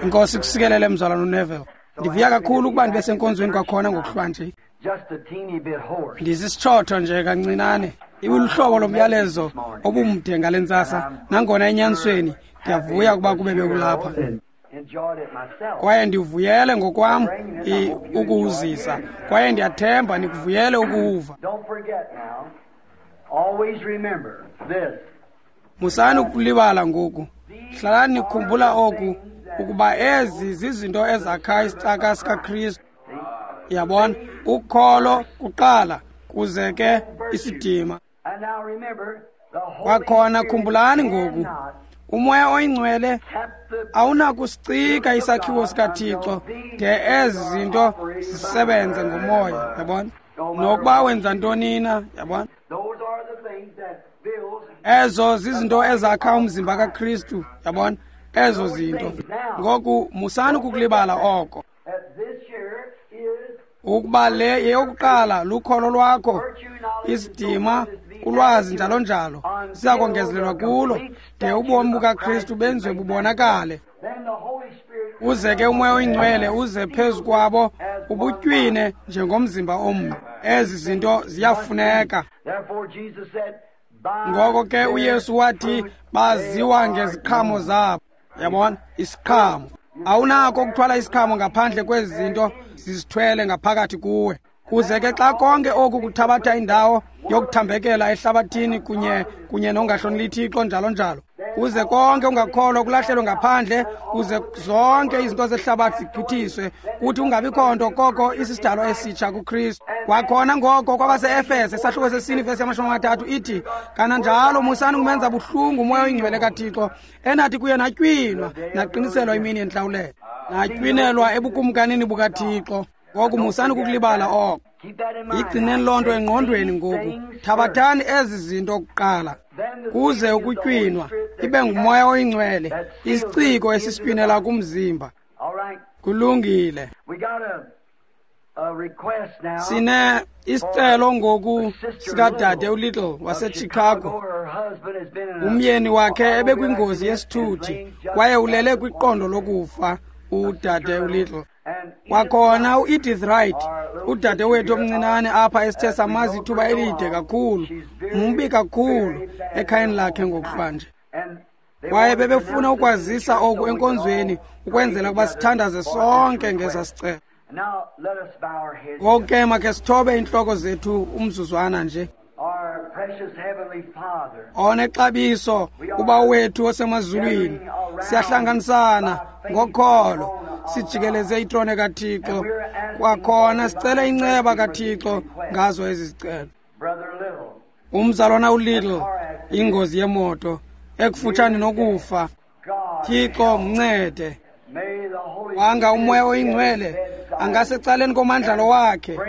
Inkosi kusikelele mzalwana uNeville. Ndivuya kakhulu ukuba ndibe senkonzweni kwakhona ngokuhlwa nje. Ndisisitshotho nje kancinane. Ibuluhlobo lomyalezo obumde ngale ntsasa, nangona enyanisweni ndiyavuya ukuba kube bekulapha. Kwaye ndivuyele ngokwam ukuwuzisa, kwaye ndiyathemba nikuvuyele ukuwuva. Musani ukulibala ngoku. Hlalani nikhumbula oku, ukuba ezi zizinto ezakha isicaka sikaKristu. Yabona, ukholo kuqala, kuze ke isidima. Kwakhona khumbulani ngoku, uMoya oyiNgcwele awunakusicika isakhiwo sikaThixo de ezi zinto zisebenze ngomoya, yabona? Nokuba wenza ntoni na, yabona? Ezo zizinto ezakha umzimba kaKristu, yabona? Ezo zinto. Ngoku musani ukukulibala oko. Ukuba le yeyokuqala lukholo lwakho, isidima, ulwazi njalo njalo, siya kongezelelwa kulo de ubomi bukaKristu benziwe bubonakale. Uze ke uMoya oyiNgcwele uze phezu kwabo ubutywine njengomzimba omnye. Ezi zinto ziyafuneka. Ngoko ke uYesu wathi baziwa ngeziqhamo zabo. Yabona, isiqhamo. Awunako ukuthwala isiqhamo ngaphandle kwezi zinto zizithwele ngaphakathi kuwe. Kuze ke xa konke oku kuthabatha indawo yokuthambekela ehlabathini kunye nongahloneli Thixo njalo njalo, kuze konke ungakholwa kulahlelwe ngaphandle, kuze zonke izinto zehlabathi zigqithiswe, kuthi kungabikho nto koko isisidalwa esitsha kuKristu. Kwakhona ngoko kwabase-Efese isahluko sesine ivesi yama-30 ithi, kananjalo musani ukumenza buhlungu uMoya oyiNgcwele kaThixo, enathi kuye natywinwa naqiniselwa imini yentlawulelo, natywinelwa ebukumkanini bukaThixo. Ngoku musani ukukulibala oko. Yigcineni loo nto engqondweni ngoku. Thabathani ezi zinto kuqala, kuze ukutywinwa ibe nguMoya oyiNgcwele, isiciko esisitywinela kumzimba. Kulungile. Sine isicelo ngoku sikadade uLittle waseChicago. Umyeni wakhe ebekwingozi yesithuthi kwaye ulele kwiqondo lokufa, udade uLittle. Kwakhona uEdith Wright, udade wethu omncinane apha esithe samazi ithuba elide kakhulu, mbi kakhulu ekhayeni lakhe ngokuhlwa nje. Kwaye bebefuna ukwazisa oku enkonzweni ukwenzela ukuba sithandaze sonke ngesa sicelo. Ngoku ke makhe sithobe iintloko zethu umzuzwana nje. Onexabiso uBawo wethu osemazulwini, siyahlanganisana ngokholo, sijikeleze itrone kaThixo. Kwakhona sicela inceba kaThixo ngazo ezi zicelo. Umzalwana uLittle, ingozi yemoto ekufutshane nokufa, Thixo mncede. Wanga uMoya oyiNgcwele angasecaleni komandlalo wakhe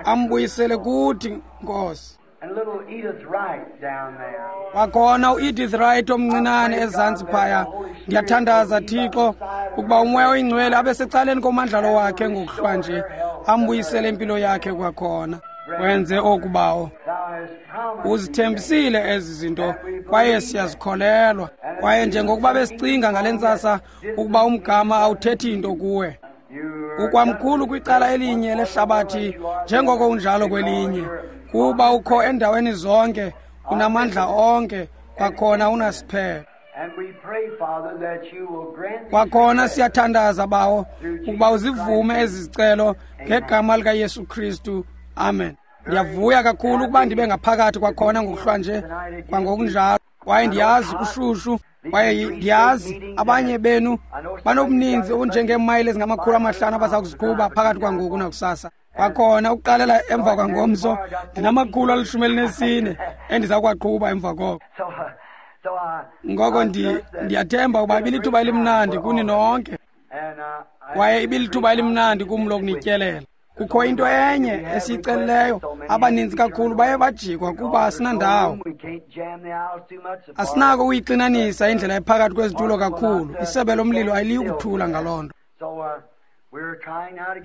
ambuyisele kuthi, Nkosi. Kwakhona uEdith Wright omncinane ezantsi phaya, ndiyathandaza Thixo ukuba uMoya oyiNgcwele abe secaleni komandlalo wakhe ngokuhlwa nje, ambuyisele impilo yakhe kwakhona. Wenze oku, Bawo. Uzithembisile ezi zinto kwaye siyazikholelwa. Kwaye njengokuba besicinga ngale ntsasa ukuba umgama awuthethi into kuwe, ukwamkhulu kwicala elinye lehlabathi njengoko unjalo kwelinye, kuba ukho endaweni zonke, unamandla onke, kwakhona unasiphelo. Kwakhona siyathandaza, Bawo, ukuba uzivume ezi zicelo ngegama likaYesu Kristu. Amen. Ndiyavuya kakhulu ukuba ndibe ngaphakathi kwakhona ngokuhlwa nje kwangokunjalo. Kwaye ndiyazi kushushu, kwaye ndiyazi abanye benu banobuninzi obunjengeemayile ezingama-500 abaza kuziqhuba phakathi kwangoku nakusasa. Kwakhona ukuqalela emva kwangomso ndinama-114 endiza kuwaqhuba emva koko. Ngoko ndiyathemba ukuba ibilithuba elimnandi kuni nonke, kwaye ibilithuba elimnandi kum lokunityelela. Kukho into enye esiyicelileyo, abaninzi kakhulu baye bajikwa kuba asinandawo. Asinako ukuyixinanisa indlela ephakathi kwezitulo kakhulu, isebe lomlilo aliyi kuthula ngaloo nto.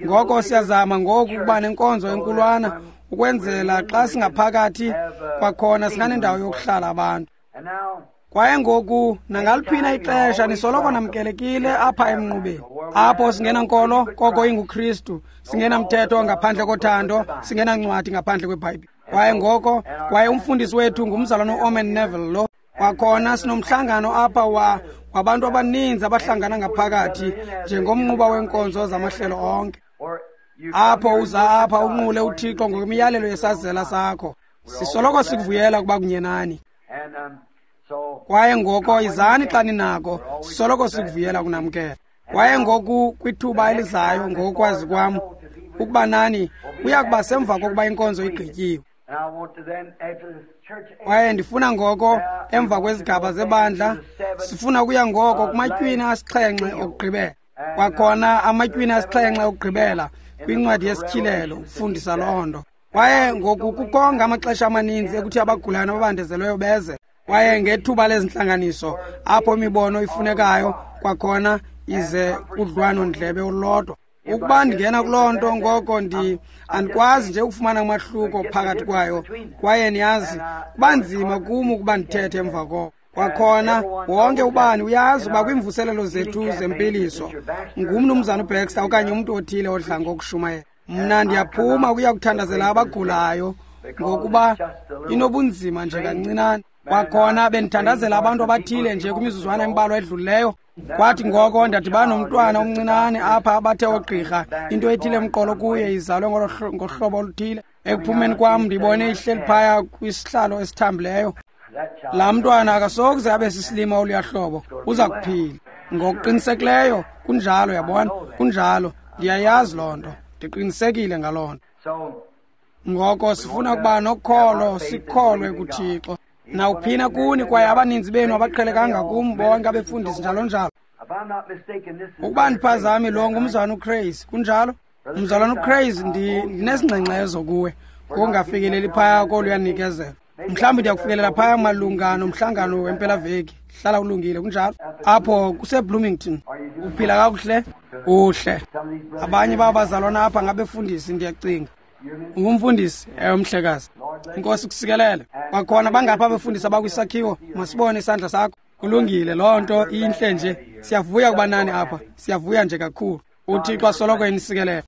Ngoko siyazama ngoku ukuba nenkonzo enkulwana ukwenzela xa singaphakathi kwakhona singanendawo yokuhlala abantu. Kwaye ngoku nangaliphina ixesha nisoloko namkelekile apha emnqubeni. Apho singenankolo koko inguKristu, singenamthetho ngaphandle kothando, singenancwadi ngaphandle kweBhayibhile. Kwaye ngoko, kwaye umfundisi wethu ngumzalwane uOrman Neville lo. Kwakhona sinomhlangano apha wabantu abaninzi abahlangana ngaphakathi njengomnquba weenkonzo zamahlelo onke. Apho uza apha unqule uThixo ngokwemiyalelo yesazela sakho. Sisoloko sikuvuyela ukuba kunye nani. Kwaye ngoko izani xa ninako, sisoloko sikuvuyela kunamkela. Kwaye ngoku kwithuba elizayo ngokwazi kwam ukuba nani kuya kuba semva kokuba inkonzo igqityiwe. Kwaye ndifuna ngoko emva kwezigaba zebandla sifuna ukuya ngoko kumatywina 7 okugqibela. Kwakhona amatywina 7 okugqibela kwincwadi yesityhilelo ukufundisa loo nto. Kwaye ngoku kukonga amaxesha amaninzi ekuthi abagulayo nababandezelweyo beze. Kwaye ngethuba lezintlanganiso apho imibono ifunekayo kwakhona ize kudlwano-ndlebe olulodwa. Ukuba ndingena kuloo nto ngoko andikwazi nje ukufumana umahluko phakathi kwayo. Kwaye niyazi kuba nzima kum ukuba ndithethe emva koko. Kwakhona wonke ubani uyazi uba kwiimvuselelo zethu zempiliso ngumnumzana uBaxter okanye umntu othile odla ngokushumayela. Mna ndiyaphuma ukuya kuthandazela abagulayo ngokuba inobunzima nje kancinane. Kwakhona bendithandazela abantu abathile nje kwimizuzwana embalwa edlulileyo. Kwathi ngoko ndadibana nomntwana omncinane apha abathe oogqirha into ethile emqolo kuye izalwe ngohlobo oluthile. Ekuphumeni kwam ndibone ihleli phaya kwisihlalo esithambileyo. Laa mntwana akasokuze abe sisilima oluya hlobo, uza kuphila ngokuqinisekileyo. Kunjalo, yabona, kunjalo. Ndiyayazi loo nto, ndiqinisekile ngaloo nto. Ngoko sifuna ukuba nokholo, sikholwe kuThixo. Nawuphina kuni, kwaye abaninzi benu abaqhelekanga kum bonke abefundisi njalo njalo. Ukuba ndiphazami lo ngumzalwana uCrazy, kunjalo? Umzalwana uCrazy, ndinesingxengxezo kuwe ngokungafikeleli phaya koluyanikezelo. Mhlawumbi ndiyakufikelela phaya malunga nomhlangano wempelaveki. Hlala ulungile, kunjalo? Apho kuseBloomington. Uphila kakuhle? Uhle. Abanye babazalwana apha ngabefundisi, ndiyacinga. Ungumfundisi? Ewe, mhlekazi. Inkosi kusikelele. Kwakhona bangapha abefundisi abakwisakhiwo, masibone isandla sakho. Kulungile, loo nto intle nje. Siyavuya kuba nani apha, siyavuya nje kakhulu. UThixo asoloko enisikelele.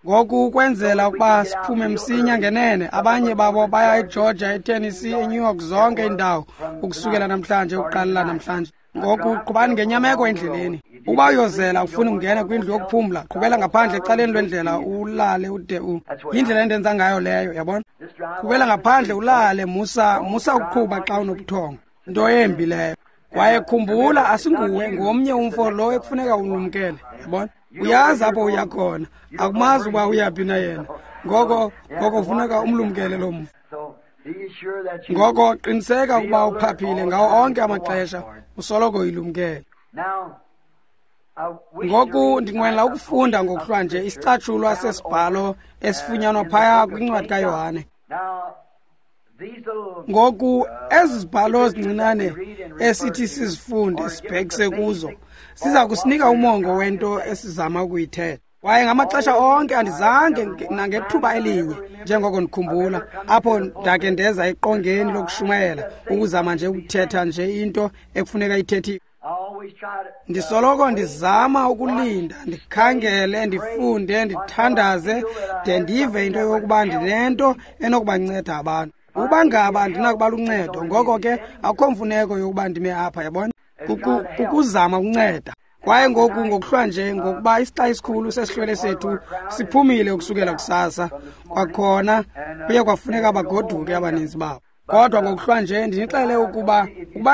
Ngoku ukwenzela ukuba siphume msinya ngenene, abanye babo baya eGeorgia, eTennessee, eNew York, zonke iindawo ukusukela namhlanje, ukuqalela namhlanje. Ngoku qhubani ngenyameko endleleni. Uba uyozela ufuna ukungena kwindlu yokuphumla, qhubela ngaphandle ecaleni lwendlela ulale ude u. Yindlela endenza ngayo leyo, yabona? Qhubela ngaphandle ulale, musa ukuqhuba xa unobuthongo. Into embi leyo. Kwaye khumbula, asinguwe, ngomnye umfo lo ekufuneka ulumkele, yabona? Uyazi apho uya khona, akumazi uba uyaphi na yena. Ngoko kufuneka umlumkele lo mfo. Ngoko qiniseka ukuba uphaphile ngawo onke amaxesha, usoloko uyilumkele. Ngoku ndinqwenela ukufunda ngokuhlwa nje isicatshulwa sesibhalo esifunyanwa phaya kwincwadi kaYohane. Ngoku ezi zibhalo zincinane esithi sizifunde sibhekise kuzo siza kusinika umongo wento esizama ukuyithetha. Kwaye ngamaxesha onke andizange nangethuba elinye njengoko ndikhumbula apho ndake ndeza eqongeni lokushumayela ukuzama nje ukuthetha nje into ekufuneka ithethiwe. Ndisoloko ndizama ukulinda, ndikhangele, ndifunde, ndithandaze de ndive into yokuba ndinento enokubanceda abantu. Ukuba ngaba andinakuba luncedo, ngoko ke akukho mfuneko yokuba ndime apha, yabona? Kukuzama ukunceda. Kwaye ngoku ngokuhlwa nje ngokuba isixa esikhulu sesihlwele sethu siphumile ukusukela kusasa, kwakhona kuye kwafuneka bagoduke abaninzi babo. Kodwa ngokuhlwa nje ndinixele ukuba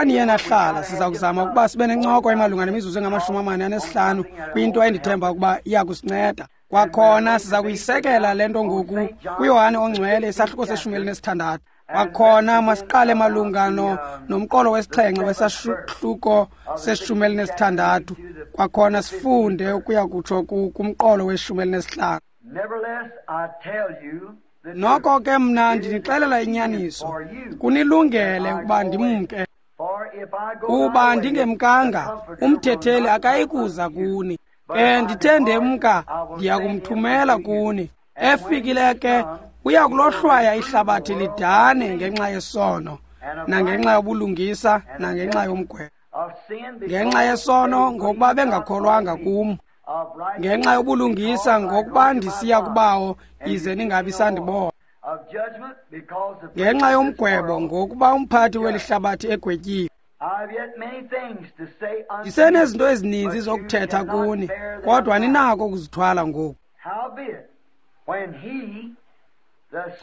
niye nahlala, siza kuzama ukuba sibe nencoko emalunga nemizuzu engama-45 kwinto endithemba ukuba iya kusinceda. Kwakhona siza kuyisekela le nto ngoku kuYohane oNgcwele isahluko se-16. Kwakhona masiqale malunga nomqolo wesixhenxe wesahluko se-16. Kwakhona sifunde ukuya kutsho kumqolo we-15. Noko ke mna ndinixelela inyaniso, kunilungele ukuba ndimke. Kuba ndingemkanga, umthetheli akayikuza kuni. Ke ndithe ndemka, ndiya kumthumela kuni. Efikile ke uya kulohlwaya ihlabathi lidane ngenxa yesono, nangenxa yobulungisa, nangenxa yomgwebo. Ngenxa yesono, ngokuba bengakholwanga kum. Ngenxa yobulungisa, ngokuba ndisiya kuBawo, ize ningabi sandibona. Ngenxa yomgwebo, ngokuba umphathi weli hlabathi egwetyiwe. Ndisenezinto ezininzi zokuthetha kuni, kodwa ninako ukuzithwala ngoku.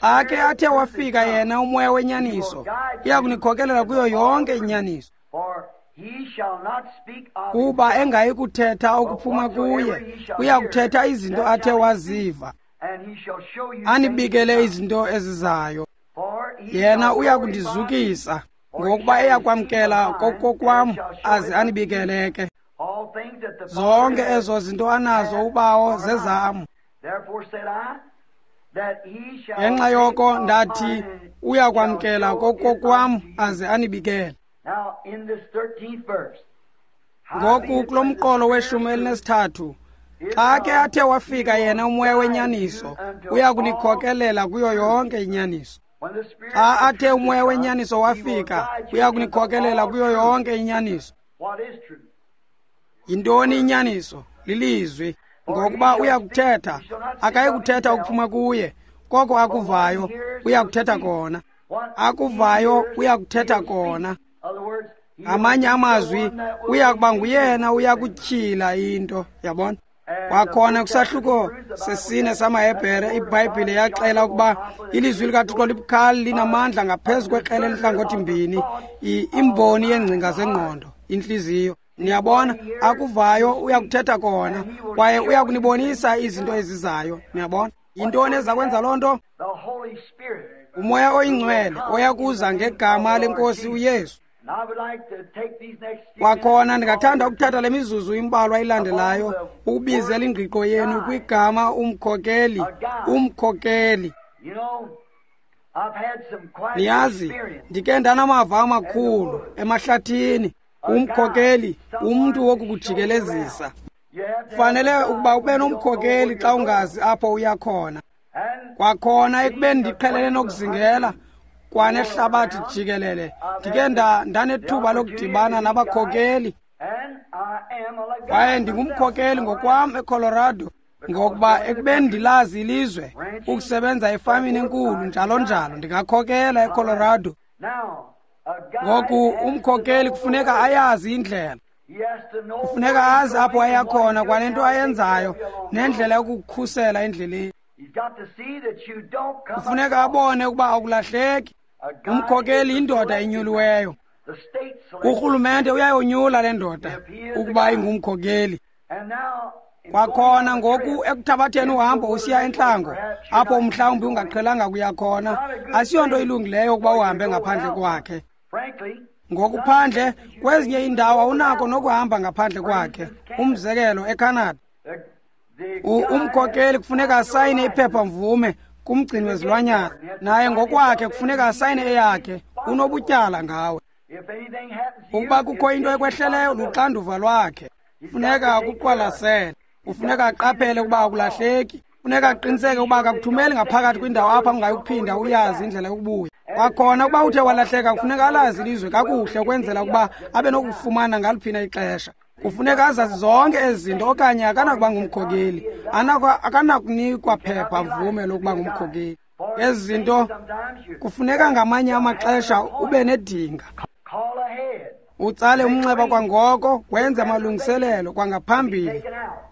Xa ke athe wafika yena uMoya wenyaniso, uya kunikhokelela kuyo yonke inyaniso. Kuba engayi kuthetha okuphuma kuye, uya kuthetha izinto athe waziva, anibikele izinto ezizayo. Yena uya kundizukisa, ngokuba eyakwamkela kokokwam, aze anibikele ke. Zonke ezo zinto anazo uBawo zezam. Ngenxa yoko ndathi uyakwamkela kokokwam, aze anibikele. Ngoku kulo mqolo we-13, xa ke athe wafika yena uMoya wenyaniso, uya kunikhokelela kuyo yonke inyaniso. Xa athe uMoya wenyaniso wafika, uya kunikhokelela kuyo yonke inyaniso. Yintoni inyaniso? Lilizwi. Ngokuba uya kuthetha, akayi kuthetha ukuphuma kuye, koko akuvayo uya kuthetha kona. Akuvayo uya kuthetha kona. Amanye amazwi, uya kuba nguyena uya kutyhila into, yabona. Kwakhona kwisahluko sesine samaHebhere, iBhayibhile yaxela ukuba ilizwi likaThixo libukhali, linamandla ngaphezu kwekrele elihlangothi mbini, imboni yeengcinga zengqondo, intliziyo. Niyabona, akuvayo uya kuthetha kona, kwaye uya kunibonisa izinto ezizayo. Niyabona, yintoni eza kwenza loo nto? UMoya oyiNgcwele oya kuza ngegama leNkosi uYesu. Kwakhona ndingathanda ukuthatha le mizuzu imbalwa ilandelayo ukubizela ingqiqo yenu kwigama umkhokeli, umkhokeli. Niyazi, ndike ndanamava amakhulu emahlathini. Umkhokeli, umntu wokukujikelezisa. Kufanele ukuba ube nomkhokeli xa ungazi apho uya khona. Kwakhona ekubeni ndiqhelene nokuzingela kwanehlabathi jikelele, ndike ndanethuba lokudibana nabakhokeli. Kwaye ndingumkhokeli ngokwam eColorado, ngokuba ekubeni ndilazi ilizwe, ukusebenza efamini enkulu njalo njalo, ndingakhokela eColorado. Ngoku umkhokeli kufuneka ayazi indlela, kufuneka azi apho aya khona kwanento ayenzayo nendlela yokukhusela endleleni. Kufuneka abone ukuba akulahleki. Umkhokeli yindoda enyuliweyo. Urhulumente uyayonyula le ndoda ukuba ingumkhokeli. Kwakhona ngoku ekuthabatheni uhambo usiya entlango, apho mhlawumbi ungaqhelanga kuya khona, asiyonto ilungileyo ukuba uhambe ngaphandle kwakhe. Ngokuphandle kwezinye iindawo awunako nokuhamba ngaphandle kwakhe. Umzekelo, eCanada, umkhokeli kufuneka asayine iphepha-mvume kumgcini wezilwanyana, naye ngokwakhe kufuneka asayine eyakhe. Unobutyala ngawe. Ukuba kukho into ekwehleleyo, luxanduva lwakhe. Kufuneka akuqwalasele, kufuneka aqaphele ukuba akulahleki, kufuneka aqiniseke ukuba akakuthumeli ngaphakathi kwindawo apho ungayukuphinda uyazi indlela yokubuya. Kwakhona ukuba uthe walahleka, kufuneka alazi ilizwe kakuhle ukwenzela ukuba abe nokufumana ngaliphina ixesha. Kufuneka azazi zonke ezi zinto, okanye akanakuba ngumkhokeli, akanakunikwa phepha mvume lokuba ngumkhokeli. Ezi zinto kufuneka ngamanye amaxesha ube nedinga, utsale umnxeba kwangoko, wenze amalungiselelo kwangaphambili,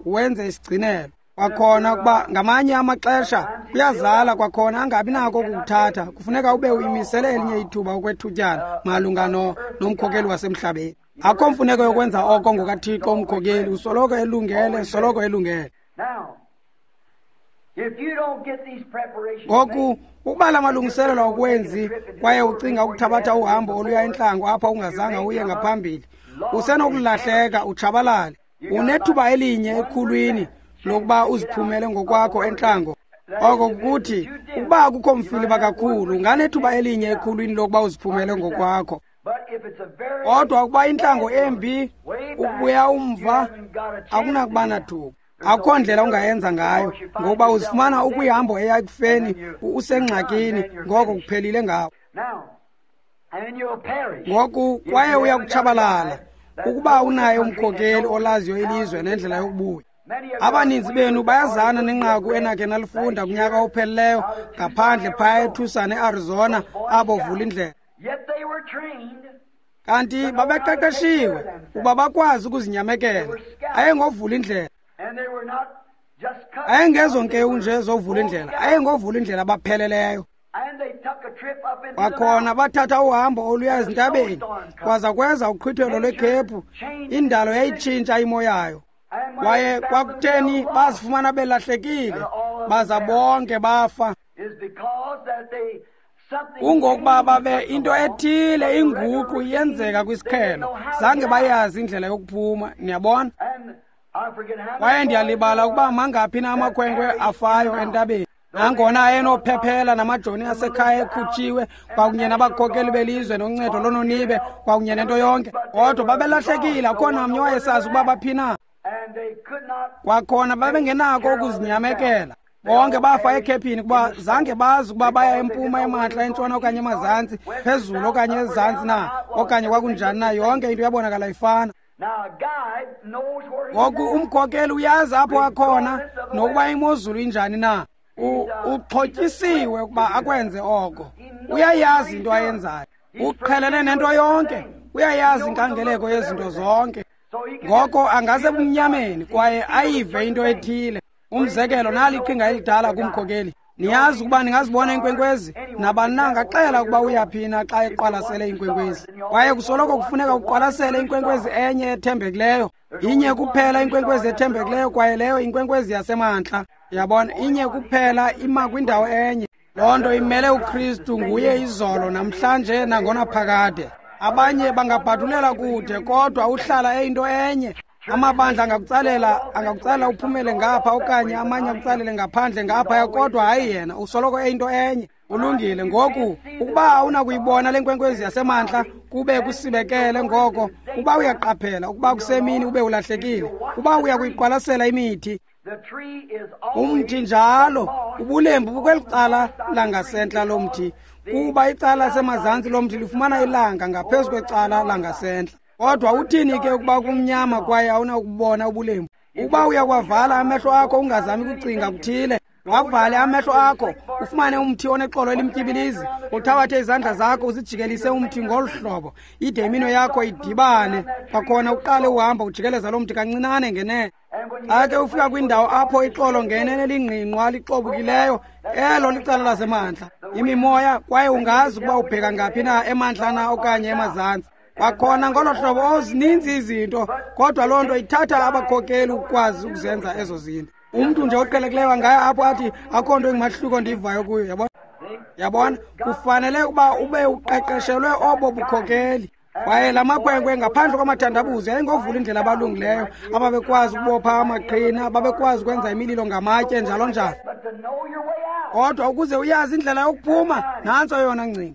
wenze isigcinelo. Kwakhona ukuba ngamanye amaxesha kuyazala, kwakhona angabi nako ukukuthatha, kufuneka ube uyimisele elinye ithuba okwethutyana malunga nomkhokeli wasemhlabeni. Akho mfuneko yokwenza oko ngokaThixo. Umkhokeli usoloko elungele, soloko elungele. Ngoku ukuba la malungiselelo awukwenzi kwaye ucinga ukuthabatha uhambo oluya entlango apho ungazange uye ngaphambili, usenokulahleka utshabalale. Unethuba elinye ekhulwini lokuba uziphumele ngokwakho entlango. Oko kukuthi ukuba akukho mfiliba kakhulu, unganethuba elinye ekhulwini lokuba uziphumele ngokwakho. Kodwa ukuba intlango embi, ukubuya umva akunakuba nathuba. Akukho ndlela ungayenza ngayo, ngokuba uzifumana ukwihambo eya ekufeni, usengxakini, ngoko kuphelile ngawo. Ngoku kwaye uya kutshabalala ukuba unaye umkhokeli olaziyo ilizwe nendlela yokubuya. Abaninzi benu bayazana nenqaku enakhe nalifunda kunyaka ophelileyo ngaphandle phaya eTucson, eArizona, abo vula indlela. Kanti babeqeqeshiwe ukuba bakwazi ukuzinyamekela. Ayengovula indlela. Ayengezonkewu nje zovula indlela, ayengovula indlela abapheleleyo. Kwakhona bathatha uhambo oluya ezintabeni, kwaza kweza uqhwithelo lwekhephu, indalo yayitshintsha imo yayo. Kwaye kwakutheni bazifumana belahlekile, baza bonke bafa. Kungokuba babe into ethile inguqu iyenzeka kwisiqhelo, zange bayazi indlela yokuphuma, niyabona? Kwaye ndiyalibala ukuba mangaphi na amakhwenkwe afayo entabeni. Nangona ayenophephela namajoni asekhaya ekhutshiwe kwakunye nabakhokeli belizwe noncedo lononibe kwakunye nento yonke, kodwa babelahlekile, akho namnye wayesazi ukuba baphi na. Kwakhona babengenako ukuzinyamekela. Bonke bafa ekhephini kuba zange bazi ukuba baya empuma, emantla, entshona okanye emazantsi, phezulu okanye ezantsi na, okanye kwakunjani na, yonke into yabonakala ifana. Ngoku umkhokeli uyazi apho akhona nokuba imozulu injani na. Uxhotyisiwe ukuba akwenze oko. Uyayazi into ayenzayo. Uqhelene nento yonke. Uyayazi inkangeleko yezinto zonke. Ngoko angase ebumnyameni kwaye ayive into ethile. Umzekelo, nali iqhinga elidala kumkhokeli. Niyazi ukuba ningazibona iinkwenkwezi, nabani na angaxela ukuba uyaphi na xa eqwalasele iinkwenkwezi. Kwaye kusoloko kufuneka uqwalasele inkwenkwezi enye ethembekileyo. Inye kuphela inkwenkwezi ethembekileyo, kwaye leyo inkwenkwezi yasemantla. Yabona, inye kuphela ima kwindawo enye. Loo nto imele uKristu, nguye izolo, namhlanje nangonaphakade. Abanye bangabhadulela kude, kodwa uhlala eyinto enye. Amabandla angakutsalela uphumele ngapha okanye amanye akutsalele ngaphandle ngapha, kodwa hayi yena, usoloko eyinto enye. Ulungile. Ngoku ukuba awunakuyibona le nkwenkwezi yasemantla kube kusibekele, ngoko uba uyaqaphela ukuba kusemini ube ulahlekile, uba uya kuyiqwalasela imithi, umthi njalo ubulembu bukweli cala langasentla lomthi, kuba icala lasemazantsi lomthi lifumana ilanga ngaphezu kwecala langasentla. Kodwa uthini ke ukuba kumnyama kwaye awunakubona ubulembu? Ukuba uyakwavala amehlo akho ungazami kucinga kuthile, wavale amehlo akho ufumane umthi onexolo elimtyibilizi, uthabathe izandla zakho uzijikelise umthi ngolu hlobo, ide iminwe yakho idibane. Kwakhona uqale uhamba ujikeleza lo mthi kancinane ngenene. Xa ke ufika kwindawo apho ixolo ngenene lingqingqwa lixobukileyo, elo licala lasemantla, imimoya, kwaye ungazi ukuba ubheka ngaphi na, emantla na okanye emazantsi. Kwakhona ngolo hlobo zininzi izinto, kodwa loo nto ithatha abakhokeli ukukwazi ukuzenza ezo zinto. Umntu nje oqhelekileyo angaya apho athi akho nto ingumahluko ndiyivayo kuyo, yabona? Yabona, kufanele ukuba ube uqeqeshelwe obo bukhokeli. Kwaye la makhwenkwe ngaphandle kwamathandabuzo yayingovula indlela abalungileyo, ababekwazi ukubopha amaqhina, ababekwazi ukwenza imililo ngamatye njalo njalo. Kodwa ukuze uyazi indlela yokuphuma, nantso yona ngcinga.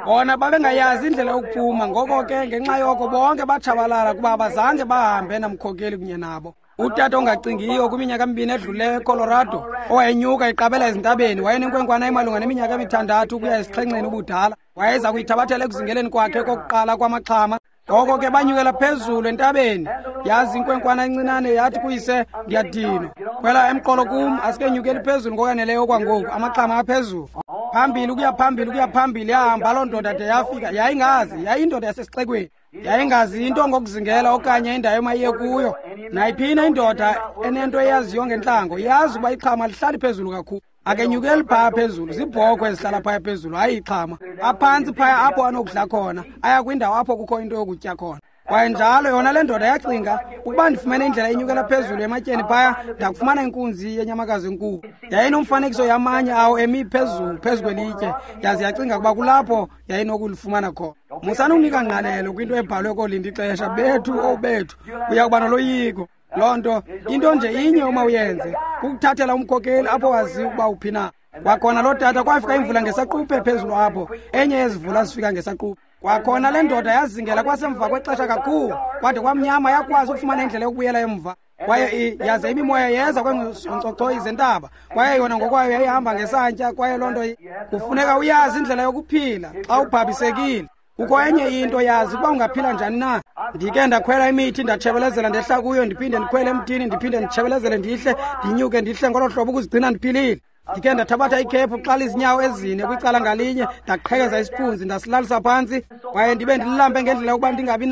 Bona babengayazi indlela yokuphuma, ngoko ke ngenxa yoko bonke batshabalala kuba abazange bahambe namkhokeli kunye nabo. Utata ongacingiyo kwiminyaka emibini edlulileyo eColorado, owayenyuka eqabela ezintabeni, wayenenkwenkwana emalunga neminyaka emithandathu ukuya esixhenxeni ubudala. Wayeza kuyithabathela ekuzingeleni kwakhe kokuqala kwamaxhama. Ngoko ke banyukela phezulu entabeni, yazi inkwenkwana encinane yathi kuyise, ndiyadinwa, khwela emqolo kum, asikenyukeli phezulu ngokwaneleyo okwangoku, amaxhama aphezulu. Phambili ukuya phambili ukuya phambili, yahamba loo ndoda de yafika. Yayingazi, yayindoda yasesixekweni, yayingazi into ngokuzingela okanye indawo emayiye kuyo. Nayiphina indoda enento eyaziyo ngentlango yazi ukuba ixhama lihlali phezulu kakhulu. Akenyukeli phaya phezulu, ziibhokhwe ezihlala phaya phezulu, hayi ixhama. Aphantsi phaya apho anokudla khona, aya kwindawo apho kukho into yokutya khona. Kwaye njalo yona le ndoda yacinga, ukuba ndifumene indlela enyukela phezulu ematyeni phaya, ndakufumana inkunzi yenyamakazi enkulu. Yayinomfanekiso yamanye awo emi phezulu phezu kwelitye, yaze yacinga ukuba kulapho yayinokulifumana khona. Musani ukunika ngqalelo kwinto ebhalwe kolinda ixesha, bethu obethu, uya kuba noloyiko. Loo nto into nje inye uma uyenze kukuthathela umkhokeli apho waziyo ukuba uphi na. Kwakhona loo tata kwafika imvula ngesaquphe phezulu apho, enye yezivula zifika ngesaquphe. Kwakhona le ndoda yazingela kwasemva kwexesha kakhulu, kwade kwamnyama, yakwazi ukufumana indlela yokubuyela emva. Kwaye yaze imimoya yeza kwezonkcochoyi zentaba, kwaye yona ngokwayo yayihamba ngesantya. Kwaye loo nto kufuneka uyazi indlela yokuphila xa ubhabhisekile. Kukho enye into, yazi ukuba ungaphila njani na. Ndike ndakhwela imithi, ndatshebelezela ndehla kuyo, ndiphinde ndikhwele emthini, ndiphinde nditshebelezele ndihle, ndinyuke ndihle ngolo hlobo ukuzigcina ndiphilile. Ndike ndathabatha ikhephu xa lizinyawo ezine kwicala ngalinye, ndaqhekeza isiphunzi ndasilalisa phantsi, kwaye ndibe ndililambe ngendlela yokuba ndingabi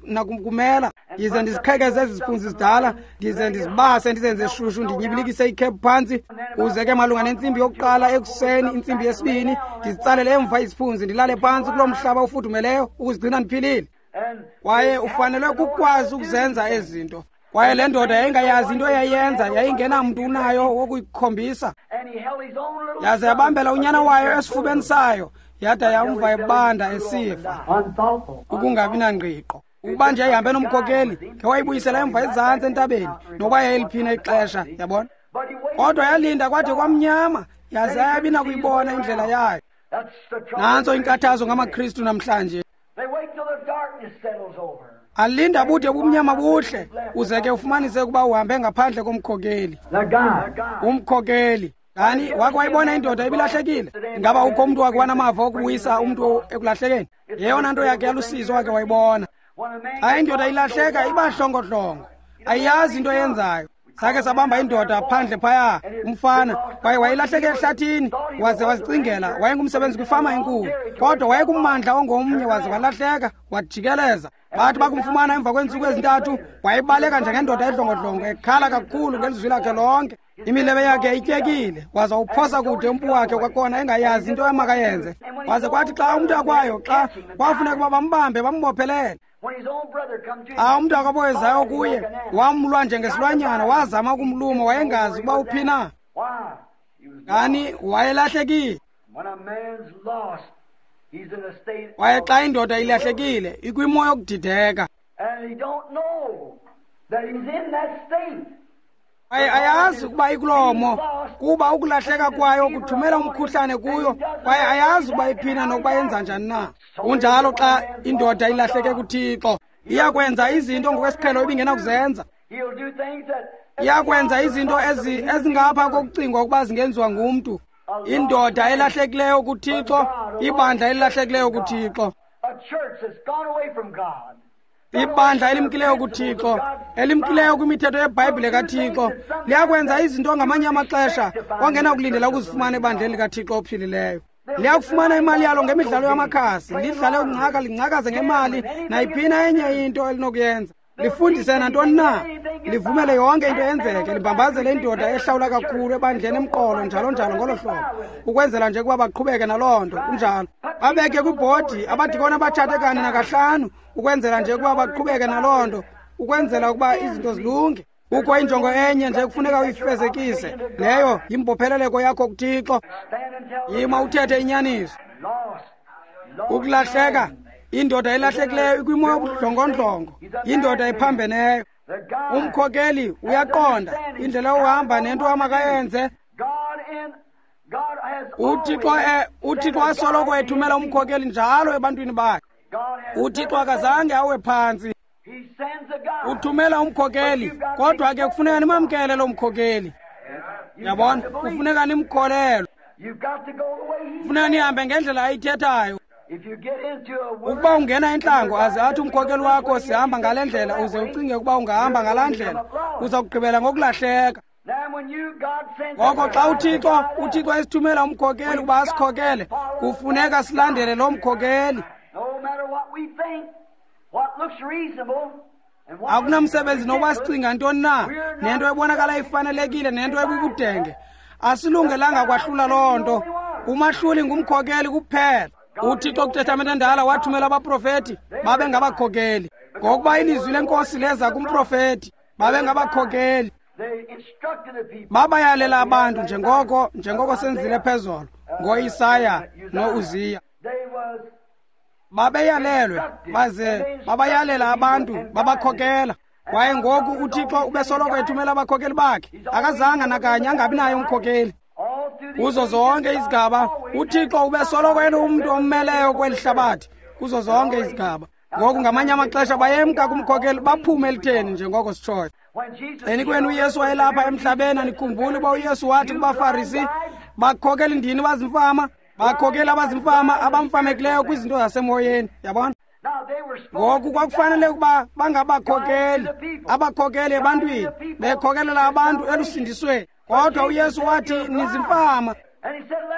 nakumela, ndize ndiziqhekeze ezi ziphunzi zidala, ndize ndizibase, ndizenze shushu, ndinyibilikise ikhephu phantsi, kuze ke malunga nentsimbi yokuqala ekuseni, intsimbi yesibini, ndizitsalele emva iziphunzi, ndilale phantsi kuloo mhlaba ufudumeleyo ukuzigcina ndiphilile. Kwaye ufanelwe kukwazi ukuzenza ezi zinto. Kwaye le ndoda yayingayazi into eyayenza, yayingenamntu unayo wokuyikhombisa. Yaze yabambela unyana wayo esifubeni sayo, yada yamva ebanda esifa. Ukungabi nangqiqo. Ukuba nje yayihambe nomkhokeli, ngewayibuyisela emva ezantsi entabeni, nokuba yayiliphina ixesha, yabona. Kodwa yalinda kwade kwamnyama, yaze ayabi nakuyibona indlela yayo. Nantso inkathazo ngamaKristu namhlanje. Alinda bude bumnyama buhle, uze ke ufumanise ukuba uhambe ngaphandle komkhokeli. Umkhokeli. Kani wake wayibona indoda ibilahlekile? Ingaba ukho umntu wake wanamava okubuyisa umntu ekulahlekeni? Yeyona nto yakhe yalusizo wake wayibona. Xa indoda ilahleka iba hlongohlongo, ayiyazi into eyenzayo. Sake sabamba indoda phandle phaya, umfana, kwaye wayilahleke ehlathini, waze wazicingela wayengumsebenzi kwifama enkulu, kodwa wayekummandla ongomnye, waze walahleka, wajikeleza. Bathi bakumfumana emva kweentsuku ezintathu, wayebaleka njengendoda edlongodlongo, ekhala kakhulu ngelizwi lakhe lonke. Imilebe yakhe ityekile, waza uphosa kude umpu wakhe kwakhona, engayazi into emakayenze. Waze kwathi xa umntu akwayo, xa kwafuneka ukuba bambambe bambophelele, xa umntu akaboyezayo kuye, wamlwa njengesilwanyana, wazama ukumluma, wayengazi ukuba uphi na. Kani wayelahlekile. Kwaye xa indoda ilahlekile, ikwimo yokudideka. Kwaye ayazi ukuba ikulomo, kuba ukulahleka kwayo kuthumela umkhuhlane kuyo, kwaye ayazi ukuba iphina nokuba yenza njani na. Kunjalo xa indoda ilahleke kuThixo, iyakwenza izinto ngokwesiqhelo ibingenakuzenza. Iyakwenza izinto ezingapha kokucingwa ukuba zingenziwa ngumntu. Indoda elahlekileyo kuThixo, ibandla elilahlekileyo kuThixo, ibandla elimkileyo kuThixo, elimkileyo kwimithetho yeBhayibhile kaThixo, liyakwenza izinto ngamanye amaxesha ongenakulindela ukuzifumana ebandleni likaThixo ophilileyo. Liyakufumana imali yalo ngemidlalo yamakhasi, lidlale ungcaka, lingcakaze ngemali, nayiphina enye into elinokuyenza. Lifundise nantoni na, livumele yonke into yenzeke, libambazele indoda ehlawula kakhulu ebandleni emqolo, njalo njalo ngolo hlobo, ukwenzela nje ukuba baqhubeke naloo nto. Kunjalo. Babeke kwibhodi abadikoni abatshate kane nakahlanu, ukwenzela nje ukuba baqhubeke naloo nto, ukwenzela ukuba izinto zilunge. Kukho injongo enye nje kufuneka uyifezekise, leyo yimbopheleleko yakho kuThixo. Yima uthethe inyaniso. Ukulahleka, indoda elahlekileyo ikwimo yobudlongondlongo, indoda ephambeneyo. Umkhokeli uyaqonda indlela yokuhamba nento amakayenze. uThixo asoloko ethumela umkhokeli njalo ebantwini bakhe. uThixo akazange awe phantsi. Uthumela umkhokeli, kodwa ke kufuneka nimamkele lo mkhokeli. Yabona, kufuneka nimkholelwe. Kufuneka nihambe ngendlela ayithethayo. Ukuba ungena entlango aze athi umkhokeli wakho sihamba ngale ndlela, uze ucinge ukuba ungahamba ngalaa ndlela, uza kugqibela ngokulahleka. Ngoko xa uThixo esithumela umkhokeli ukuba asikhokele, kufuneka silandele lo mkhokeli. Akunamsebenzi nokuba sicinga ntoni na, nento ebonakala ifanelekile nento ebubudenge, asilungelanga kwahlula loo nto. Umahluli ngumkhokeli kuphela. uThixo kwiTestamente endala wathumela abaprofeti, babe ngabakhokeli. Ngokuba ilizwi lenkosi leza kumprofeti, babe ngabakhokeli. Babayalela abantu njengoko senzile phezolo ngoIsaya noUziya. Babeyalelwe baze babayalela abantu, babakhokela. Kwaye ngoku uThixo ubesoloko ethumela abakhokeli bakhe, akazange nakanye angabi naye umkhokeli. Kuzo zonke izigaba uThixo ubesoloko enomntu ommeleyo kweli hlabathi, kuzo zonke izigaba. Ngoku ngamanye amaxesha bayemka kumkhokeli baphume elitheni njengoko sitshoyo. Xeni kwenu uYesu wayelapha emhlabeni, andikhumbuli uba uYesu wathi kubaFarisi, bakhokeli ndini bazimfama, bakhokeli abazimfama abamfamekileyo kwizinto zasemoyeni. Yabona? Ngoku kwakufanele ukuba bangabakhokeli, abakhokeli ebantwini, bekhokelela abantu elusindisweni. Kodwa uYesu wathi nizimfama.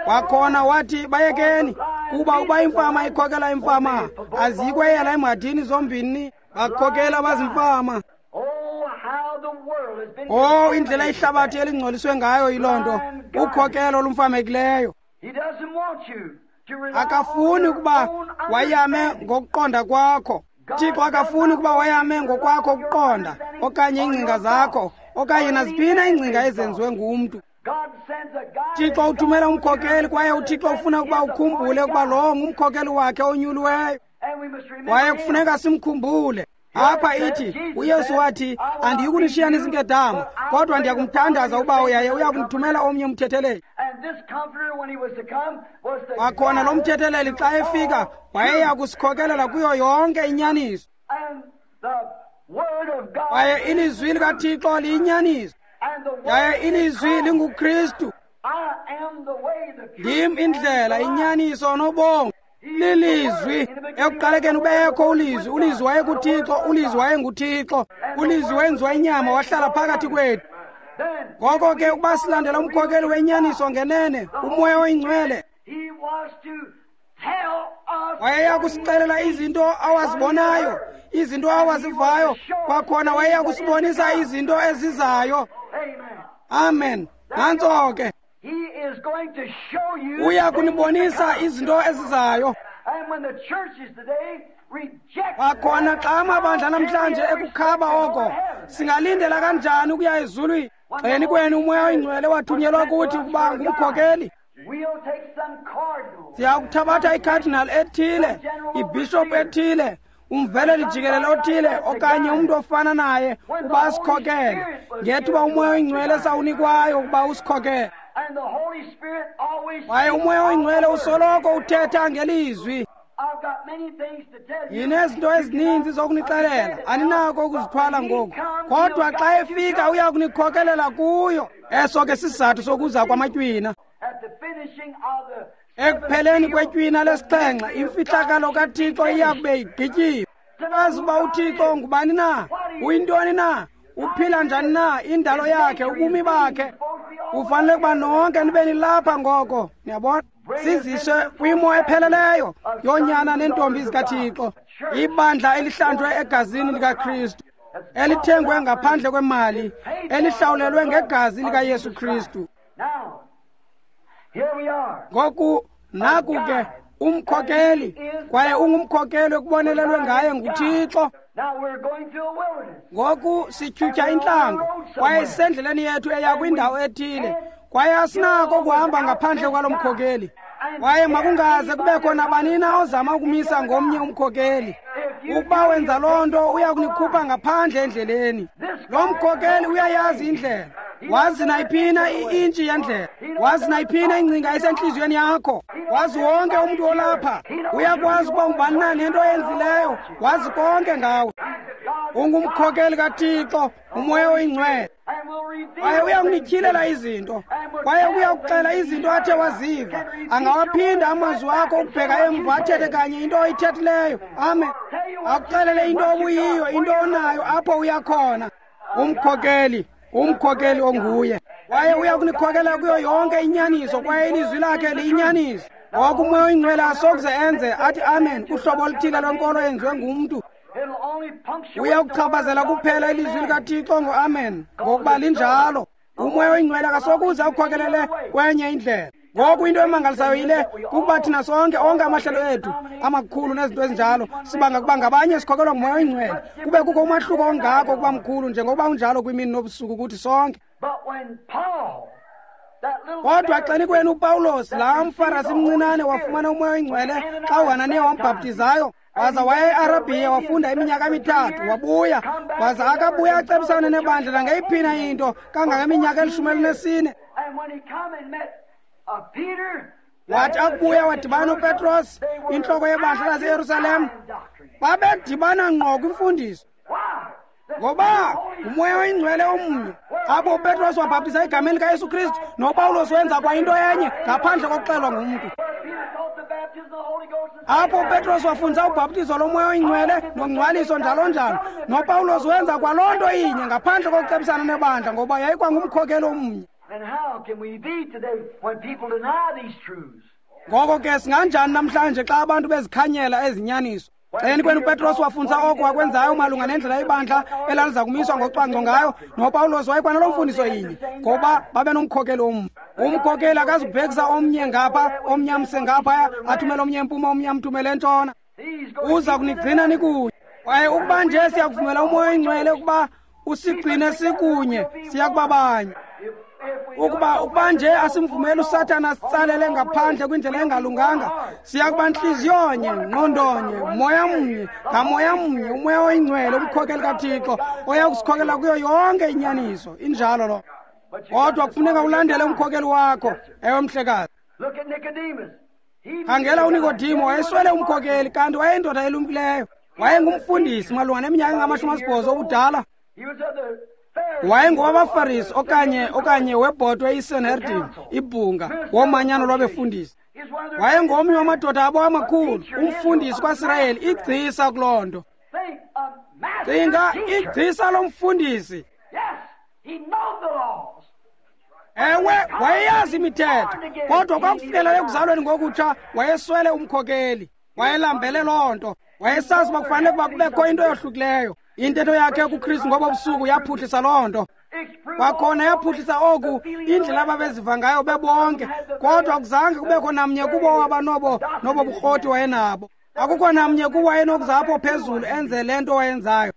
Kwakhona wathi bayekeni, kuba uba imfama ikhokela imfama, aziyikweyela emhadini zombini. Bakhokela abazimfama. Oh, indlela ihlabathi elingcoliswe ngayo yiloo nto, ukhokelo olumfamekileyo. Akafuni ukuba wayame ngokuqonda kwakho. Thixo akafuni ukuba wayame ngokwakho ukuqonda, okanye iingcinga zakho, okanye naziphina iingcinga ezenziwe ngumntu. Thixo uthumela umkhokeli, kwaye uThixo ufuna ukuba ukhumbule ukuba lowo ngumkhokeli wakhe onyuliweyo, kwaye kufuneka simkhumbule. Apha ithi uYesu wathi, andiyikunishiya nizinkedama, kodwa ndiyakumthandaza uBawo, yaye uyakumthumela omnye umthetheleli. Kwakhona lo mthetheleli xa efika wayeya kusikhokelela kuyo yonke inyaniso, kwaye ilizwi likaThixo liyinyaniso, yaye ilizwi linguKristu. Ndim indlela, inyaniso nobomi. Lilizwi. Ekuqalekeni ubekho ulizwi, ulizwi wayekuThixo, ulizwi wayenguThixo, ulizwi wenziwa inyama wahlala phakathi kwethu. Ngoko ke ukuba silandela umkhokeli wenyaniso ngenene, uMoya oyiNgcwele, wayeya kusixelela izinto awazibonayo, izinto awazivayo, kwakhona wayeya kusibonisa izinto ezizayo. Amen. Nantso ke. Uya kunibonisa izinto ezizayo. Kwakhona xa amabandla namhlanje ekukhaba oko, singalindela kanjani ukuya ezulwini? Xeni kwenu uMoya oyiNgcwele wathunyelwa kuthi ukuba ngumkhokeli. Siyakuthabatha ikhadinali ethile, ibhishophu ethile, umveleli jikelele othile, okanye umntu ofana naye ukuba asikhokele, ngethuba uMoya oyiNgcwele sawunikwayo ukuba usikhokele. Kwaye uMoya oyiNgcwele usoloko uthetha ngelizwi. Yinezinto ezininzi zokunixelela, aninako ukuzithwala ngoku, kodwa xa efika uya kunikhokelela kuyo. Eso ke sisizathu sokuza kwamatywina. Ekupheleni kwetywina lesixhenxe, imfihlakalo kaThixo iya kube igqityiwe. Azi uba uThixo ngubani na, uyintoni na, uphila njani na, indalo yakhe, ubumi bakhe. Ufanele ukuba nonke nibe nilapha ngoko, niyabona? Siziswe kwimo epheleleyo yoonyana neentombi zikaThixo, ibandla elihlanjwe egazini likaKristu, elithengwe ngaphandle kwemali, elihlawulelwe ngegazi likaYesu Kristu. Ngoku naku ke umkhokeli, kwaye ungumkhokeli ekubonelelwe ngaye nguThixo. Ngoku sityhutyha intlango, kwaye sisendleleni yethu eya kwindawo ethile, kwaye asinako ukuhamba ngaphandle kwalo mkhokeli. Kwaye makungaze kubekho nabani na ozama ukumisa ngomnye umkhokeli. Ukuba wenza loo nto, uya kunikhupha ngaphandle endleleni. Lo mkhokeli uyayazi indlela, wazi nayiphina i-intshi yendlela, wazi nayiphina ingcinga esentliziyweni yakho, wazi wonke umntu olapha. Uyakwazi ukuba ungubani na nento oyenzileyo, wazi konke ngawe. Ungumkhokeli kaThixo, uMoya oyiNgcwele, kwaye uyakunityhilela izinto, kwaye uyakuxela izinto athe waziva. Angawaphinda amazwi akho ukubheka emva, athethe kanye into oyithethileyo. Amen. Akuxelele into obuyiyo, into onayo, apho uyakhona. Umkhokeli, umkhokeli onguye, kwaye uya kunikhokela kuyo yonke inyaniso, kwaye ilizwi lakhe liyinyaniso. Ngoku uMoya oyiNgcwele asokuze enze athi amen kuhlobo oluthile lwenkolo eyenziwe ngumntu. Uya kuchaphazela kuphela ilizwi likaThixo ngo-amen, ngokuba linjalo. UMoya oyiNgcwele akasokuze akukhokelele kwenye indlela. Ngoku into emangalisayo yile, kukuba thina sonke, onke amahlelo ethu amakhulu nezinto ezinjalo, sibanga kuba ngabanye sikhokelwa nguMoya oyiNgcwele, kube kukho umahluko ongako ukuba mkhulu njengokuba unjalo kwimini nobusuku kuthi sonke. Kodwa xeni kwenu uPawulos, laa mFarasi mncinane, wafumana uMoya oyiNgcwele xa uHananiya wambhaptizayo, waza waya eArabhiya, wafunda iminyaka emithathu, wabuya, waza akabuya acebisane nebandla nangeyiphina into kangangeminyaka 14. Wathi akubuya wadibana uPetros, intloko yebandla laseYerusalem. Babedibana ngqo kwimfundiso. Ngoba uMoya oyiNgcwele omnye. Apho uPetros wabhaptiza egameni likaYesu Kristu, noPawulos wenza kwa into enye ngaphandle kokuxelwa ngumntu. Apho uPetros wafundisa ubhaptizo loMoya oyiNgcwele nongcwaliso njalo njalo, noPawulos wenza kwaloo nto inye ngaphandle kokucebisana nebandla, ngoba yayikwangumkhokeli omnye. Ngoko ke singanjani namhlanje xa abantu bezikhanyela ezinyaniso? Xeni kwenu uPetros wafundisa oko wakwenzayo malunga nendlela ibandla elaliza kumiswa ngocwangco ngayo, noPawulos wayekwanaloo mfundiso inye, ngoba babenomkhokeli omnye. Umkhokeli akazubhekisa omnye ngapha, omnye amse ngaphaya, athumele omnye empuma, omnye amthumele entshona. Uza kunigcina nikunye. Kwaye ukuba nje siyakuvumela uMoya oyiNgcwele ukuba usigcine sikunye, siya kuba banye. Ukuba nje asimvumeli uSathana asitsalele ngaphandle kwindlela engalunganga, siya kuba ntliziyonye, ngqondonye, moya mnye, ngamoya mnye, uMoya oyiNgcwele, umkhokeli kaThixo, oya kusikhokela kuyo yonke inyaniso. Injalo lo. Kodwa kufuneka ulandele umkhokeli wakho. Ewe, mhlekazi. Khangela uNikodimo, wayeswele umkhokeli, kanti wayeyindoda elumkileyo. Wayengumfundisi malunga neminyaka engama-80 obudala. WayengowabaFarisi okanye webhotwe iSanhedrin, ibhunga womanyano lwabefundisi. Wayengomnye wamadoda abo amakhulu, umfundisi kwaSirayeli, igcisa kuloo nto. Cinga, igcisa lomfundisi. Ewe, wayeyazi imithetho, kodwa kwakufikela ekuzalweni ngokutsha wayeswele umkhokeli. Wayelambele loo nto. Wayesazi uba kufanele ukuba kubekho into eyohlukileyo. Intetho yakhe kuKristu ngobo busuku yaphuhlisa loo nto. Kwakhona yaphuhlisa oku, indlela ababeziva ngayo bebonke, kodwa akuzange kubekho namnye kubo owaba nobo burhoti wayenabo. Akukho namnye kubo wayenokuza apho phezulu enze le nto wayenzayo.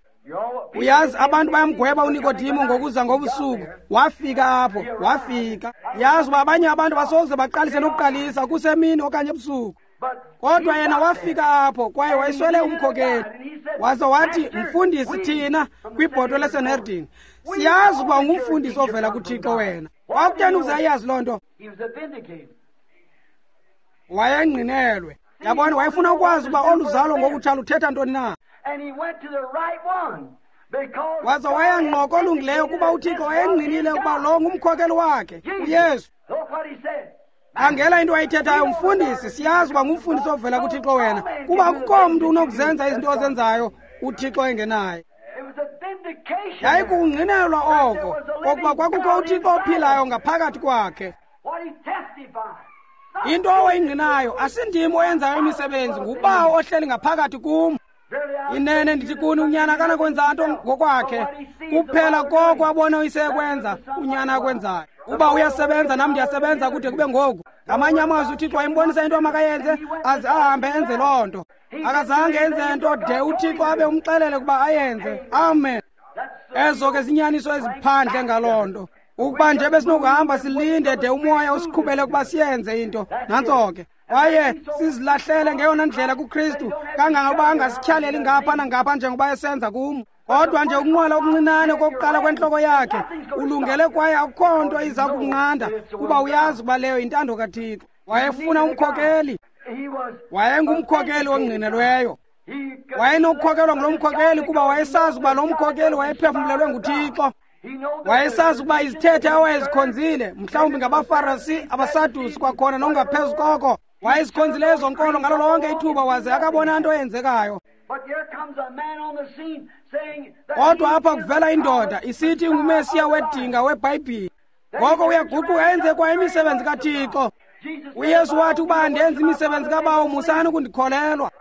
Uyazi, abantu bayamgweba uNikodimo ngokuza ngobusuku. Wafika apho, wafika. Yazi uba abanye abantu basoze baqalise nokuqalisa kusemini okanye ebusuku. Kodwa yena wafika apho kwaye wayeswele umkhokeli. Waze wathi, mfundisi, thina kwibhotwe leSanhedrin siyazi ukuba ungumfundisi ovela kuThixo wena. Kwakutheni ukuze ayazi loo nto? Wayengqinelwe. Yabona, wayefuna ukwazi uba olu zalo ngokutsha luthetha ntoni na. Waze waya ngqo kolungileyo, kuba uThixo wayengqinile ukuba lo ngumkhokeli wakhe, uYesu. Khangela into ayithethayo, mfundisi, siyazi uba ngumfundisi ovela kuThixo wena, kuba akukho mntu unokuzenza izinto ozenzayo uThixo engenaye. Yayikungqinelwa oko kokuba kwakukho uThixo ophilayo ngaphakathi kwakhe. Into owayingqinayo, asindim oyenzayo imisebenzi, nguBawo ohleli ngaphakathi kum. Inene ndithi kuni, unyana akanakwenza nto ngokwakhe, kuphela koko abona uyise ekwenza, unyana akwenzayo. Uba uyasebenza, nam ndiyasebenza kude kube ngoku. Ngamanye amazwi uThixo wayembonisa into amakayenze, aze ahambe enze loo nto. Akazange enze nto de uThixo abe umxelele ukuba ayenze. Amen. Ezo ke zinyaniso eziphandle ngaloo nto. Ukuba nje besinokuhamba silinde de uMoya usiqhubele ukuba siyenze into, nantso ke. Kwaye sizilahlele ngeyona ndlela kuKristu, kangangokuba angasityhaleli ngapha nangapha njengoba esenza kum. Kodwa nje ukunqwala okuncinane kokuqala kwentloko yakhe, ulungele kwaye akukho nto iza kunqanda, kuba uyazi uba leyo yintando kaThixo. Wayefuna umkhokeli. Wayengumkhokeli ongqinelweyo. Wayenokukhokelwa ngulo mkhokeli kuba wayesazi uba lo mkhokeli wayephefumlelwe nguThixo. Wayesazi ukuba izithethe awayezikhonzile, mhlawumbi ngabaFarisi, abaSadusi, kwakhona nongaphezu koko, wayezikhonzile ezo nkolo ngalo lonke ithuba, waze akabona nto eyenzekayo. Kodwa apha kuvela indoda isithi inguMesiya wedinga weBhayibhile. Ngoko uyaguquka enze kwa imisebenzi kaThixo. uYesu wathi, uba andenzi imisebenzi kaBawo, musani ukundikholelwa.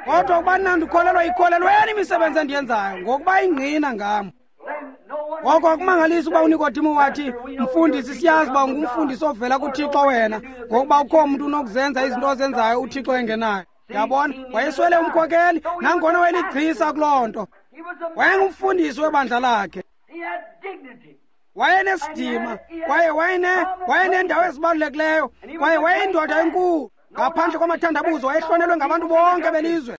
Kodwa ukuba nandikholelwa, ikholelweni imisebenzi endiyenzayo, ngokuba ingqina ngam. Ngoko akumangalisi uba uNikodimo wathi, mfundisi, siyazi uba ungumfundisi ovela kuThixo wena, ngokuba ukho mntu unokuzenza izinto ozenzayo uThixo engenayo. Yabona, wayeswele umkhokeli, nangona wayeligcisa kuloo nto. Wayengumfundisi webandla lakhe. Wayenesidima, kwaye wayeneendawo ezibalulekileyo, kwaye wayeyindoda enkulu. Ngaphandle kwamathandabuzo wayehlonelwe ngabantu bonke belizwe.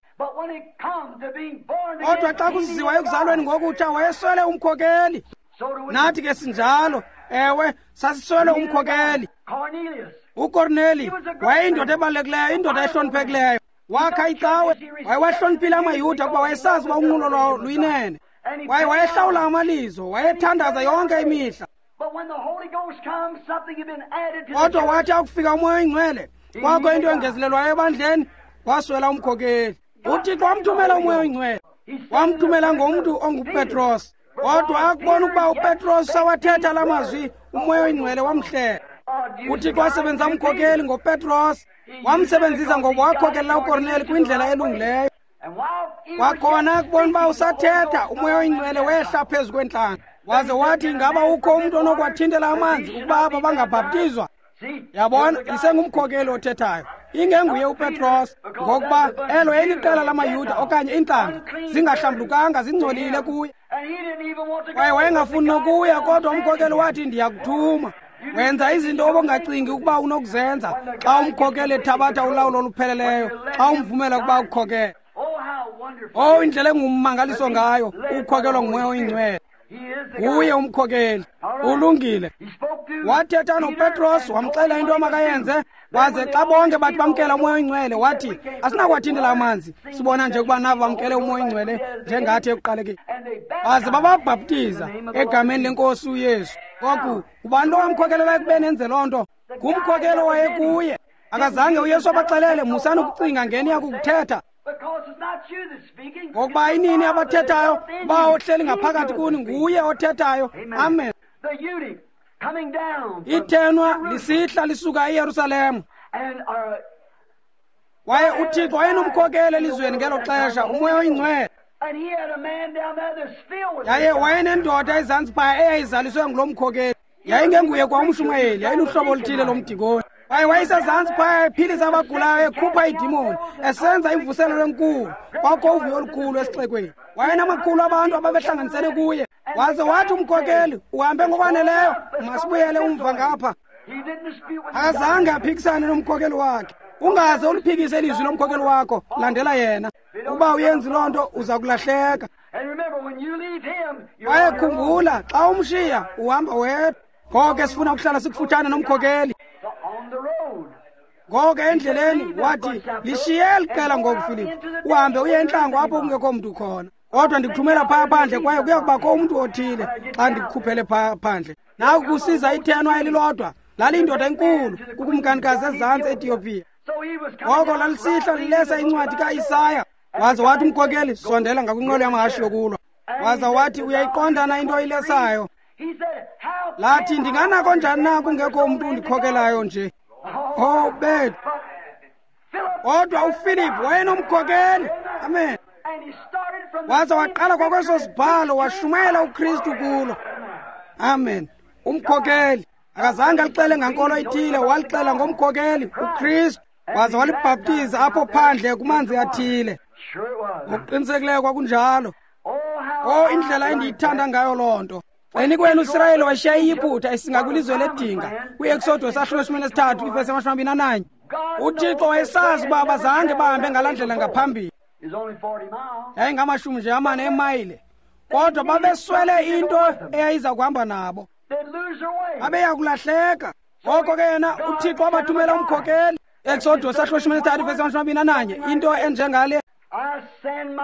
Kodwa xa kuziwa ekuzalweni ngokutsha, wayeswele umkhokeli. Nathi ke sinjalo. Ewe, sasiswele umkhokeli. uKorneli wayeyindoda ebalulekileyo, indoda ehloniphekileyo. Wakha icawe, wayewahloniphile amaYuda kuba wayesazi uba unqulo lwawo luyinene. Kwaye wayehlawula amalizo, wayethandaza yonke imihla. Kodwa wathi akufika uMoya oyiNgcwele, kwakho into engezelelwayo ebandleni, waswela umkhokeli. UThixo wamthumela uMoya oyiNgcwele, wamthumela ngomntu onguPetros. Kodwa akubona ukuba uPetros sawathetha la mazwi, uMoya oyiNgcwele wamhlela. UThixo wasebenzisa umkhokeli ngoPetros, wamsebenzisa ngoba wakhokelela uKorneli kwindlela elungileyo. Kwakhona akubona uba usathetha, uMoya oyiNgcwele wehla phezu kwentlanga. Waze wathi, ingaba ukho umntu onokwathintela amanzi ukuba aba bangabhaptizwa? Yabona, isengumkhokeli othethayo, ingenguye uPetros, ngokuba elo yayiliqela lamaYuda okanye iintlanga zingahlambulukanga, zingcolile kuye. Kwaye wayengafuni nokuya, kodwa umkhokeli wathi, ndiyakuthuma. Wenza izinto obongacingi ukuba unokuzenza xa umkhokeli ethabatha ulawulo olupheleleyo, xa umvumela ukuba ukukhokele. Oh, indlela engummangaliso ngayo ukukhokelwa nguMoya oyiNgcwele. Nguye umkhokeli. Ulungile. Wathetha noPetros, wamxelela into amakayenze, waze xa bonke bathi bamkela uMoya oyiNgcwele, wathi, asinakwathintela amanzi, sibona nje ukuba nabo bamkele uMoya oyiNgcwele njengathi ekuqalekeni. Baze bababhaptiza egameni lenkosi uYesu. Ngoku ubani lo wamkhokelela ekubeni enze loo nto? Ngumkhokeli owayekuye. Akazange uYesu abaxelele, musani ukucinga ngeni yakukuthetha, ngokuba inini abathethayo, uba ohleli ngaphakathi kuni nguye othethayo. Amen. Ithenwa lisihla lisuka eYerusalem. Kwaye uThixo wayenomkhokeli elizweni ngelo xesha, uMoya oyiNgcwele. Yaye wayenendoda ezantsi phaya eyayizaliswe ngulo mkhokeli. Yayingenguye kwa umshumayeli, yayiluhlobo oluthile lomdikoni. Kwaye wayesezantsi phaya ephilisa abagulayo, ekhupha iidimoni, esenza imvuselelo enkulu. Kwakho uvuyo olukhulu esixekweni. Wayenamakhulu abantu ababehlanganisene kuye. Waze wathi umkhokeli, uhambe ngokwaneleyo, masibuyele umva ngapha. Akazange aphikisane nomkhokeli wakhe. Ungaze uliphikise ilizwi lomkhokeli wakho, landela yena. Uba uyenzi loo nto, uza kulahleka. Kwaye khumbula, xa umshiya uhamba wedwa. Ngoko sifuna ukuhlala sikufutshane nomkhokeli. Ngoko endleleni wathi, lishiye eli qela ngoku, Filipu, uhambe uye entlango apho kungekho mntu khona. Kodwa ndikuthumela phaya phandle, kwaye kuya kubakho umntu othile xa ndikukhuphele phaya phandle. Naku kusiza ithenwa elilodwa, laliyindoda enkulu kukumkanikazi ezantsi eEthiopia. Ngoko lalisihla lilesa incwadi kaIsaya. Waze wathi umkhokeli, sondela ngakwinqwelo yamahashe yokulwa. Waza wathi, uyayiqonda na into oyilesayo? Lathi, ndinganako njani na kungekho umntu undikhokelayo nje? Oh, bethu. Kodwa uFilip wayenomkhokeli. Amen. Waza waqala kwakweso sibhalo, washumayela uKristu kulo. Amen. Umkhokeli akazange alixele ngankolo ithile, walixela ngomkhokeli uKristu. Waza walibhaptiza apho phandle kumanzi athile. Ngokuqinisekileyo kwakunjalo. Oh, indlela endiyithanda ngayo loo nto. Xeni kwenu uSirayeli washiya iYiputa esinga kwilizwe ledinga, kwi-Eksodus sahluko 13 ivesi 21. UThixo wayesazi ukuba abazange bahambe ngalaa ndlela ngaphambili. Yayingamashumi nje amane emayile, kodwa babeswele into eyayiza kuhamba nabo. Babeya kulahleka. Ngoko ke yena uThixo wabathumela umkhokeli. Eksodus sahluko 13 ivesi 21, into enjengale: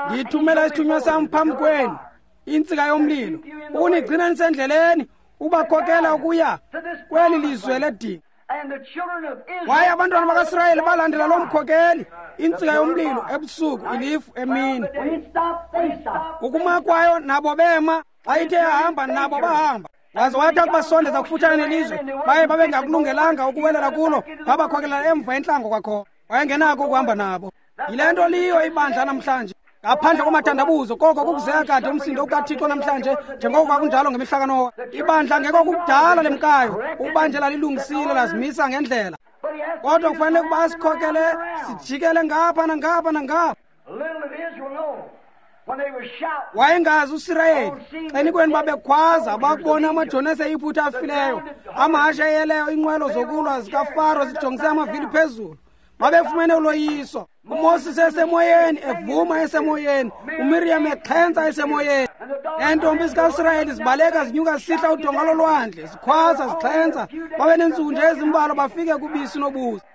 ndithumela isithunywa sam phambi kwenu, intsika yomlilo, ukunigcina nisendleleni, ubakhokela ukuya kweli lizwe ledinga. Kwaye abantwana bakaSirayeli balandela loo mkhokeli, intsika yomlilo ebusuku, ilifu emini. Ukuma kwayo nabo bema, xa ithe yahamba nabo bahamba. Waze wathi akubasondeza kufutshane nelizwe, baye babengakulungelanga ukuwelela kulo, babakhokelela emva entlango kwakhona. Wayengenako ukuhamba nabo. Yile nto liyo ibandla namhlanje, ngaphandle kwamathandabuzo, koko kukuzeka kade umsindo kaThixo namhlanje, njengoko kwakunjalo ngemihla kaNowa. Ibandla ngeko kukudala lemkayo, ukuba nje lalilungisile lazimisa ngendlela. Kodwa kufanele ukuba asikhokele sijikele ngapha nangapha nangapha. Wayengazi uSirayeli. Xenikweni babekhwaza bakubona amajoni aseYiputa afileyo, amahashe eyeleyo, iinqwelo zokulwa zikaFaro zijongise amavili phezulu. Babefumene uloyiso. uMoses esemoyeni, evuma esemoyeni, uMiriam exhentsa esemoyeni. Neentombi zikaSirayeli zibaleka zinyuka zisihla udonga lolwandle, zikhwaza zixhentsa. Babe neentsuku nje ezimbalwa bafike kubisi nobusi.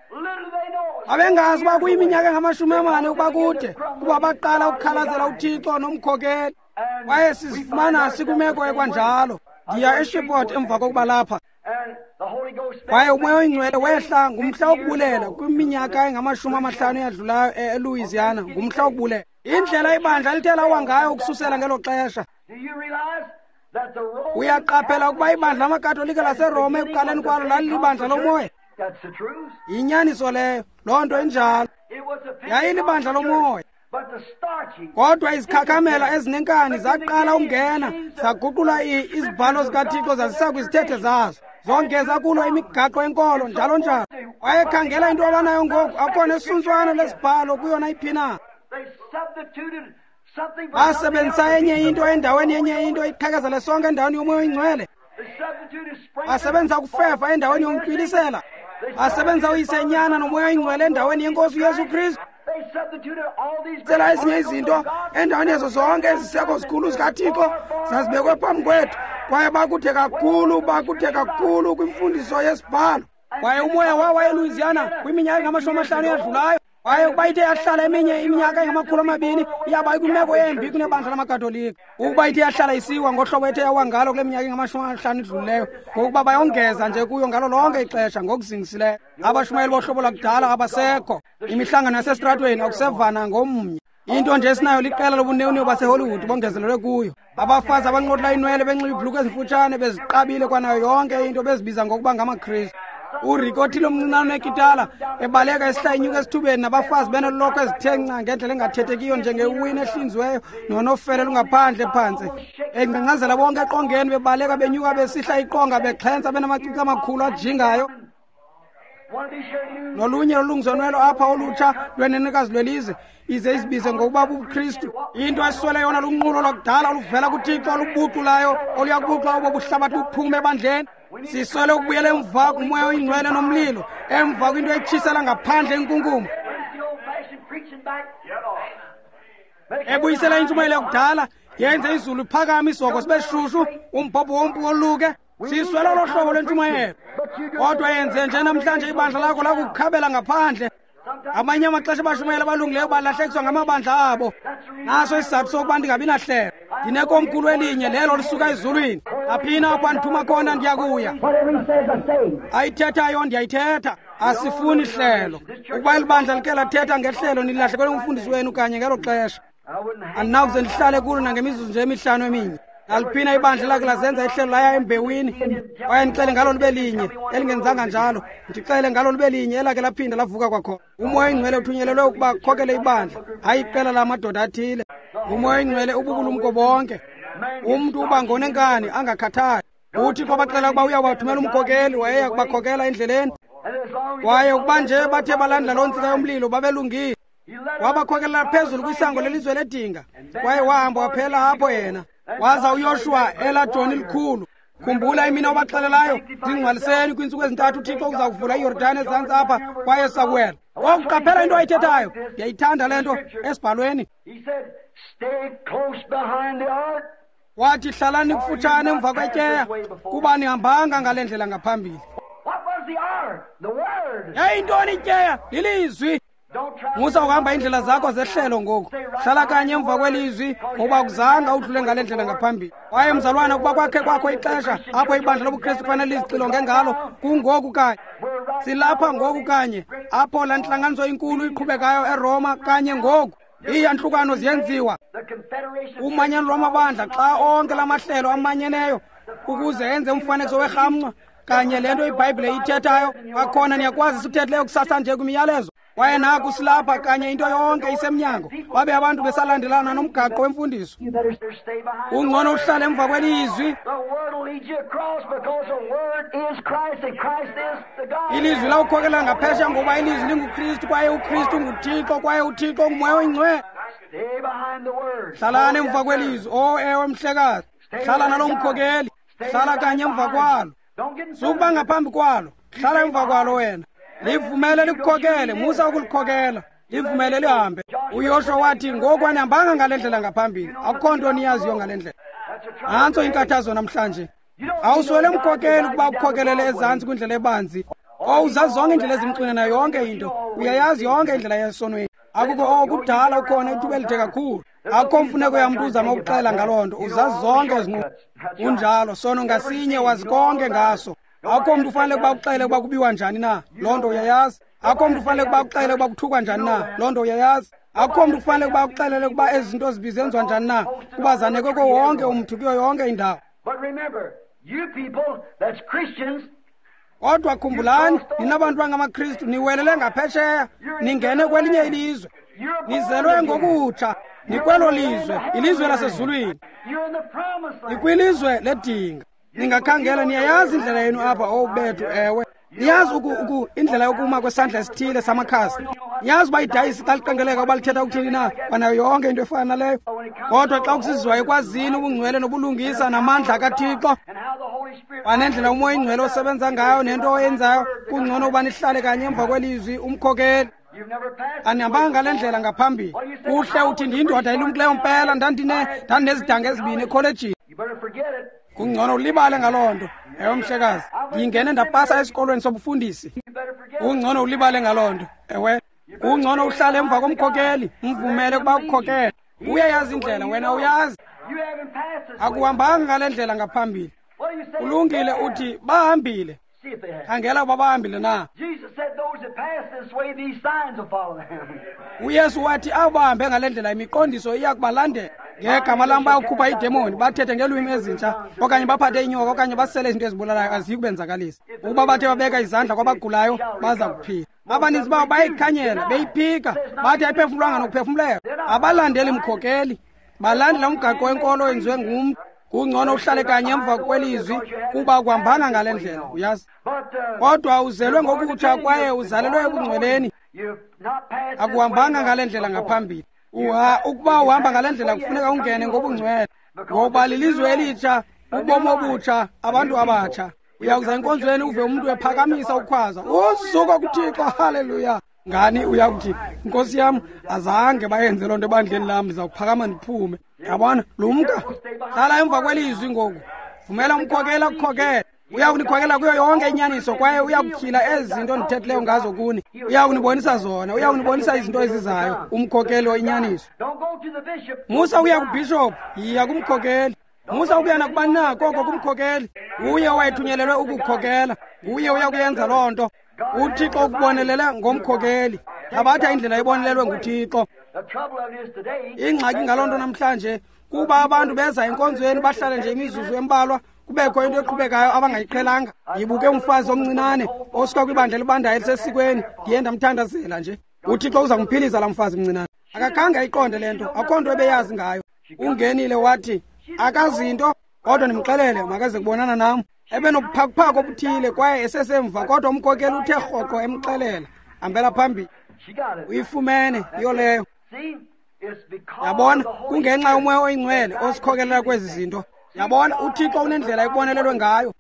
Babengazi uba kuyiminyaka engama-40 ukuba kude, kuba baqala ukukhalazela uThixo nomkhokeli. Kwaye sizifumana sikwimeko ekwanjalo. Ndiya eShreveport emva kokuba lapha. Kwaye uMoya oyiNgcwele wehla ngumhla wokubulela kwiminyaka engama-50 eyadlulayo eLouisiana, ngumhla wokubulela. Indlela ibandla lithe lawa ngayo ukususela ngelo xesha. Uyaqaphela ukuba ibandla lamaKatolika laseRoma ekuqaleni kwalo lalilibandla lomoya. Yinyaniso leyo, loo nto injalo. Yayilibandla lomoya. Kodwa izikhakhamela ezinenkani zaqala ukungena, zaguqula izibhalo zikaThixo zazisa kwizithethe zazo, zongeza kulo imigaqo yenkolo, njalo njalo. Wayekhangela into abanayo ngoku, akukho nesuntswana lesibhalo kuyo nayiphi na. Basebenzisa enye into endaweni yenye into, iqhekezele sonke endaweni yoMoya oyiNgcwele. Basebenzisa ukufefa endaweni yomntwilisela. Basebenzisa uyisenyana noMoya oyiNgcwele endaweni yeNkosi uYesu Kristu. Cela ezinye izinto endaweni yezo zonke eziseko zikhulu zikaThixo zazibekwe phambi kwethu, kwaye bakude kakhulu kwimfundiso yesibhalo. Kwaye umoya wawa eLouisiana kwiminyaka engama-50 eyadlulayo. Kwaye ukuba ithe yahlala eminye iminyaka engama-200 iyaba ikwimeko embi kunebandla lamaKatolika. Ukuba ithe yahlala isiwa ngohlobo ethe yawa ngalo kule minyaka engama-50 idlulileyo, ngokuba bayongeza nje kuyo ngalo lonke ixesha ngokuzingisileyo. Abashumayeli bohlobo lwakudala abasekho. Imihlangano yasesitratweni akusevana ngomnye. Into nje esinayo liqela lobunewunewu baseHollywood bongezelelwe kuyo. Abafazi abanqotla inwele benxiba iibhulukhwe ezimfutshane beziqabile kwanayo yonke into bezibiza ngokuba ngamaKristu. uRick othile omncinane unekitala ebaleka esihla inyuka esithubeni nabafazi benolokhwe ezithe nca ngendlela engathethekiyo njengewini ehlinziweyo nonofele lungaphandle phantse, engcangcazela bonke eqongeni bebaleka benyuka besihla iqonga bexhentsa benamacici amakhulu ajingayo. Nolunye lolungisonwelo apha olutsha lwenenekazi lwelizwe ize izibize ngokuba bubuKristu. Into eswele yona lunqulo lwakudala oluvela kuThixo olubuculayo oluya kubucula obo buhlabathi buphume ebandleni. Siswele ukubuyela emva kuMoya oyiNgcwele nomlilo, emva kwinto etshisela ngaphandle inkunkuma, ebuyisela intshumayelo yakudala, yenze izulu iphakame, isihoko sibe shushu, umbhobho wompu woluke. Siswele olo hlobo lwentshumayelo. Kodwa yenze nje namhlanje ibandla lakho lakukukhabela ngaphandle. Amanye amaxesha abashumayeli abalungileyo balahlekiswa ngamabandla abo. Naso isizathu sokuba ndingabi nahlelo. Ndinekomkhulu elinye lelo lisuka ezulwini. Aphina apho andithuma khona ndiyakuya. Ayithethayo ndiyayithetha. Asifuni hlelo. Ukuba eli bandla like lathetha ngehlelo, nilahlekelwe ngumfundisi wenu kanye ngelo xesha. Andinawuze ndihlale kulo nangemizuzu nje emihlanu eminye. Naliphina ibandla lakhe lazenza ihlelo laya embewini. Kwaye ndixele ngalo libe linye elingenzanga njalo, ndixele ngalo libe linye elakhe laphinda lavuka kwakhona. UMoya oyiNgcwele uthunyelelwe ukuba akhokele ibandla, hayi iqela lamadoda athile. UMoya oyiNgcwele ububulumko bonke. Umntu uba ngonenkani angakhathali. UThixo wabaxelela ukuba uyawathumela umkhokeli, wayeya kubakhokela endleleni. Kwaye ukuba nje bathe balandela loo ntsika yomlilo babelungile. Wabakhokelela phezulu kwisango lelizwe ledinga, kwaye wahamba waphela apho yena. Waza uYoshuwa elaa joni likhulu. Khumbula imini obaxelelayo, zingcwaliseni kwiintsuku ezintathu uThixo uza kuvula iYordani ezantsi apha kwaye sakuwela. Ngoku qaphela into ayithethayo. Ndiyayithanda le nto esibhalweni. Wathi hlalani kufutshane emva kwetyeya, kuba nihambanga ngale ndlela ngaphambili. Yayintoni ityeya? Lilizwi. Musa ukuhamba iindlela zakho zehlelo ngoku. Hlala kanye emva kwelizwi, ngoba akuzanga udlule ngale ndlela ngaphambili. Kwaye mzalwana, ukuba kwakhe kwakho ixesha apho ibandla lobuKristu kufanele lizixilonge ngalo, kungoku kanye. Silapha ngoku kanye, apho laa ntlanganiso inkulu iqhubekayo eRoma kanye ngoku. Iiyantlukano ziyenziwa. Umanyano lwamabandla, xa onke la mahlelo amanyeneyo ukuze enze umfanekiso werhamncwa kanye le nto iBhayibhile iyithethayo. Kwakhona niyakwazi sikuthethileyo kusasa nje kwimiyalezo. Kwaye naku silapha kanye, into yonke isemnyango, babe abantu besalandelana nomgaqo wemfundiso. Ungcono uhlale emva kwelizwi. Ilizwi lawukhokela ngaphesheya, ngoba ilizwi linguKristu, kwaye uKristu nguThixo, kwaye uThixo nguMoya oyiNgcwele. Hlalani emva kwelizwi. O ewe, mhlekazi, hlala nalo mkhokeli, hlala kanye emva kwalo. Sukuba ngaphambi kwalo, hlala emva kwalo wena. Livumele likukhokele, musa ukulikhokela, livumele lihambe. uYoshuwa wathi, ngoku anihambanga ngale ndlela ngaphambili, akukho nto niyaziyo ngale ndlela. Nantso inkathazo namhlanje. Awuswele mkhokeli ukuba ukukhokelele ezantsi kwindlela ebanzi. Uzazi zonke indlela ezimxinana nayo yonke into. Uyayazi yonke indlela yesonweni. Akukho okudala ukhona ithuba elide kakhulu. Akukho mfuneko yamntu uzama ukuxela ngaloo nto. Uzazi zonke ezinqubo. Kunjalo, sono ngasinye wazi konke ngaso. Akukho mntu ufanele ukuba uxele ukuba kubiwa njani na. Loo nto uyayazi. Akukho mntu ufanele ukuba uxele ukuba kuthukwa njani na. Loo nto uyayazi. Akukho mntu kufanele ukuba uxelele ukuba ezi zinto zibizenziwa njani na, kuba zanekwe kuwo wonke umntu kuyo yonke indawo. Kodwa khumbulani, nina bantu bangamaKristu, niwelele ngaphesheya, ningene kwelinye ilizwe. Nizelwe ngokutsha, nikwelo lizwe, ilizwe lasezulwini. Nikwilizwe ledinga. Ningakhangela, niyayazi indlela yenu apha, bethu, ewe. Niyazi indlela yokuma kwesandla esithile samakhasi. Niyazi uba idayisi xa liqengeleka uba lithetha ukuthini na, kwanayo yonke into efana naleyo. Kodwa xa kusiziwa ekwazini ubungcwele nobulungisa namandla kaThixo, kwanendlela uMoya oyiNgcwele osebenza ngayo nento oyenzayo, kungcono uba nihlale kanye emva kwelizwi umkhokeli. Anihambanga ngale ndlela ngaphambili. Kuhle uthi ndiyindoda elumkileyo mpela, ndandinezidanga ezibini ekholejini. Kungcono ulibale ngaloo nto. Ewe, mhlekazi, ndingene ndapasa esikolweni sobufundisi. Kungcono ulibale ngaloo nto. Ewe, kungcono uhlale emva komkhokeli, umvumele ukuba ukukhokele. Uyayazi indlela, wena uyazi. Akuhambanga ngale ndlela ngaphambili. Kulungile uthi bahambile. Khangela ukuba bahambile na. UYesu wathi abo bahambe ngale ndlela imiqondiso iya kubalandela. Ngegama lam bayokhupha iidemoni, bathethe ngeelwimi ezintsha, okanye baphathe inyoka, okanye basele izinto ezibulalayo, aziyi kubenzakalisa. Ukuba bathe babeka izandla kwabagulayo, baza kuphila. Abaninzi babo bayayikhanyela, beyiphika, bathi ayiphefumlwanga nokuphefumleka. Abalandeli mkhokeli, balandela umgaqo wenkolo owenziwe ngumntu. Kungcono uhlale kanye emva kwelizwi, kuba akuhambanga ngale ndlela, uyazi. Kodwa uzelwe ngokutsha kwaye uzalelwe ebungcweleni. Akuhambanga ngale ndlela ngaphambili. Ukuba uhamba ngale ndlela kufuneka ungene ngobungcwele, ngoba lilizwe elitsha, ubomi obutsha, abantu abatsha. Uyakuza enkonzweni uve umntu ephakamisa ukhwaza, uzuko kuThixo, haleluya. Ngani uyakuthi, Nkosi yam, azange bayenze loo nto ebandleni lam, ndiza kuphakama ndiphume. Yabona, lumka, hlala emva kwelizwi ngoku. Vumela umkhokeli akukhokele. Uya kunikhokela kuyo yonke inyaniso, kwaye uya kutyhila ezi zinto ndithethileyo ngazo kuni. Uya kunibonisa zona, uya kunibonisa izinto ezizayo, umkhokeli oyinyaniso. Musa uya kubhishophu, yiya kumkhokeli. Musa ukuya nakubani na, koko kumkhokeli. Uye owayethunyelelwe ukukhokela, nguye uya kuyenza loo nto. UThixo ukubonelele ngomkhokeli. Thabatha indlela ebonelelwe nguThixo. Ingxaki ngaloo nto namhlanje kuba abantu beza enkonzweni bahlale nje imizuzu embalwa, kubekho into eqhubekayo abangayiqhelanga. Ndibuke umfazi omncinane osuka kwibandla elibandayo elisesikweni, ndiye ndamthandazela nje. UThixo uza kumphilisa laa mfazi mncinane. Akakhange ayiqonde le nto, akukho nto ebeyazi ngayo. Ungenile wathi akazinto, kodwa ndimxelele makaze kubonana nam. Ebenobuphakuphaku obuthile kwaye esesemva, kodwa umkhokeli uthe rhoqo emxelela, hambela phambili. Uyifumene yiyo leyo. Yabona, kungenxa yoMoya oyiNgcwele osikhokelela kwezi zinto. Yabona, uThixo unendlela ekubonelelwe ngayo.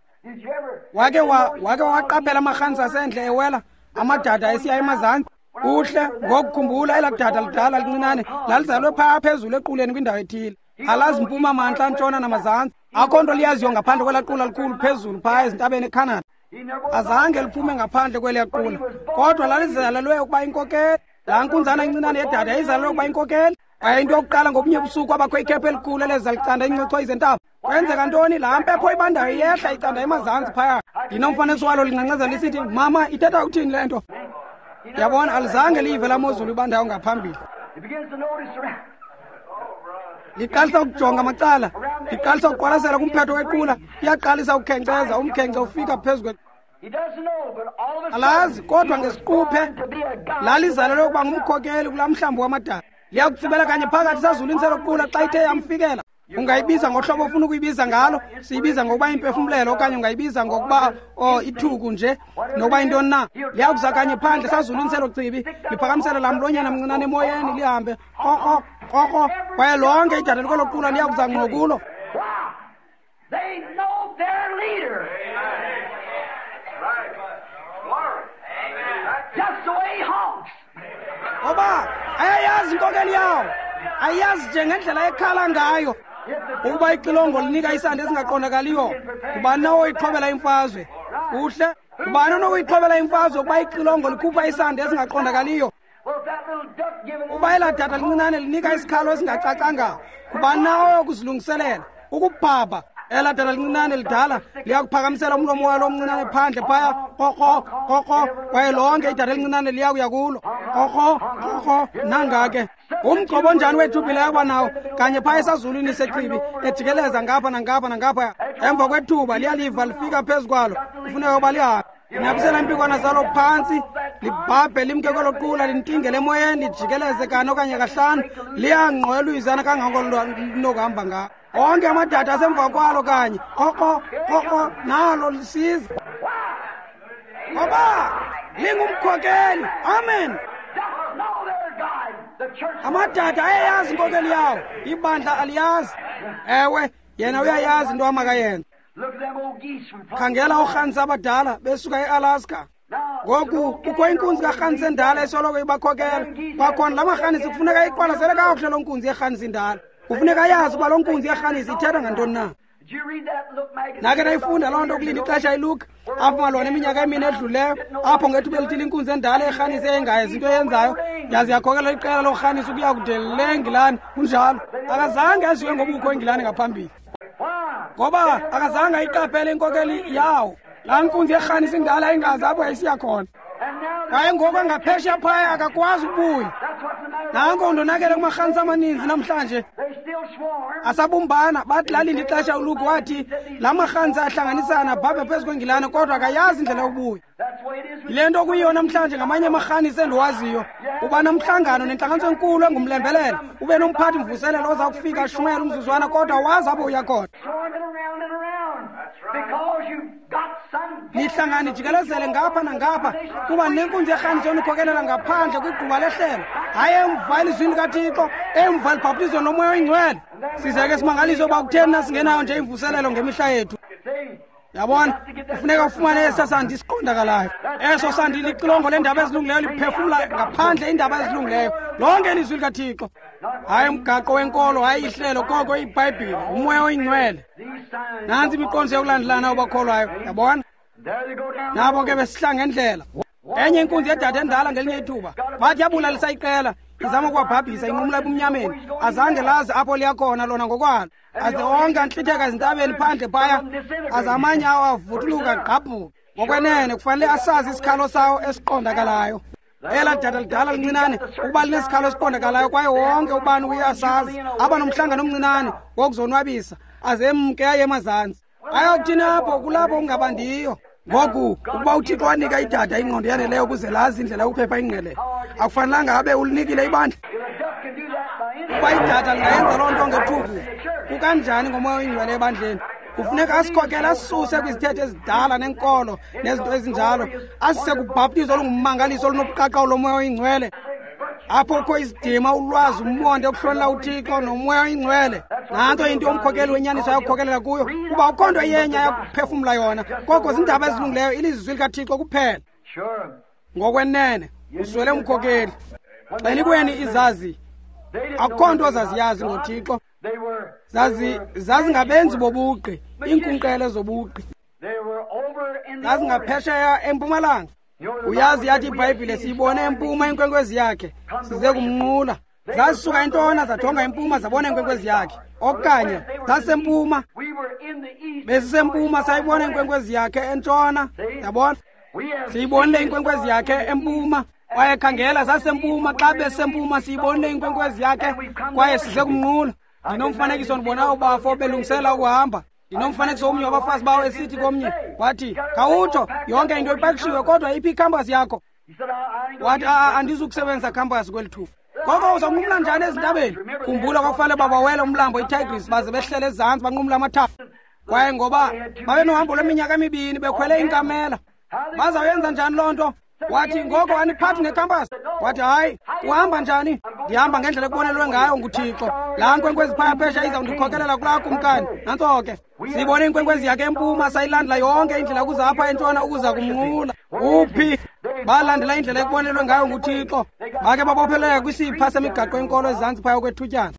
Wake waqaphela amarhansi asendle ewela, amadada esiya emazantsi. Kuhle, ngokukhumbula elaa dada lidala lincinane lalizalwe phaa phezulu equleni kwindawo ethile. Alazi mpuma, mantla, ntshona namazantsi. Akho nto liyaziyo ngaphandle kwelaa qula likhulu phezulu phaa ezintabeni eKhanada. Azange liphume ngaphandle kweliya qula, kodwa lalizalelwe ukuba inkokeli. Laa nkunzana incinane yedada yayizalelwe ukuba inkokeli. Kwaye into yokuqala ngobunye busuku abakho ikhephu elikhulu eleza licanda iincochoyi zentaba. Kwenzeka ntoni? Laa mpepho ibandayo iyehla icanda emazantsi phaya. Ndinomfanekiso walo lincancazela lisithi, mama, ithetha ukuthini le nto? Yabona, alizange liyive laa mozulu ibandayo ngaphambili. Liqalisa ukujonga amacala, liqalisa ukuqwalasela kumphetho wequla, liyaqalisa ukukhenkceza, umkhenkce ufika phezu kwe. Alazi, kodwa ngesiquphe lalizalelwe ukuba ngumkhokeli kulaa mhlambi wamadada. Liyakutsibela kanye phakathi sazulwini selo qula xa ithe yamfikela. Ungayibiza ngohlobo ofuna ukuyibiza ngalo, siyibiza ngokuba impefumlelo, okanye ungayibiza ngokuba ithuku nje, nokuba yintoni na. Liyakuza kanye phandle sazulwini selo chibi, liphakamisele laa mlonyana mncinane emoyeni, lihambe krokro krokro, kwaye lonke idada likwelo qula liyakuza ngqo kulo. Ngoba ayayazi inkokeli yawo, ayazi nje ngendlela ekhala ngayo. Ukuba ixilongo linika isandi esingaqondakaliyo, ngubani na oyixhobela imfazwe? Kuhle, Ubani onokuyixhobela imfazwe ukuba ixilongo likhupha isandi esingaqondakaliyo? Uba elaa dada lincinane linika isikhalo esingacacanga, ngubani na oyokuzilungiselela ukubhabha? Elaa dada lincinane lidala liyakuphakamisela umlomo walo omncinane phandle phaya, krokro krokro, kwaye lonke idada elincinane liyakuya kulo, krokro krokro. Nanga ke umgcobo onjani wethubi leyo nawo kanye phaya esazulwini sechibi, ejikeleza ngapha nangapha nangapha. Emva kwethuba liyaliva lifika phezu kwalo, kufuneka uba lihambe. Linabisela impikwana zalo phantsi, libhabhe limke kwelo qula, lintingele emoyeni, lijikeleze kane okanye kahlanu, liyangqo eluyizana kangako linokuhamba ngalo. Onke amadada asemva kwalo kanye, krokro krokro, nalo lisiza, ngoba lingumkhokeli. Amen. Amadada ayayazi inkokeli yawo, ibandla aliyazi. Ewe, yena uyayazi into amakayenza. Khangela oorhanisi abadala besuka eAlaska. Ngoku kukho inkunzi karhanisi endala esoloko ibakhokela. Kwakhona la marhanisi kufuneka iqwalasele kakuhle loo nkunzi yerhanisi indala. Kufuneka ayazi uba loo nkunzi yerhanisi ithetha ngantoni na. Nake nayifunda loo nto kulinda ixesha iLuka apho malona iminyaka emine edluleyo, apho ngethuba elithile inkunzi endala erhanisi eyingayazi into eyenzayo yaze yakhokela iqela lorhanisi ukuya kude le Engilani. Kunjalo, akazange aziwe ngobukho eNgilani ngaphambili, ngoba akazange ayiqaphele inkokeli yawo. Laa nkunzi yerhanisi indala ingazi apho yayisiya khona, kwaye ngoku angaphesheya phaya akakwazi ukubuya. Nanko undonakele kumarhanisi amaninzi namhlanje asabumbana. Bathi lalinda ixesha uLuke wathi la marhanisi ahlanganisana abhabhe phezu kweNgilane, kodwa akayazi indlela yokubuya. Yile nto kuyiyo namhlanje ngamanye amarhanisi endiwaziyo. Uba nomhlangano nentlanganiso enkulu engumlembelele, ube nomphathi mvuselelo oza kufika ashumayela umzuzwana, kodwa wazi apho uya khona. Nihlangane jikelezele ngapha nangapha kuba nenkunzi yerhanisi yonikhokelela ngaphandle kwigquba lehlelo, hayi emva elizwini likaThixo, emva elibhaptizweni lomoya oyingcwele. Size ke simangaliswe uba kutheni nasingenayo nje imvuselelo ngemihla yethu. Yabona, kufuneka ufumane esa sandi siqondakalayo. Eso sandi lixilongo leendaba ezilungileyo, liphefumla ngaphandle iindaba ezilungileyo, lonke ilizwi likaThixo. Hayi umgaqo wenkolo, hayi ihlelo, koko iBhayibhile, umoya oyingcwele. Nantsi imiqondiso yokulandelana obakholwayo. Yabona, nabo ke besihla ngendlela. Enye inkunzi yedada endala ngelinye ithuba bathi yabulalisa iqela, izama ukuwabhabhisa, inqumla ebumnyameni. Azange lazi apho liyakhona lona ngokwalo, aze onke antlitheka ezintabeni phandle phaya, aze amanye awo avuthuluka gqabhuka. Ngokwenene kufanele asazi isikhalo sawo esiqondakalayo. Elaa dada lidala lincinane ukuba linesikhalo esiqondakalayo, kwaye wonke ubani uye asazi. Aba nomhlangano omncinane wokuzonwabisa, aze emke aye emazantsi. Ayakuthini apho? Kulapho kungabandiyo. Ngoku ukuba uThixo wanika idada ingqondo yaneleyo ukuze lazi indlela yokuphepha ingqele, akufanelanga abe ulinikile ibandla? Ukuba idada lingayenza loo nto ngethuku, kukanjani ngomoya oyingcwele ebandleni? Kufuneka asikhokele, asisuse kwizithethe ezidala nenkolo nezinto ezinjalo, asise kubhaptizo olungummangaliso olunobuqaqawulo lomoya oyingcwele, apho kukho isidima, ulwazi, umonde, ukuhlonela uThixo nomoya oyingcwele. Nanto into umkhokeli wenyaniso ayakukhokelela kuyo, kuba akukho nto yenye ayakuphefumla yona, koko ziindaba ezilungileyo, ilizwi likaThixo kuphela. Ngokwenene uswele umkhokeli. Xelikweni izazi, akukho nto zaziyazi ngoThixo. Zazingabenzi bobugqi, iinkunkqele zobugqi. Zazingaphesheya empumalanga. Uyazi yathi iBhayibhile, siyibone empuma inkwenkwezi yakhe, size kumnqula. Zasuka entona zajonga empuma, zabona inkwenkwezi yakhe. Okanye zasempuma, besisempuma, sayibona inkwenkwezi yakhe entshona. Yabona, siyibonile inkwenkwezi yakhe empuma. Kwaye khangela, sasempuma, xa besempuma siyibonile inkwenkwezi yakhe kwaye size kumnqula. Ndinomfanekiso ndibona ubafo belungisela ukuhamba. Ndinomfanekiso omnye wabafazi bawo esithi komnye, wathi, khawutsho, yonke into ipakishiwe, kodwa iphi ikhampasi yakho? Wathi, andizukusebenzisa khampasi kweli thuba. Ngoko uzawunqumla njani ezintabeni? Khumbula, kwakufanele babawele umlambo iTigris baze behlele ezantsi banqumla amathafa. Kwaye ngoba babenohambo lweminyaka emibini bekhwele iinkamela, bazawuyenza njani loo nto? Wathi, ngoko aniphathi ngekhampasi? Wathi, hayi, uhamba njani? Ndihamba ngendlela ekubonelwe ngayo nguThixo. Laa nkwenkwezi phaya phesha izawundikhokelela kulaa kumkani. Nantso ke, siyibone inkwenkwezi yakhe empuma, sayilandela yonke indlela ukuza apha entshona ukuza kumnqula. Uphi? Balandela indlela ekubonelwe ngayo nguThixo. Bake babopheleleka kwisipha semigaqo yenkolo ezantsi phaya okwethutyana.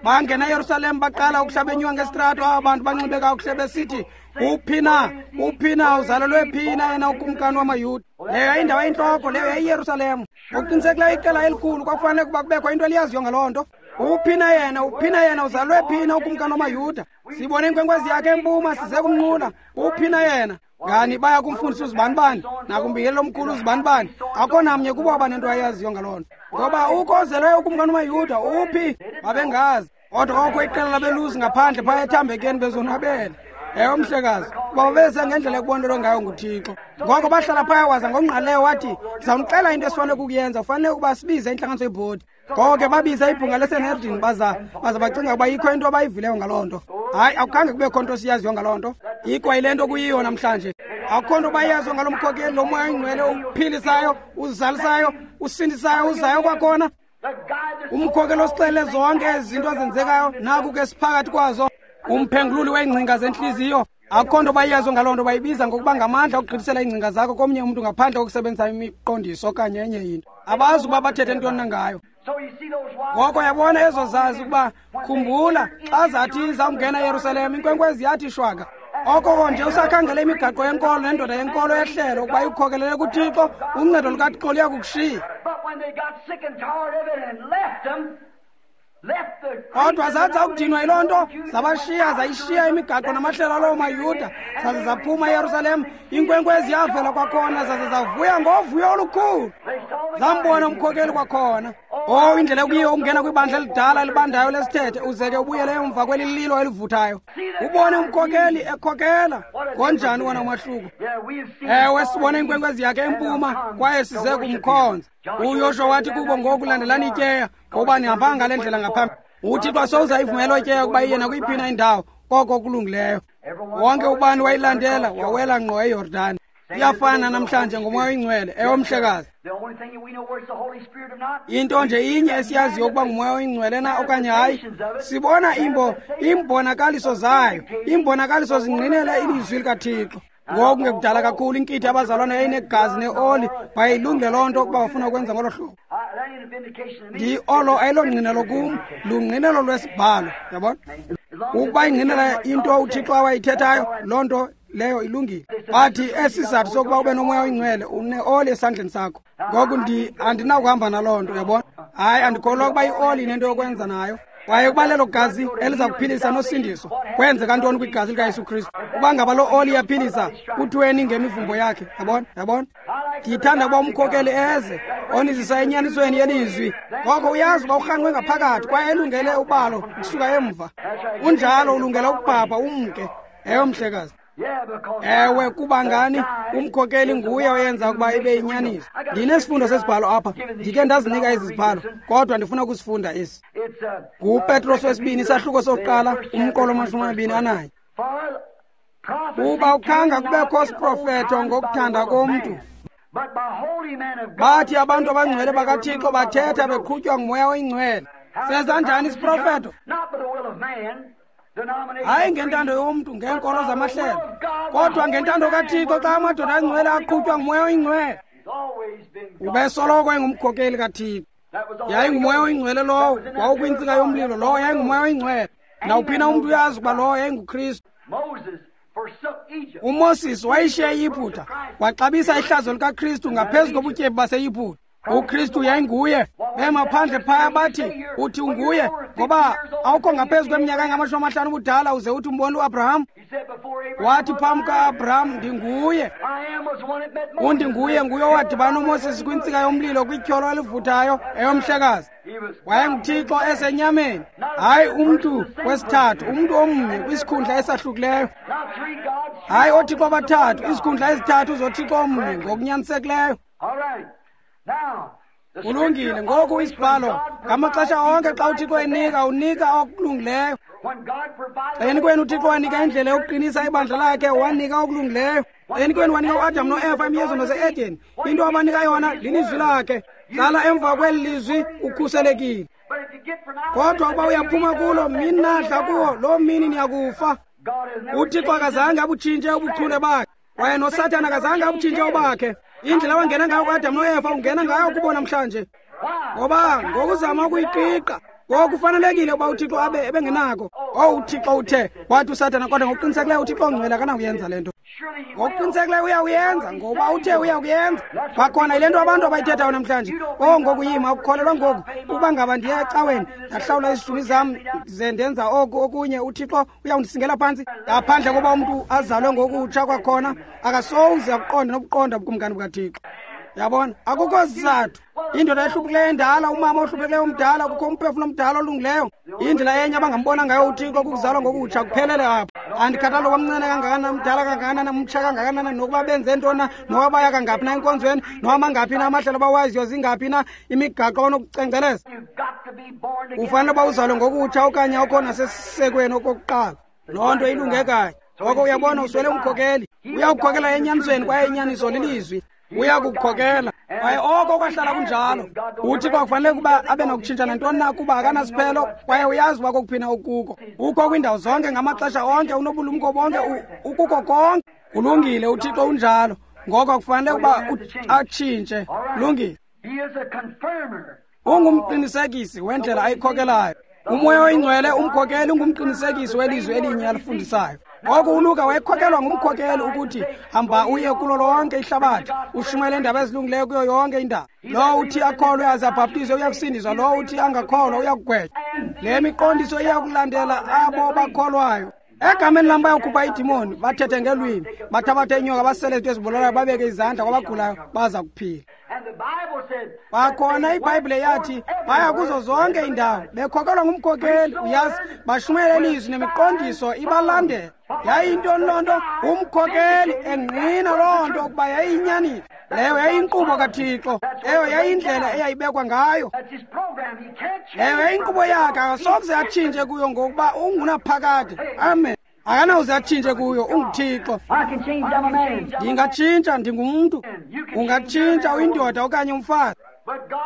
Bangena eYerusalem baqala ukuhlabenywa ngesitrato, aba bantu banxibe kakuhle besithi, uphi na, uphi na, uzalelwe phi na yena ukumkani wamaYuda? Leyo yayindawo eyintloko, leyo yayiYerusalem. Ngokuqinisekileyo iqela elikhulu kwakufanele ukuba kubekho into eliyaziyo ngaloo nto. Uphi na yena, uphi na yena, uzalwe phi na ukumkani wamaYuda? Sibone inkwenkwezi yakhe empuma, size kumnqula. Uphi na yena? Ngani baya kumfundisa uzibanibani, nakumbingeleli omkhulu uzibanibani. Akho namnye kubo abanento ayaziyo ngaloo nto. Ngoba ukho ozelweyo ukumkani wamaYuda, uphi? Babengazi. Kodwa kwakukho iqela labelusi ngaphandle phaya ethambekeni bezonwabele. Ewe, mhlekazi, kuba babeze ngendlela ekubonelwe ngayo nguThixo. Ngoko bahlala phaya, waza ngongqaleyo wathi, ndizawunixela into esifanele ukuyenza, ufanele ukuba sibize intlanganiso yebhodi. Ngoko ke babiza ibhunga leSanhedrin, baza bacinga ukuba ikho into abayivileyo ngaloo nto. Hayi, akukhange kubekho nto siyaziyo ngaloo nto. Ikwa yile nto kuyiyo namhlanje. Akukho nto bayaziyo ngalo mkhokeli, lo moya oyingcwele uphilisayo, uzalisayo, usindisayo, uzayo kwakhona. Umkhokeli osixelele zonke ezi zinto ezenzekayo, naku ke siphakathi kwazo. Umphengululi weengcinga zentliziyo. Akukho nto bayaziyo ngaloo nto, bayibiza ngokuba ngamandla okugqithisela iingcinga zakho komnye umntu ngaphandle kokusebenzisa imiqondiso okanye enye into. Abazi ukuba bathethe ntoni na ngayo. Ngoko yabona ezo zazi ukuba, khumbula, xa zathi zawungena eYerusalem, inkwenkwezi yathi shwaka. Okoko nje usakhangela imigaqo yenkolo nendoda yenkolo yehlelo ukuba ikukhokelele kuThixo, uncedo lukaThixo luyakukushiya. Kodwa zathi zakudinwa yiloo nto, zabashiya, zayishiya imigaqo namahlelo aloo maYuda, zaze zaphuma eYerusalem. Inkwenkwezi yavela kwakhona, zaze zavuya ngovuyo olukhulu. Zambona umkhokeli kwakhona. Oh, indlela ekuyiyo ukungena kwibandla elidala elibandayo lesithethe, uze ke ubuyele emva kweli lilo elivuthayo, ubone umkhokeli ekhokela. Ngonjani wona umahluko? Ewe, sibone inkwenkwezi yakhe empuma kwaye size kumkhonza. UYoshuwa wathi kubo, ngoku landelani ityeya, ngoba nihambanga ngale ndlela ngaphambili. UThixo asoze ayivumele ityeya ukuba iye nakwiyiphi na indawo, koko kulungileyo. Wonke ubani wayilandela, wawela ngqo eYordani. Iyafana namhlanje ngomoya oyingcwele. Ewe, mhlekazi. Into nje inye esiyaziyo ukuba ngumoya oyingcwele na okanye hayi, sibona imbonakaliso zayo. Imbonakaliso zingqinela ilizwi likaThixo. Ngoku ngekudala kakhulu inkithi abazalwana yayinegazi neoli, bayilungile loo nto ukuba bafuna ukwenza ngolo hlobo. Olo ayilongqinelo kum, lungqinelo lwesibhalo, yabona? Ukuba ingqinela into uThixo awayithethayo, loo nto leyo ilungile. Bathi esi sizathu sokuba ube nomoya oyingcwele, uneoli esandleni sakho. Ngoku andinakuhamba naloo nto, yabona? Hayi, andikholwa ukuba ioli inento yokwenza nayo. Kwaye ukuba lelo gazi eliza kuphilisa nosindiso, kwenzeka ntoni kwigazi likaYesu Kristu? Ukuba ngaba loo oli iyaphilisa, kuthiweni ngemivumbo yakhe? Yabona, yabona? Ndithanda ukuba umkhokeli eze onizisa enyanisweni yelizwi. Ngoko uyazi uba urhanqwe ngaphakathi kwaye elungele ubalo ukusuka emva. Unjalo, ulungele ukubhabha umke. Ewe, mhlekazi. Ewe, kuba ngani? Umkhokeli nguye oyenza ukuba ibe yinyaniso. Ndinesifundo sesibhalo apha, ndike ndazinika ezi zibhalo, kodwa ndifuna ukusifunda esi. NguPetros wesibini, isahluko sokuqala, umqolo 21. Kuba ukhanga kubekho siprofeto ngokuthanda komntu. Bathi abantu abangcwele bakaThixo bathetha beqhutywa ngumoya oyingcwele. Senza njani isiprofeto? Hayi ngentando yomntu, ngeenkolo zamahlelo, kodwa ngentando kaThixo xa amadoda angcwele aqhutywa ngumoya oyingcwele. Ubesoloko engumkhokeli kaThixo. Yayingumoya oyingcwele lowo, wawukwintsika yomlilo, lowo yayingumoya oyingcwele. Nawuphina umntu uyazi ukuba lowo yayinguKristu. UMoses wayishiya iYiputa, waxabisa ihlazo likaKristu ngaphezu kobutyebi baseYiputa. uKristu yayinguye. Bema phandle phaya bathi, uthi unguye, ngoba awukho ngaphezu kweminyaka engama-50 ubudala uze uthi umbona uAbraham. Wathi phambi ka-Abraham, ndinguye. Undinguye nguye owadibana noMoses kwintsika yomlilo kwityholo elivuthayo eyomhlekazi. WayenguThixo esenyameni, hayi umntu wesithathu, umntu omnye kwisikhundla esahlukileyo. Hayi oothixo abathathu, izikhundla ezithathu zoThixo omnye ngokunyanisekileyo. Kulungile. Ngoku isibhalo ngamaxesha onke xa uThixo enika, unika okulungileyo. Xeni kwenu uThixo wanika indlela yokuqinisa ibandla lakhe, wanika okulungileyo. Xeni kwenu wanika uAdam noEva emyezweni wase-Eden, into abanika yona lilizwi lakhe. Hlala emva kweli lizwi ukhuselekile. Kodwa ukuba uyaphuma kulo, mini nadla kuwo, loo mini niyakufa. uThixo akazange abutshintshe ubuchule bakhe, kwaye noSathana akazange abutshintshe obakhe. Indlela wangena ngayo kuAdam noEva ungena ngayo kubo namhlanje. Ngoba ngokuzama ukuyiqiqa, Ngoku kufanelekile ukuba uThixo abe ebengenako. Oh, uThixo uthe, wathi uSathana, kodwa ngokuqinisekileyo uThixo ongcwele akanawuyenza le nto. Ngokuqinisekileyo uyawuyenza, ngoba uthe uyakuyenza. Kwakhona yile nto abantu abayithethayo namhlanje. Oh, ngoku yima, ukukholelwa ngoku ukuba ngaba ndiya ecaweni, ndahlawula izishumi zam, ze ndenza oku okunye, uThixo uyawundisingela phantsi. Ngaphandle koba umntu azalwe ngokutsha kwakhona, akasoze akuqonde nokuqonda ubukumkani bukaThixo. Yabona, akukho sizathu. Indoda ehluphekileyo endala, umama ohluphekileyo omdala, kukho umphefumlo omdala olungileyo. Indlela enye abangambona ngayo uThixo kukuzalwa ngokutsha, kuphelele apho. Andikhathali nokuba mncane kangakanani, mdala kangakanani, mtsha kangakanani, nokuba benze ntoni na, nokuba baya kangaphi na enkonzweni, nokuba mangaphi na amahlelo abawaziyo, zingaphi na imigaqo onokucengceleza. Ufanele uba uzalwe ngokutsha okanye awukho nasesisekweni okokuqala. Loo nto ilunge kanye. Ngoko uyabona, uswele umkhokeli. Uyakukhokela enyanisweni, kwaye inyaniso lilizwi. Uyakukhokela. Kwaye oko kwahlala kunjalo. UThixo akufanele ukuba abe nokutshintsha nantoni na, kuba akanasiphelo, kwaye uyazi uba kokuphina okukuko. Ukho kwiindawo zonke ngamaxesha onke, unobulumko bonke, ukuko konke. Kulungile, uThixo unjalo. Ngoko akufanele ukuba atshintshe. Kulungile. Ungumqinisekisi wendlela ayikhokelayo. UMoya oyiNgcwele umkhokeli ungumqinisekisi welizwi elinye alifundisayo. Ngoku uLuka wayekhokelwa ngumkhokeli ukuthi hamba uye kulo lonke ihlabathi, ushumayele iindaba ezilungileyo kuyo yonke indawo. Lowo uthi akholwe aze abhaptizwe uyakusindiswa, lowo uthi angakholwa uyakugwetywa. Le miqondiso iyakulandela abo bakholwayo. Egameni lam bayokhupha iidimoni, bathethe ngeelwimi, bathabathe inyoka, basele izinto ezibulalayo, babeke izandla kwabagulayo, baza kuphila. Kwakhona iBhayibhile yathi baya kuzo zonke iindawo bekhokelwa ngumkhokeli, uyazi, bashumayele ilizwi nemiqondiso ibalandela. Yayiyintoni loo nto? Umkhokeli engqina loo nto ukuba yayiyinyaniso. Leyo yayiyinkqubo kaThixo, leyo yayiyindlela eyayibekwa ngayo, leyo yayiyinkqubo yakhe. Akasokuze atshintshe kuyo ngokuba ungunaphakade. Amen. Akanawuze atshintshe kuyo, unguThixo. Ndingatshintsha, ndingumntu. Ungatshintsha uyindoda okanye umfazi,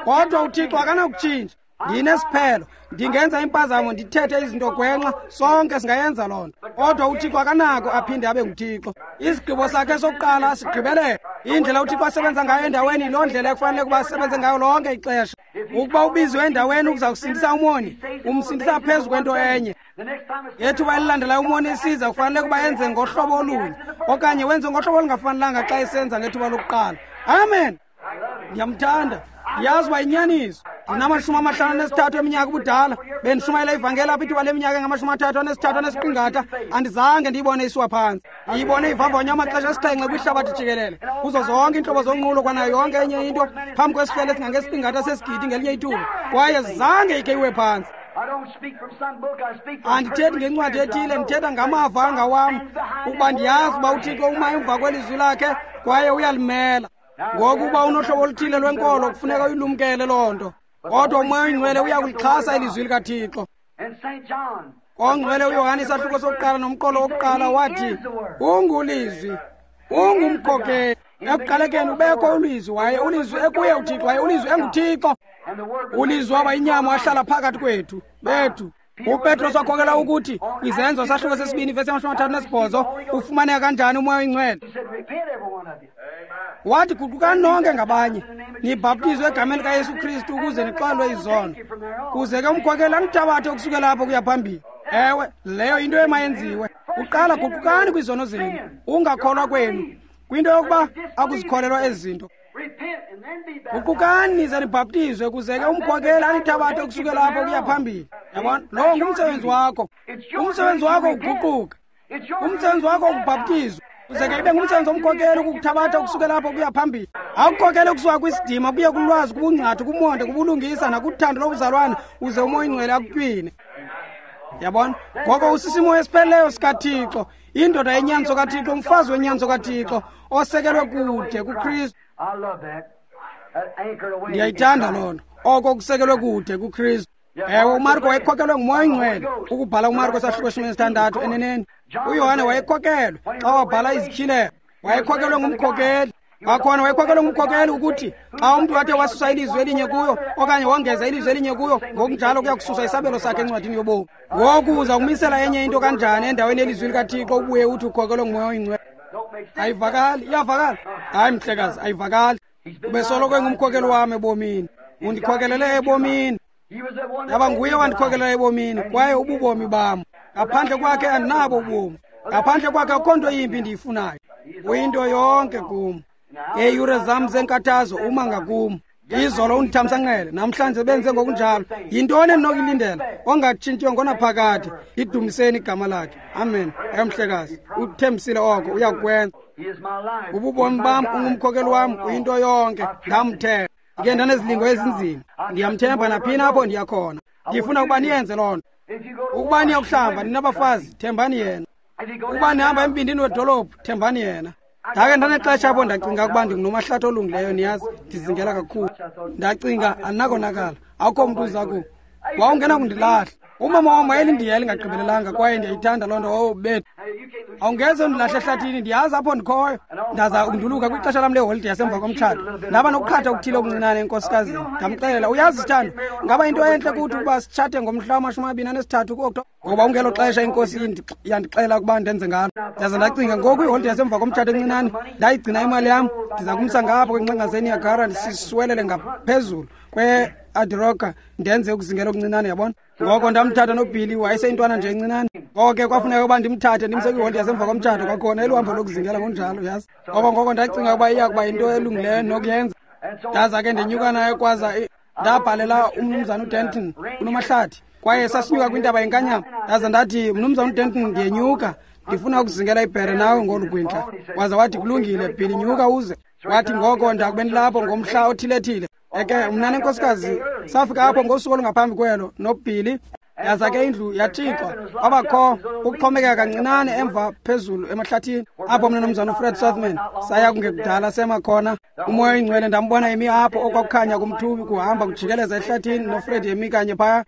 kodwa uThixo akanakutshintsha. Ndinesiphelo, ndingenza impazamo, ndithethe izinto gwenxa, sonke singayenza loo nto, kodwa uThixo akanako aphinde abe nguThixo. Isigqibo sakhe sokuqala sigqibelele. Indlela uThixo asebenza ngayo endaweni yiloo ndlela ekufanele ukuba asebenze ngayo lonke ixesha. Ukuba ubiziwe endaweni ukuza kusindisa umoni, umsindisa phezu kwento enye. Ngethuba elilandelayo umoni esiza, kufanele ukuba enze ngohlobo olunye, okanye wenze ngohlobo olungafanelanga xa esenza ngethuba lokuqala. Amen. Ndiyamthanda, ndiyazi uba yinyaniso. Ndinama-53 eminyaka ubudala, bendishumayela ivangeli apha ithuba leminyaka engama-33.5, andizange ndiyibone isiwa phantsi. Ndiyibone ivavanywa amaxesha asixhenxe kwihlabathi jikelele, kuzo zonke iintlobo zonqulo kwanayo yonke enye into, phambi kwesihlwele esingangesiqingatha sesigidi ngelinye ithuba, kwaye zange ikhe iwe phantsi. Andithethi ngencwadi ethile, ndithetha ngamava angawam, ukuba ndiyazi uba uThixo uma emva kwelizwi lakhe kwaye uyalimela. Ngoku uba unohlobo oluthile lwenkolo, kufuneka uyilumkele loo nto, kodwa uMoya oyiNgcwele uyakulixhasa ilizwi likaThixo. Ongcwele uYohane isahluko sokuqala nomqolo wokuqala wathi ungulizwi, ungumkhokeli. Ekuqalekeni ubekho ulizwi, waye ulizwi ekuye uThixo, waye ulizwi enguThixo. Ulizwi waba inyama wahlala phakathi kwethu bethu. UPetros wakhokela ukuthi kwiZenzo sahluko sesibini vesi 38 ufumaneka kanjani uMoya oyiNgcwele. Wathi guqukani nonke ngabanye, nibhaptizwe egameni likaYesu Kristu ukuze nixolelwe izono, kuze ke umkhokeli anithabathe ukusukela apho kuya phambili. Ewe, leyo yinto emayenziwe. Kuqala guqukani kwizono zenu, ungakholwa kwenu kwinto yokuba akuzikholelwa ezi zinto. Guqukani nize nibhaptizwe kuze ke umkhokeli anithabathe ukusukela apho kuya phambili. Yabona, lowo ngumsebenzi wakho. Umsebenzi wakho uguquka, umsebenzi wakho ukubhaptizwa, kuze ke ibe ngumsebenzi womkhokeli ukukuthabatha ukusukela apho kuya phambili. Akukhokele ukusuka kwisidima kuye kulwazi, kubungcathu, kumonde, kubulungisa nakuthando lobuzalwana, uze uMoya oyiNgcwele akutywine. Yabona, ngoko usisimo esipheleleyo sikaThixo, indoda yenyaniso kaThixo, umfazi wenyaniso kaThixo, osekelwe kude kuKristu. Ndiyayithanda loo nto, oko kusekelwe kude kuKristu. Ewe, uMarko wayekhokelwe nguMoya oyiNgcwele ukubhala uMarko sahluko 16. Eneneni uYohane wayekhokelwe xa wabhala izityhilelo, wayekhokelwe ngumkhokeli. Kwakhona wayekhokelwe ngumkhokeli ukuthi xa umntu athe wasusa ilizwi elinye kuyo okanye wongeza ilizwi elinye kuyo, ngokunjalo kuya kususa isabelo sakhe encwadini yobomi. Ngoku uza kumisela enye into kanjani endaweni yelizwi likaThixo ubuye uthi ukhokelwe nguMoya oyiNgcwele? Ayivakali? Iyavakala? Hayi mhlekazi, ayivakali. Ubesoloko engumkhokeli wam ebomini, undikhokelele ebomini. Yaba nguye owandikhokelela ebomini, kwaye ububomi bam. Ngaphandle kwakhe andinabo ubomi. Ngaphandle kwakhe akukho nto yimbi ndiyifunayo. Uyinto yonke kum. Ngeeyure zam zenkathazo uma ngakum. Izolo undithamsanqele, namhlanje benze ngokunjalo. Yintoni endinokuyilindela? Ongatshintshiyo ngonaphakade. Lidumiseni igama lakhe. Amen. Emhlekazi, uthembisile oko, uyakwenza. Ububomi bam, ungumkhokeli wam, uyinto yonke. Ndamthemba. Ndike ndanezilingo ezinzima. Ndiyamthemba naphina apho ndiya khona. Ndifuna ukuba niyenze loo nto. Ukuba niyakuhlamba ninabafazi, thembani yena. Ukuba nihamba embindini wedolophu, thembani yena. Ndake ndanexesha apho ndacinga ukuba ndingunomahlathi olungileyo, niyazi, ndizingela kakhulu. Ndacinga andinakonakala, akukho mntu uza ku. Wawungena kundilahla. Umama wam wayelindiyela ingagqibelelanga kwaye ndiyayithanda loo nto. Oh, bethu, awungeze undilahle ehlathini, ndiyazi apho ndikhoyo. Ndaza ukunduluka kwixesha lam leholide yasemva komtshato. Ndaba nokuqhatha okuthile okuncinane enkosikazini. Ndamxelela, uyazi sithando, ngaba into entle kuthi ukuba sitshate ngomhla wama-23 kuOktoba, ngoba ungelo xesha inkosi yandixela ukuba ndenze ngalo. Ndaza ndacinga, ngoku iholide yasemva komtshato encinane, ndayigcina imali yam, ndiza kumsa ngapha kwingxenga zeNiagara, ndisiswelele ngaphezulu kwe-Adiroka, ndenze ukuzingela okuncinane, yabona. Ngoko ndamthatha noBilly, wayeseyintwana nje encinane. Ngoko ke kwafuneka ukuba ndimthathe ndimse kwiholide yasemva komtshato kwakhona, eluhambo lokuzingela ngokunjalo, yazi. Ngoko ndacinga ukuba iya kuba yinto elungileyo nokuyenza. Ndaza ke ndenyuka naye kwaza ndabhalela umnumzana uDenton unomahlathi, kwaye sasinyuka kwintaba yenkanyamba. Ndaza ndathi, mnumzana uDenton, ndiyenyuka, ndifuna ukuzingela ibhere nawe ngolu kwindla. Waza wathi, kulungile Billy, nyuka uze. Wathi, ngoko ndakube ndilapho ngomhla othile-thile. Eke mna nenkosikazi safika apho ngosuku olungaphambi kwelo noBilly. Yaza ke indlu yatshixwa, kwabakho ukuxhomekeka kancinane emva phezulu emahlathini apho mna nomzana uFred Southman saya kungekudala sema khona. Umoya oyingcwele ndambona emi apho okwakukhanya kumthubi kuhamba kujikeleza ehlathini noFred emi kanye phaya.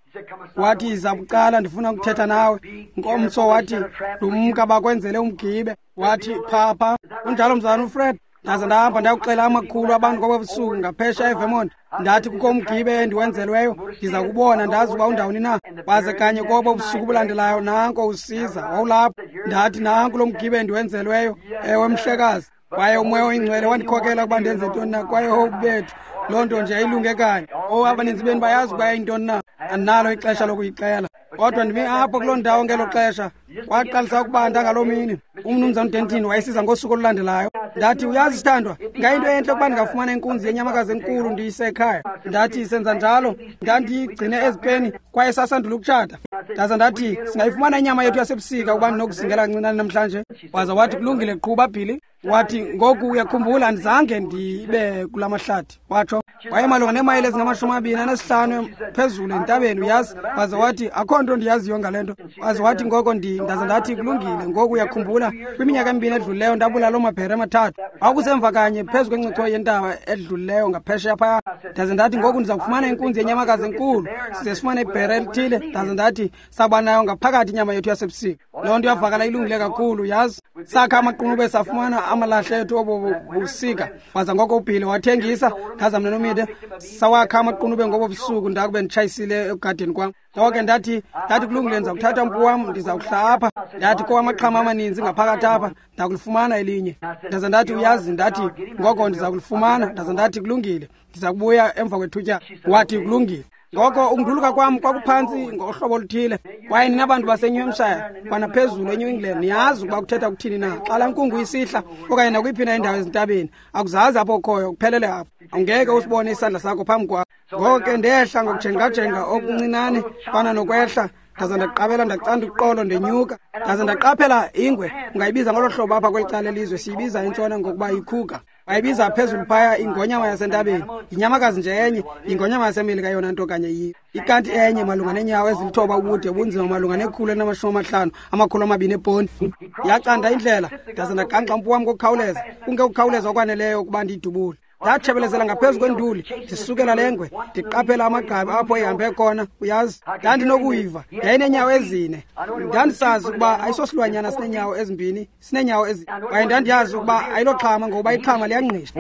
Wathi, iza bucala, ndifuna ukuthetha nawe. Ngomso wathi, lumka bakwenzele umgibe. Wathi, phapha. Unjalo mzana uFred. Ndaza ndahamba ndayokuxela amakhulu abantu ngoba busuku ngaphesha eVermont. Ndathi, kukho umgibe endiwenzelweyo, ndiza kubona ndazi uba undawoni na. Waze kanye kobo busuku bulandelayo nanko usiza, wawulapho. Ndathi, nanku lo mgibe endiwenzelweyo, ewe mhlekazi. Kwaye umoya oyingcwele wandikhokela ukuba ndenze ntoni na, kwaye bethu, loo nto nje ayilunge kanye. Abaninzi benu bayazi ukuba yintoni na, andinalo ixesha lokuyixela. Kodwa ndimi apho kuloo ndawo ngelo xesha, kwaqalisa ukubanda ngaloo mini. Umnumzana uDenton wayesiza ngosuku olulandelayo. Ndathi, uyazi sithandwa, ingayinto entle ukuba ndingafumana inkunzi yenyamakazi enkulu ndiyise ekhaya. Ndathi, senza njalo, ndandiyigcine ezipeni kwaye sasandula ukutshata. Ndaza ndathi, singayifumana inyama yethu yasebusika ukuba ndinokuzingela kancinane namhlanje. Waza wathi, kulungile, qhuba Billy. Wathi, ngoku uyakhumbula andizange ndibe kula mahlathi. Watsho, wayemalunga neemayile ezingama-25 phezulu entabeni, uyazi. Waza wathi, akho nto ndiyaziyo ngale nto. Waza wathi, ngoko ndaza ndathi, kulungile, ngoku uyakhumbula kwiminyaka emibini edlulileyo ndabulala loo mabhere amathathu. Kwakusemva kanye phezu kwencotho yentaba edlulileyo ngaphesheya phaya. Ndaze ndathi, ngoku ndiza kufumana inkunzi yenyamakazi enkulu, size sifumane ibhere elithile. Ndaze ndathi, saba nayo ngaphakathi inyama yethu yasebusika. Loo nto yavakala ilungile kakhulu, yazi. Sakha amaqunube safumana amalahle ethu obo busika. Waza ngoko uBilly wathengisa, ndaza mna nomide sawakha amaqunube ngobo busuku ndakube nditshayisile ekugadeni kwam. Ngoko ndathi kulungile, ndiza kuthatha umpu wam, ndiza kuhla apha. Ndathi kukho amaxhama amaninzi ngaphakathi apha, ndakulifumana elinye. Ndaza ndathi, uyazi, ndathi ngoko ndiza kulifumana. Ndaza ndathi, kulungile, ndiza kubuya emva kwethutyana. Wathi, kulungile. Ngoko ukunduluka kwam kwakuphantsi ngohlobo oluthile. Kwaye nina bantu baseNew Hampshire kwanaphezulu eNew England niyazi ukuba kuthetha kuthini na. Xa laa nkungu isihla okanye nakwiphi na indawo ezintabeni, akuzazi apho ukhoyo, kuphelele apho. Awungeke usibone isandla sakho phambi kwakho. Ngoko ke ndehla ngokujengajenga okuncinane fana nokwehla. Ndaza ndaqabela ndacanda uqolo ndenyuka. Ndaza ndaqaphela ingwe, ungayibiza ngolo hlobo apha kweli cala elizwe, siyibiza intshona ngokuba yikhuka. Bayibiza phezulu phaya ingonyama yasentabeni. Yinyamakazi nje enye, ingonyama yaseMelika yona nto kanye yiyo. Ikanti enye malunga neenyawo ezilithoba ubude, ubunzima malunga ne-150, 200 eponti. Yacanda indlela, ndaza ndagangxa umpu wam ngokukhawuleza, kungekukhawuleza okwaneleyo ukuba ndiyidubule. Ndatshebelezela ngaphezu kwenduli, ndisukela lengwe, ndiqaphela amagqabi apho ihambe khona, uyazi. Ndandinokuyiva, yayineenyawo ezine. Ndandisazi ukuba ayisosilwanyana sineenyawo ezimbini, sineenyawo ezi. Kwaye ndandiyazi ukuba ayiloxhama ngokuba ixhama liyangqisha.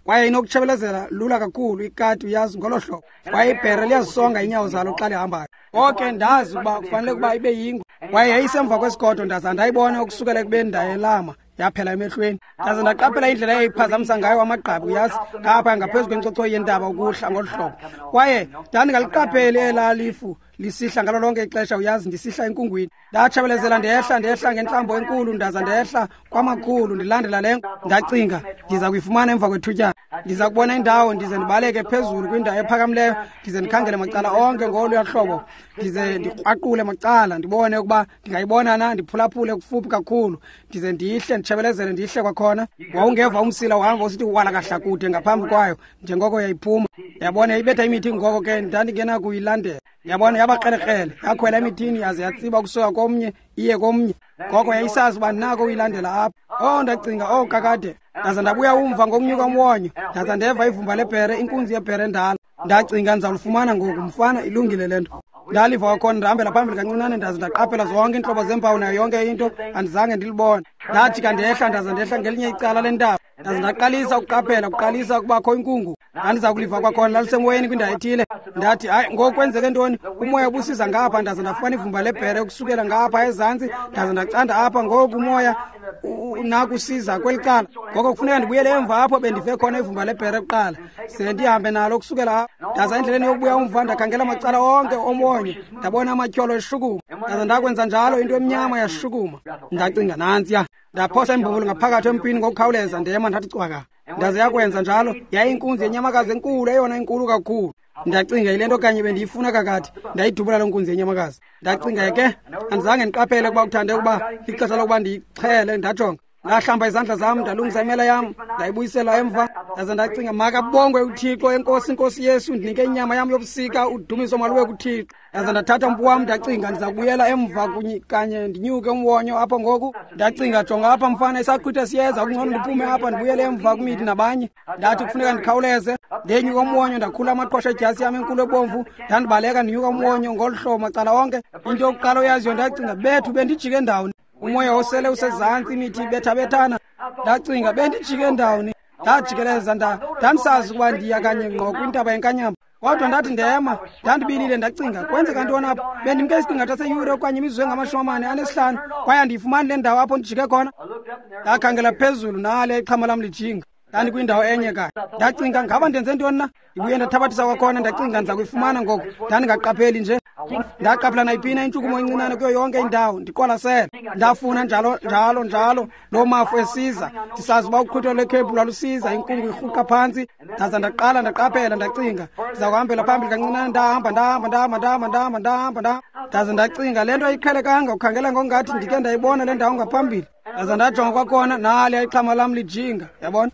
Kwaye inokutshebelezela lula kakhulu ikati, uyazi, ngolo hlobo. Kwaye ibhere liyazisonga iinyawo zalo xa lihambayo. Ngoko ndazi ukuba kufanele ukuba ibe yingwe. Kwaye yayisemva kwesigodo, ndaza ndayibona ukusukela ekubeni ndayelama. Yaphela emehlweni. Ndaze ndaqaphela indlela eyayiphazamisa ngayo amagqabi, uyazi, ngapha ngaphezu kwenkcochoyi yentaba ukuhla ngolu hlobo. Kwaye ndandingaliqapheli elaa lifu lisihla ngalo lonke ixesha, uyazi, ndisihla enkungwini. Ndatshabelezela ndehla, ndehla ngentlambo enkulu, ndaza ndehla kwamakhulu, ndilandela le. Ndacinga, ndiza kuyifumana emva kwethutyana. Ndiza kubona indawo, ndize ndibaleke phezulu kwindawo ephakamileyo, ndize ndikhangele macala onke ngoluya hlobo, ndize ndikrwaqule macala, ndibone ukuba ndingayibona na, ndiphulaphule kufuphi kakhulu, ndize ndihle, nditshebelezele, ndihle kwakhona. Wawungeva umsila uhamba usithi walakahla kude ngaphambi kwayo, njengoko yayiphuma. Yabona, yayibetha imithi, ngoko ke ndandingenakuyilandela. Yabona, yabakrelekrele, yakhwela emithini yaze yatsiba ukusuka komnye iye komnye. Ngoko yayisazi uba ndinako uyilandela apha. Oh, ndacinga, oh kakade. Ndaza ndabuya umva ngokunyuka umwonyo, ndaza ndeva ivumba lebhere, inkunzi yebhere endala. Ndacinga, ndizawulifumana ngoku, mfana, ilungile le nto. Ndaliva kwakhona, ndahambela phambili kancinane, ndaze ndaqaphela zonke iintlobo zeempawu nayo yonke into, andizange ndilibone. Ndajika ndehla, ndaza ndehla ngelinye icala lentaba, ndaze ndaqalisa ukuqaphela, kuqalisa ukubakho inkungu. Ndandiza kuliva kwakhona, lalisemoyeni kwindawo ethile. Ndathi, hayi, ngoku kwenzeke ntoni? Umoya ubusiza ngapha, ndaze ndafumana ivumba lebhere ukusukela ngapha ezantsi, ndaze ndacanda apha, ngoku umoya nakusiza kweli cala. Ngoko kufuneka ndibuyele emva apho bendive khona ivumba lebhere kuqala, ze ndihambe nalo ukusukela apho. Ndaza endleleni yokubuya umva, ndakhangela macala onke omwonyo, ndabona amatyholo eshukuma. Ndaza ndakwenza njalo, into emnyama yashukuma. Ndacinga, nantsiya. Ndaphosa imbumbulu ngaphakathi empini ngokukhawuleza, ndema ndathi cwaka. Ndaze yakwenza njalo, yayinkunzi yenyamakazi enkulu, eyona inkulu kakhulu. Ndacinga, yile nto kanye bendiyifuna kakade. Ndayidubula loo nkunzi yenyamakazi. Ndacinga ke, andizange ndiqaphele ukuba kuthande ukuba lixesha lokuba ndiyixhele. Ndajonga, ndahlamba izandla zam, ndalungisa imela yam, ndayibuyisela emva. Ndaze ndacinga, makabongwe uThixo, enkosi, Nkosi Yesu, ndinike inyama yam yobusika, udumiso maluwe kuThixo. Ndaze ndathatha umpu wam, ndacinga, ndiza kubuyela emva kanye ndinyuke umwonyo apho ngoku. Ndacinga, jonga apha mfana, isaqhwitha siyeza, kungcono ndiphume apha ndibuyele emva kwimithi nabanye. Ndathi kufuneka ndikhawuleze. Ndenyuka umwonyo, ndakhula amaqhosha edyasi yam enkulu ebomvu, ndandibaleka ndinyuka umwonyo ngolu hlobo macala onke. Into yokuqala oyaziyo, ndacinga, bethu, bendijike ndawoni? Umoya osele usezantsi, imithi ibethabethana. Ndacinga, bendijike ndawoni? Ndajikeleza, ndandisazi ukuba ndiya kanye ngqo kwintaba yenkanyamba. Kodwa ndathi ndema, ndandibilile, ndacinga, kwenzeka ntoni apha? Bendimke isiqingatha seyure okanye imizuzu enga-45, kwaye andiyifumani le ndawo apho ndijike khona. Ndakhangela phezulu, nale ixhama lam lijinga. Ndandikwindawo enye kanye. Ndacinga, ngaba ndenze ntoni na? Ndibuye ndathabathisa kwakhona, ndacinga, ndiza kuyifumana ngoku. Ndandingaqapheli nje. Ndaqaphela nayiphina intshukumo encinane kuyo yonke indawo, ndiqwalasele. Ndafuna njalo njalo njalo loo mafu esiza, ndisazi uba uqhwitho lwekhephu lwalusiza, inkungu irhuqa phantsi. Ndaza ndaqala ndaqaphela, ndacinga, ndiza kuhambela phambili kancinane. Ndahamba, ndahamba, ndahamba, ndahamba, ndahamba, ndahamba, ndahamba. Ndaze ndacinga, le nto ayiqhelekanga, ukhangela ngokungathi ndike ndayibona le ndawo ngaphambili. Ndaza ndajonga kwakhona, naliya ixhama lam lijinga, yabona.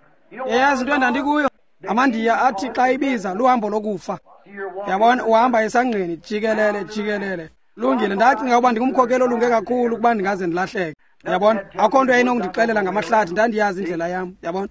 Yayazi into endandikuyo? AmaNdiya athi xa ibiza luhambo lokufa. Yabona, uhamba esangqeni jikelele jikelele. Lungile, ndacinga ukuba ndingumkhokeli olunge kakhulu ukuba ndingaze ndilahleke. Yabona, akho nto yayinokundixelela ngamahlathi, ndandiyazi indlela yam, yabona.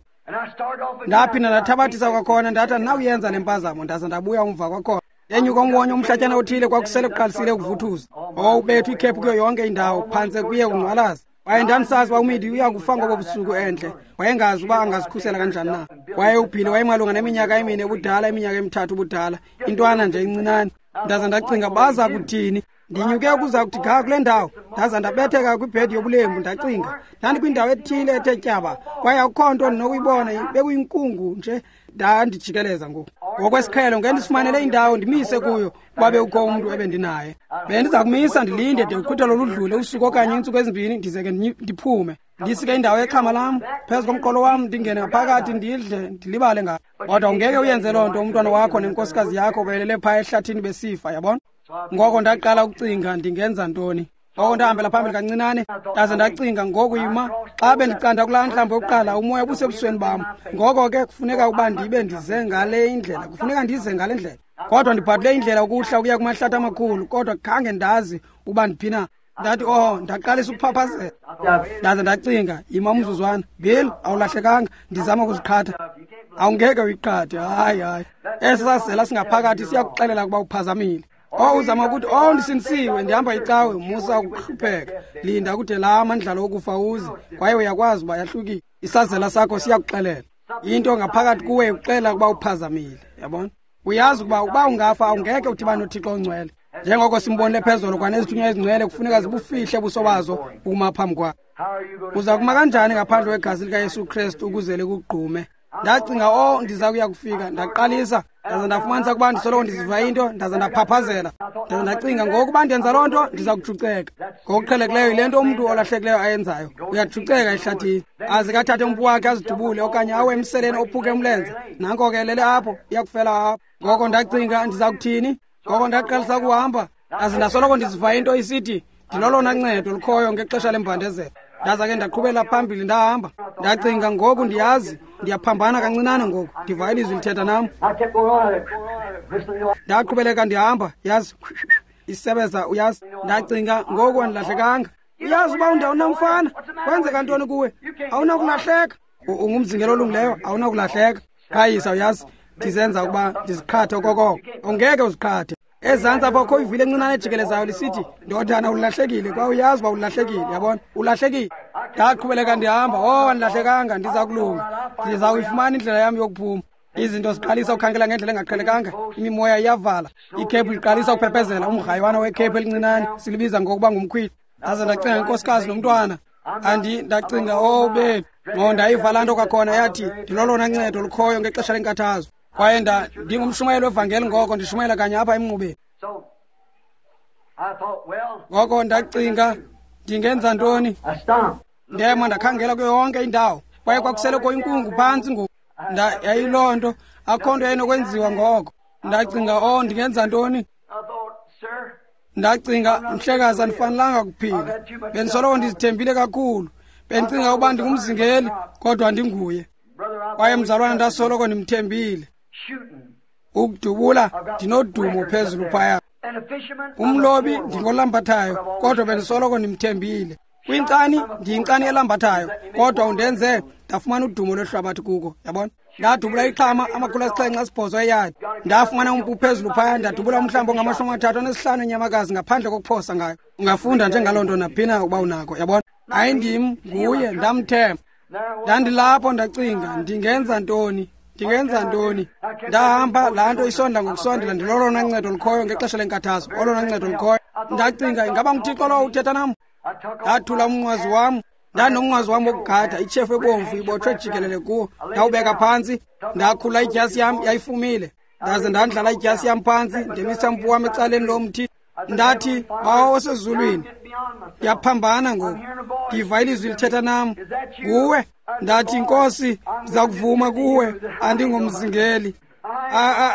Ndaphinda ndathabathisa kwakhona, ndathi andinawuyenza le mpazamo, ndaza ndabuya umva kwakhona. Ndenyuka umwonyo umhlatyana othile, kwakusele kuqalisile ukuvuthuza. Owubethu ikhephu kuyo yonke indawo, phantse kuye kungqwalaza. Kwaye ndandisazi uba uMidi uya kufa ngobo busuku entle. Wayengazi uba angazikhusela kanjani na. Kwaye uBhili wayemalunga neminyaka 4 ubudala, iminyaka 3 ubudala, intwana nje incinane. Ndaza ndacinga, baza kuthini? Ndinyuke ukuza kuthi ga kule ndawo, ndaza ndabetheka kwibhedi yobulembu. Ndacinga, ndandikwindawo ethile ethe tyaba, kwaye akukho nto ndinokuyibona, bekuyinkungu nje. Ndandijikeleza ngoku. Ngokwesiqhelo ngendisifumanele indawo ndimise kuyo, kuba bekukho umntu ebendinaye. Bendiza kumisa ndilinde de uqhwithelo ludlule usuku okanye iintsuku 2, ndize ke ndiphume. Ndisike indawo yexhama lam phezu komqolo wam, ndingene ngaphakathi ndidle, ndilibale ngayo. Kodwa ungeke uyenze loo nto umntwana wakho nenkosikazi yakho belele phaa ehlathini besifa, yabona. Ngoko ndaqala ukucinga, ndingenza ntoni? Ngoko ndahambela phambili kancinane, ndaze ndacinga, ngoku yima, xa bendicanda kulaa ntlambo yokuqala, umoya ubusebusweni bam. Ngoko ke kufuneka ukuba ndibe ndize ngale indlela, kufuneka ndize ngale ndlela. Kodwa ndibhadule indlela ukuhla ukuya kumahlathi amakhulu, kodwa khange ndazi ukuba ndiphi na. Ndathi, oh, ndaqalisa ukuphaphazela. Ndaze ndacinga, yima umzuzwana, Bill, awulahlekanga, ndizama ukuziqhatha. Awungeke uyiqhathe, hayi, hayi. Esi sazela singaphakathi siyakuxelela ukuba uphazamile. Oh, uzama ukuthi, oh, ndisindisiwe, ndihamba icawe, musa ukuhlupheka. Linda kude laa mandlalo okufa uze, kwaye uyakwazi uba yahlukile. Isazela sakho siyakuxelela. Into ngaphakathi kuwe ikuxelela ukuba uphazamile, yabona? Uyazi ukuba ungafa awungeke udibane noThixo ongcwele. Njengoko simbonile phezulu, kwanezithunywa ezingcwele kufuneka zibufihle ubuso bazo ukuma phambi kwakhe. Uza kuma kanjani ngaphandle kwegazi likaYesu Kristu ukuze likugqume? Ndacinga, oh, ndiza kuya kufika. Ndaqalisa, ndaza ndafumanisa ukuba ndisoloko ndiziva into, ndaza ndaphaphazela. Ndaza ndacinga, ngokuba ndenza loo nto, ndiza kujuceka. Ngokuqhelekileyo yile nto umntu olahlekileyo ayenzayo, uyajuceka ehlathini, aze kathathe umpu wakhe azidubule okanye awe emseleni ophuke umlenze. Nanko ke elele apho, iyakufela apho. Ngoko ndacinga, ndiza kuthini? Ngoko ndaqalisa ukuhamba, ndaze ndasoloko ndiziva into isithi, ndilolona ncedo lukhoyo ngexesha lembandezelo. Ndaza ke ndaqhubela phambili ndahamba. Ndacinga, ngoku ndiyazi ndiyaphambana kancinane ngoku, ndiva ilizwi lithetha nam. Ndaqhubeleka ndihamba, yazi, isebeza, uyazi. Ndacinga, ngoku andilahlekanga. Uyazi uba undawunamfana, kwenzeka ntoni kuwe? Awunakulahleka. Ungumzingelo olungileyo, awunakulahleka. Qhayisa, uyazi, ndizenza ukuba ndiziqhathe okokoko. Ungeke uziqhathe. Ezantsi apha kukho ivili encinane ejikelezayo lisithi, ndodana, ulahlekile, kwaye uyazi uba ulahlekile, yabona, ulahlekile. Ndaqhubeleka ndihamba, oh, andilahlekanga, ndiza kulunga, ndiza kuyifumana indlela yam yokuphuma. Izinto ziqalisa ukukhangela ngendlela engaqhelekanga, imimoya iyavala, ikhephu liqalisa ukuphephezela, umgrayiwana wekhephu elincinane silibiza ngokuba ngumkhwili. Ndaze ndacinga inkosikazi nomntwana, ndacinga, oh bethu, ngqo ndayiva laa nto kwakhona yathi, ndilolona ncedo lukhoyo ngexesha lenkathazo. Kwaye ndingumshumayeli wevangeli ngoko, ndishumayela kanye apha emnqubeni. Ngoko ndacinga, ndingenza ntoni? Ndema ndakhangela kuyo yonke indawo, kwaye kwakuseleko inkungu phantsi ngoku. Yayiloo nto, akho nto yayinokwenziwa ngoko. Ndacinga, oh, ndingenza ntoni? Ndacinga, mhlekazi, andifanelanga kuphila. Bendisoloko ndizithembile kakhulu. Bendicinga ukuba ndingumzingeli, kodwa ndinguye. Kwaye mzalwana, ndasoloko ndimthembile. Ukudubula, ndinodumo phezulu phaya. Umlobi, ndingolambathayo, kodwa bendisoloko ndimthembile. Kwinkcani, ndiyinkcani elambathayo, kodwa undenze ndafumana udumo lwehlabathi kuko, yabona. Ndadubula ixhama 708 eyadi. Ndafumana umpu phezulu phaya, ndadubula umhlambi onga-35 enyamakazi ngaphandle kokuphosa ngayo. Ungafunda njengaloo nto naphina ukuba unako, yabona. Ayindim, nguye, ndamthemba. Ndandilapho ndacinga, ndingenza ntoni? Ndingenza ntoni? Ndahamba, laa nto isondla ngokusondela, ndilolona ncedo lukhoyo ngexesha lenkathazo, olona ncedo lukhoyo. Ndacinga, ingaba nguThixo lowo uthetha nam? Ndathula umnqwazi wam, ndandinomnqwazi wam wokugada, itshefu ebomvu ibotshwe jikelele kuwo. Ndawubeka phantsi, ndakhula idyasi yam, yayifumile. Ndaze ndandlala idyasi yam phantsi, ndemisa umpu wam ecaleni lomthi. Ndathi, Bawo osezulwini, ndiyaphambana ngoku, ndiva ilizwi lithetha nam, nguwe. Ndathi, Nkosi, ndiza kuvuma kuwe, andingomzingeli.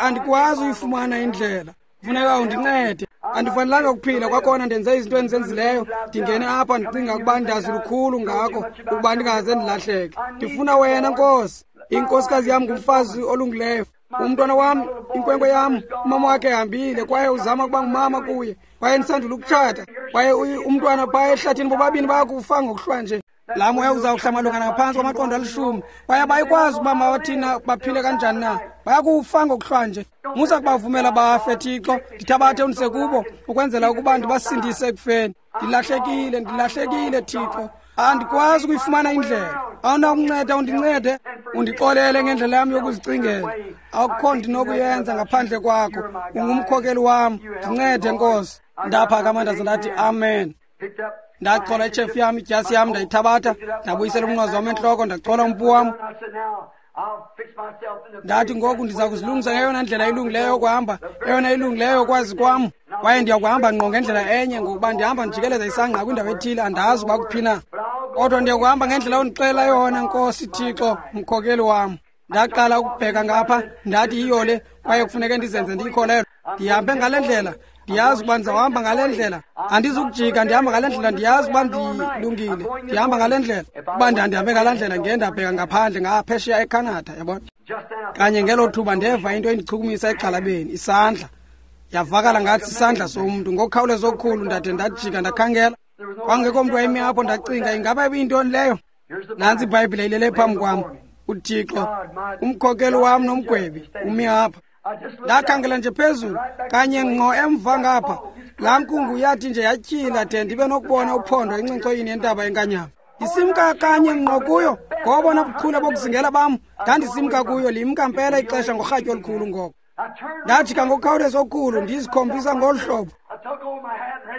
Andikwazi uyifumana indlela, funeka undincede. Andifanelanga ukuphila kwakhona ndenze izinto endizenzileyo. Ndingene apha ndicinga ukuba ndazi lukhulu ngako, ukuba ndingaze ndilahleke. Ndifuna wena, Nkosi. Inkosikazi yam ngumfazi olungileyo. Umntwana wam, inkwenkwe yam, umama wakhe ehambile, kwaye uzama ukuba ngumama kuye. Kwaye ndisandula ukutshata, kwaye umntwana phaya ehlathini, bobabini bayakufa ngokuhlwa nje. Laa moya uzawuhla malunga ngaphantsi kwamaqondo 10, kwaye abayikwazi ukuba mawathina baphile kanjani na. Bayakufa ngokuhlwa nje. Musa kubavumela bafe, Thixo. Ndithabathe undise kubo ukwenzela ukuba ndibasindise ekufeni. Ndilahlekile, ndilahlekile, Thixo. Andikwazi ukuyifumana indlela. Awunakunceda undincede, undixolele ngendlela yam yokuzicingela. Akukho ndinokuyenza ngaphandle kwakho. Ungumkhokeli wam. Ndincede, Nkosi. Ndaphakama ndaze ndathi, amen. Ndachola itshefu yam, idyasi yam, ndayithabatha, ndabuyisela umnqwazi wam entloko, ndachola umpu wam. Ndathi, ngoku ndiza kuzilungisa ngeyona ndlela ilungileyo yokuhamba, eyona ilungileyo yokwazi kwam. Kwaye ndiyakuhamba ngqo ngendlela enye, ngokuba ndihamba ndijikeleza isangqa kwindawo ethile, andazi uba kuphi na. Kodwa ndiyakuhamba ngendlela ondixelela yona, Nkosi Thixo, mkhokeli wam. Ndaqala ukubheka ngapha, ndathi yiyo le, kwaye kufuneke ndizenze ndiyikholelwe. Ndihambe ngale ndlela, ndiyazi ukuba ndizawuhamba ngale ndlela. Andizukujika, ndihamba ngale ndlela, ndiyazi ukuba ndilungile. Ndihamba ngale ndlela. Ukuba ndandihambe ngale ndlela, ndiye ndabheka ngaphandle ngaphesheya eCanada, yabona. Kanye ngelo thuba ndeva into endichukumisa egxalabeni, isandla. Yavakala ngathi isandla somntu. Ngokukhawuleza okukhulu ndade ndajika ndakhangela. Kwangekho mntu wayemi apho, ndacinga, ingaba ibiyintoni leyo? Nantsi iBhayibhile ilele phambi kwam. uThixo, umkhokeli wam nomgwebi, umi apha. Ndakhangela nje phezulu, kanye ngqo emva ngapha. Laa nkungu yathi nje yatyhila de ndibe nokubona uphondo encincoyini yentaba enkanyamba. Ndisimka kanye ngqo kuyo, ngobona buchule bokuzingela bam, ndandisimka kuyo, limka mpela ixesha ngorhatya olukhulu ngoko. Ndajika ngokukhawuleza okukhulu, ndizikhombisa ngolu hlobo.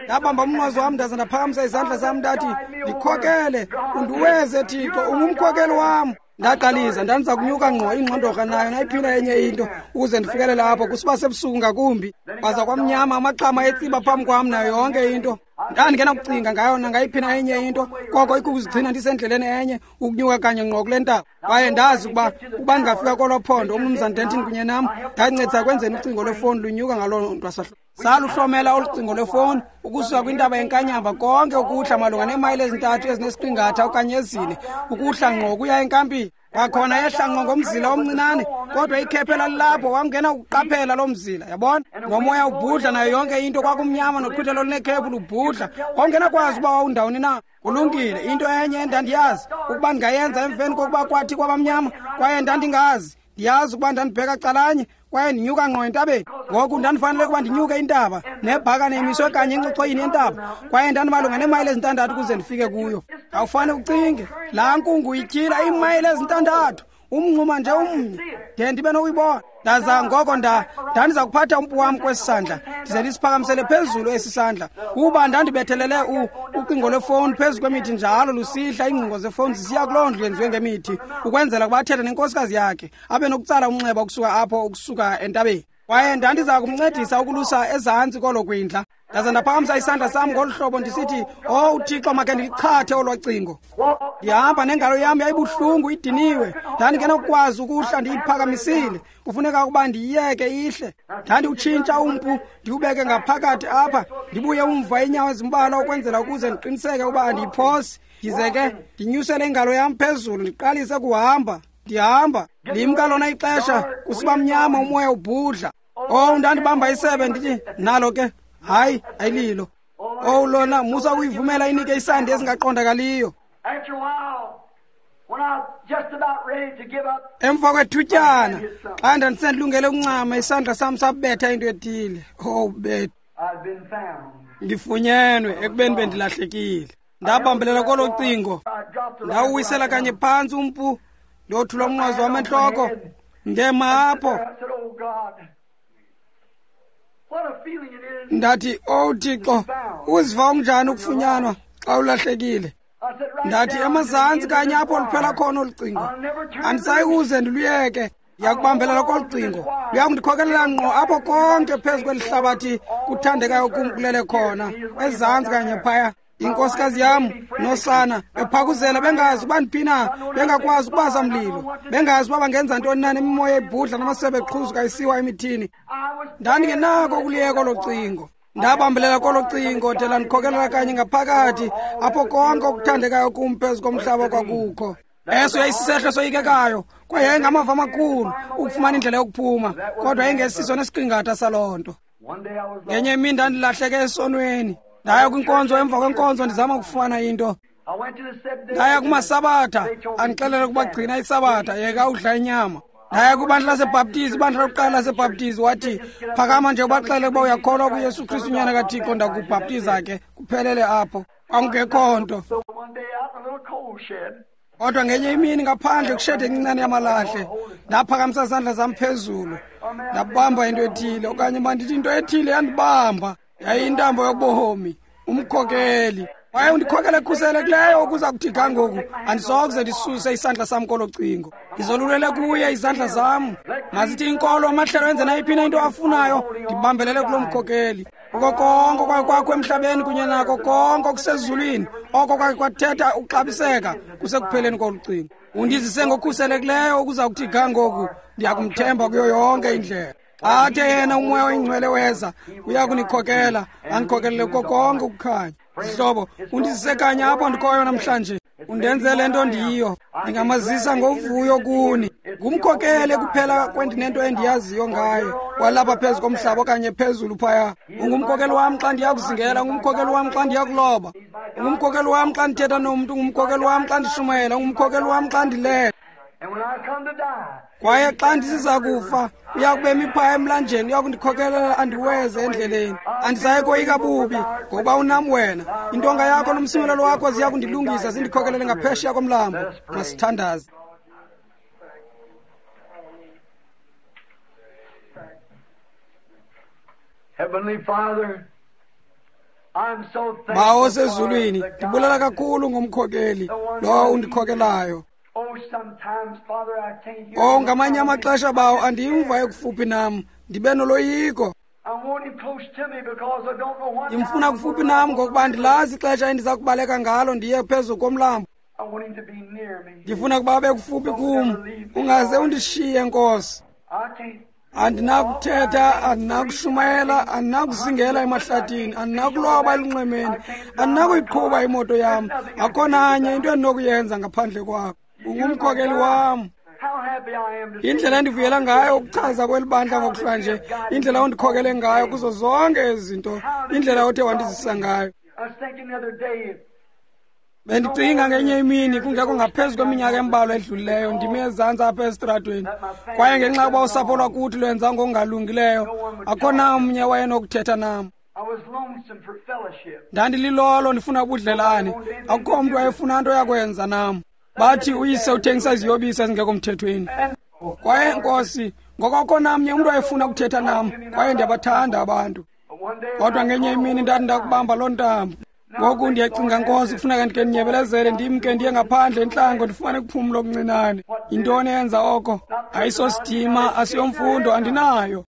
Ndabamba umnqwazi wam ndaza ndaphakamisa izandla zam ndathi, ndikhokele, undiweze Thixo, ungumkhokeli wam. Ndaqalisa, ndandiza kunyuka ngqo ingxondorha nayo nayiphina enye into ukuze ndifikelele apho kusiba sebusuku ngakumbi. Kwaza kwamnyama, amaxhama etsiba phambi kwam nayo yonke into. Ndandingenakucinga ngayo nangayiphina enye into, koko ikukuzigcina ndisendleleni enye ukunyuka kanye ngqo kule ntaba. Kwaye ndazi ukuba ndingafika kolo phondo, uMnumzana Denton kunye nam ndancedisa kwenzeni ucingo lwefowuni lunyuka ngaloo ntwasahlobo. Saluhlomela olu cingo lwefowuni ukusuka kwintaba yeNkanyamba konke ukuhla malunga neemayile 3 ezinesiqingatha okanye 4 ukuhla ngqo kuya enkampini. Kwakhona yehla ngqo ngomzila omncinane, kodwa ikhephe lalilapho, wangena ukuqaphela loo mzila, yabona? Nomoya ubhudla nayo yonke into, kwakumnyama noqhwithelo olunekhephu lubhudla. Wawungenakwazi uba wawundawoni na. Kulungile, into enye endandiyazi ukuba ndingayenza emveni kokuba kwathi kwabamnyama, kwaye ndandingazi. Ndiyazi ukuba ndandibheka calanye kwaye ndinyuka ngqo entabeni. Ngoku ndandifanele ukuba ndinyuke intaba nebhakane imiswe kanye encochoyini yentaba, kwaye ndandimalunga neemayile 6 ukuze ndifike kuyo. Awufane ucinge, laa nkungu ityhila iimayile 6, umngxuma nje umnye, de ndibe nokuyibona. Ndaza ngoko ndandiza kuphatha umpu wam kwesi sandla, ndize ndisiphakamisele phezulu esi sandla, kuba ndandibethelele ucingo lwefowuni phezu kwemithi njalo lusihla, iingcingo zefowuni zisiya kuloo ndlu yenziwe ngemithi, ukwenzela ukuba athethe nenkosikazi yakhe, abe nokutsala umnxeba ukusuka apho, ukusuka entabeni. Kwaye ndandiza kumncedisa ukulusa ezantsi kolo kwindla. Ndaza ndaphakamisa isandla sam ngolu hlobo ndisithi, "Oh Thixo, makhe ndiliqhathe olwa cingo." Ndihamba nengalo yam yayibuhlungu idiniwe, ndandingenakukwazi ukuhla ndiyiphakamisile, kufuneka ukuba ndiyiyeke ihle. Ndandiwutshintsha umpu ndiwubeke ngaphakathi apha, ndibuye umva iinyawo ezimbalwa ukwenzela ukuze ndiqiniseke ukuba andiyiphosi. Ndize ke ndinyusele ingalo yam phezulu ndiqalise kuhamba. Ndihamba, limka lona ixesha, kusiba mnyama, umoya ubhudla. Oh, ndandibamba isebe ndithi, nalo ke, hayi, ayililo. Oh, lona, musa ukuyivumela inike isandi esingaqondakaliyo. Emva kwethutyana, xa ndandisendilungele ukuncama, isandla sam sabetha into ethile. Oh, bethu, ndifunyenwe ekubeni bendilahlekile. Ndabambelela kolo cingo, ndawuwisela kanye phantsi umpu, ndothula umnqwazi wam entloko, ndema apho. Ndathi, "Oh Thixo, uziva unjani ukufunyanwa xa ulahlekile?" Ndathi, emazantsi kanye apho luphela khona olu cingo, andisayi kuze ndiluyeke. Ndiyakubambelela kolu cingo, luyakundikhokelela ngqo apho konke phezu kweli hlabathi kuthandekayo kum kulele khona, ezantsi kanye phaya. Inkosikazi yam nosana bephakuzela, bengazi uba ndiphi na, bengakwazi ukubasa mlilo, bengazi uba bangenza ntoni na, nemimoya ebhudla namasebe eqhuzuka isiwa emithini. Ndandingenako ukuliyeka olo cingo. Ndabambelela kolo cingo de landikhokelela kanye ngaphakathi apho konke okuthandekayo kum phezu komhlaba kwakukho. Eso yayisisehlo soyikekayo, kwaye yayingamava amakhulu ukufumana indlela yokuphuma, kodwa yayingesiso nesiqingatha saloo nto. Ngenye imini ndandilahleke esonweni. Ndaya kwinkonzo emva kwenkonzo ndizama ukufumana into. Ndaya kumasabatha, andixelele ukuba gcina isabatha, yeka udla inyama. Ndaya kwibandla laseBhaptizi, ibandla lokuqala laseBhaptizi, wathi, phakama nje ubaxelele ukuba uyakholwa kuYesu Kristu unyana kaThixo, ndakubhaptiza ke, kuphelele apho. Kwakungekho nto. Kodwa ngenye imini ngaphandle kwishedi encinane yamalahle, ndaphakamisa izandla zam phezulu, ndabamba into ethile, okanye mandithi into ethile yandibamba. Yayiyintambo yobomi, umkhokeli. Kwaye undikhokele ekhuselekileyo ukuza kuthi ga ngoku, andisokuze ndisuse isandla sam kolo cingo. Ndizolulele kuye izandla zam. Mazithi inkolo, amahlelo enze nayiphi na into afunayo, ndibambelele kulo mkhokeli. Kuko konke okwake kwakho emhlabeni kunye nako konke okusezulwini, oko kwake kwathetha ukuxabiseka kusekupheleni kolu cingo. Undizise ngokukhuselekileyo ukuza kuthi ga ngoku, ndiyakumthemba kuyo yonke indlela. Athe yena umoya oyingcwele weza, uya kunikhokela, andikhokelele kuko konke ukukhanya. Zihlobo, undizise kanye apho ndikhoyo namhlanje. Undenzele nto ndiyiyo, ndingamazisa ngovuyo kuni. Ngumkhokeli kuphela kwendinento endiyaziyo ngaye, kwalapha phezu komhlaba okanye phezulu phaya. Ungumkhokeli wam xa ndiya kuzingela, ungumkhokeli wam xa ndiya kuloba, ungumkhokeli wam xa ndithetha nomntu, ungumkhokeli wam xa ndishumayela, ungumkhokeli wam xa ndilele. Kwaye xa ndisiza kufa, uya kubemi phaya emlanjeni, uya kundikhokelela andiweze endleleni. Andisayi koyika bubi, ngokuba unam wena. Intonga yakho nomsimelelo wakho ziya kundilungisa, zindikhokelele ngaphesheya komlambo. Masithandaze. Heavenly Father, Bawo osezulwini, ndibulela kakhulu ngomkhokeli lowo undikhokelayo. Oh, ngamanye amaxesha bawo andimva ekufuphi nam, ndibe noloyiko. Ndimfuna kufuphi nam ngokuba andilazi ixesha endiza kubaleka ngalo ndiye phezu komlambo. Ndifuna ukuba abe kufuphi kum, ungaze undishiye Nkosi. Andinakuthetha, andinakushumayela, andinakuzingela emahlathini, andinakuloba elunxwemeni, andinakuyiqhuba imoto yam. Akho nanye into endinokuyenza ngaphandle kwakho. Ungumkhokeli wam. Indlela endivuyela ngayo ukuchaza kweli bandla ngokuhlwanje, indlela ondikhokele ngayo kuzo zonke ezi zinto, indlela othe wandizisa ngayo. Bendicinga ngenye imini kungekho ngaphezu kweminyaka embalwa edlulileyo, ndime ezantsi apha esitratweni, kwaye ngenxa yokuba usapho lwakuthi lwenza ngokungalungileyo, akho namnye wayenokuthetha nam. Ndandililolo ndifuna ubudlelane, akukho mntu wayefuna nto yakwenza nam. Bathi uyise uthengisa iziyobisi ezingekho mthethweni. Kwaye Nkosi, ngoko akukho namnye umntu wayefuna ukuthetha nam, kwaye ndiyabathanda abantu. Kodwa ngenye imini ndathi ndakubamba loo ntambo. Ngoku ndiyacinga Nkosi, kufuneka ndike ndinyebelezele ndimke ndiye ngaphandle entlango ndifumane ukuphumla okuncinane. Yintoni eyenza oko? Ayisosidima, asiyomfundo, andinayo.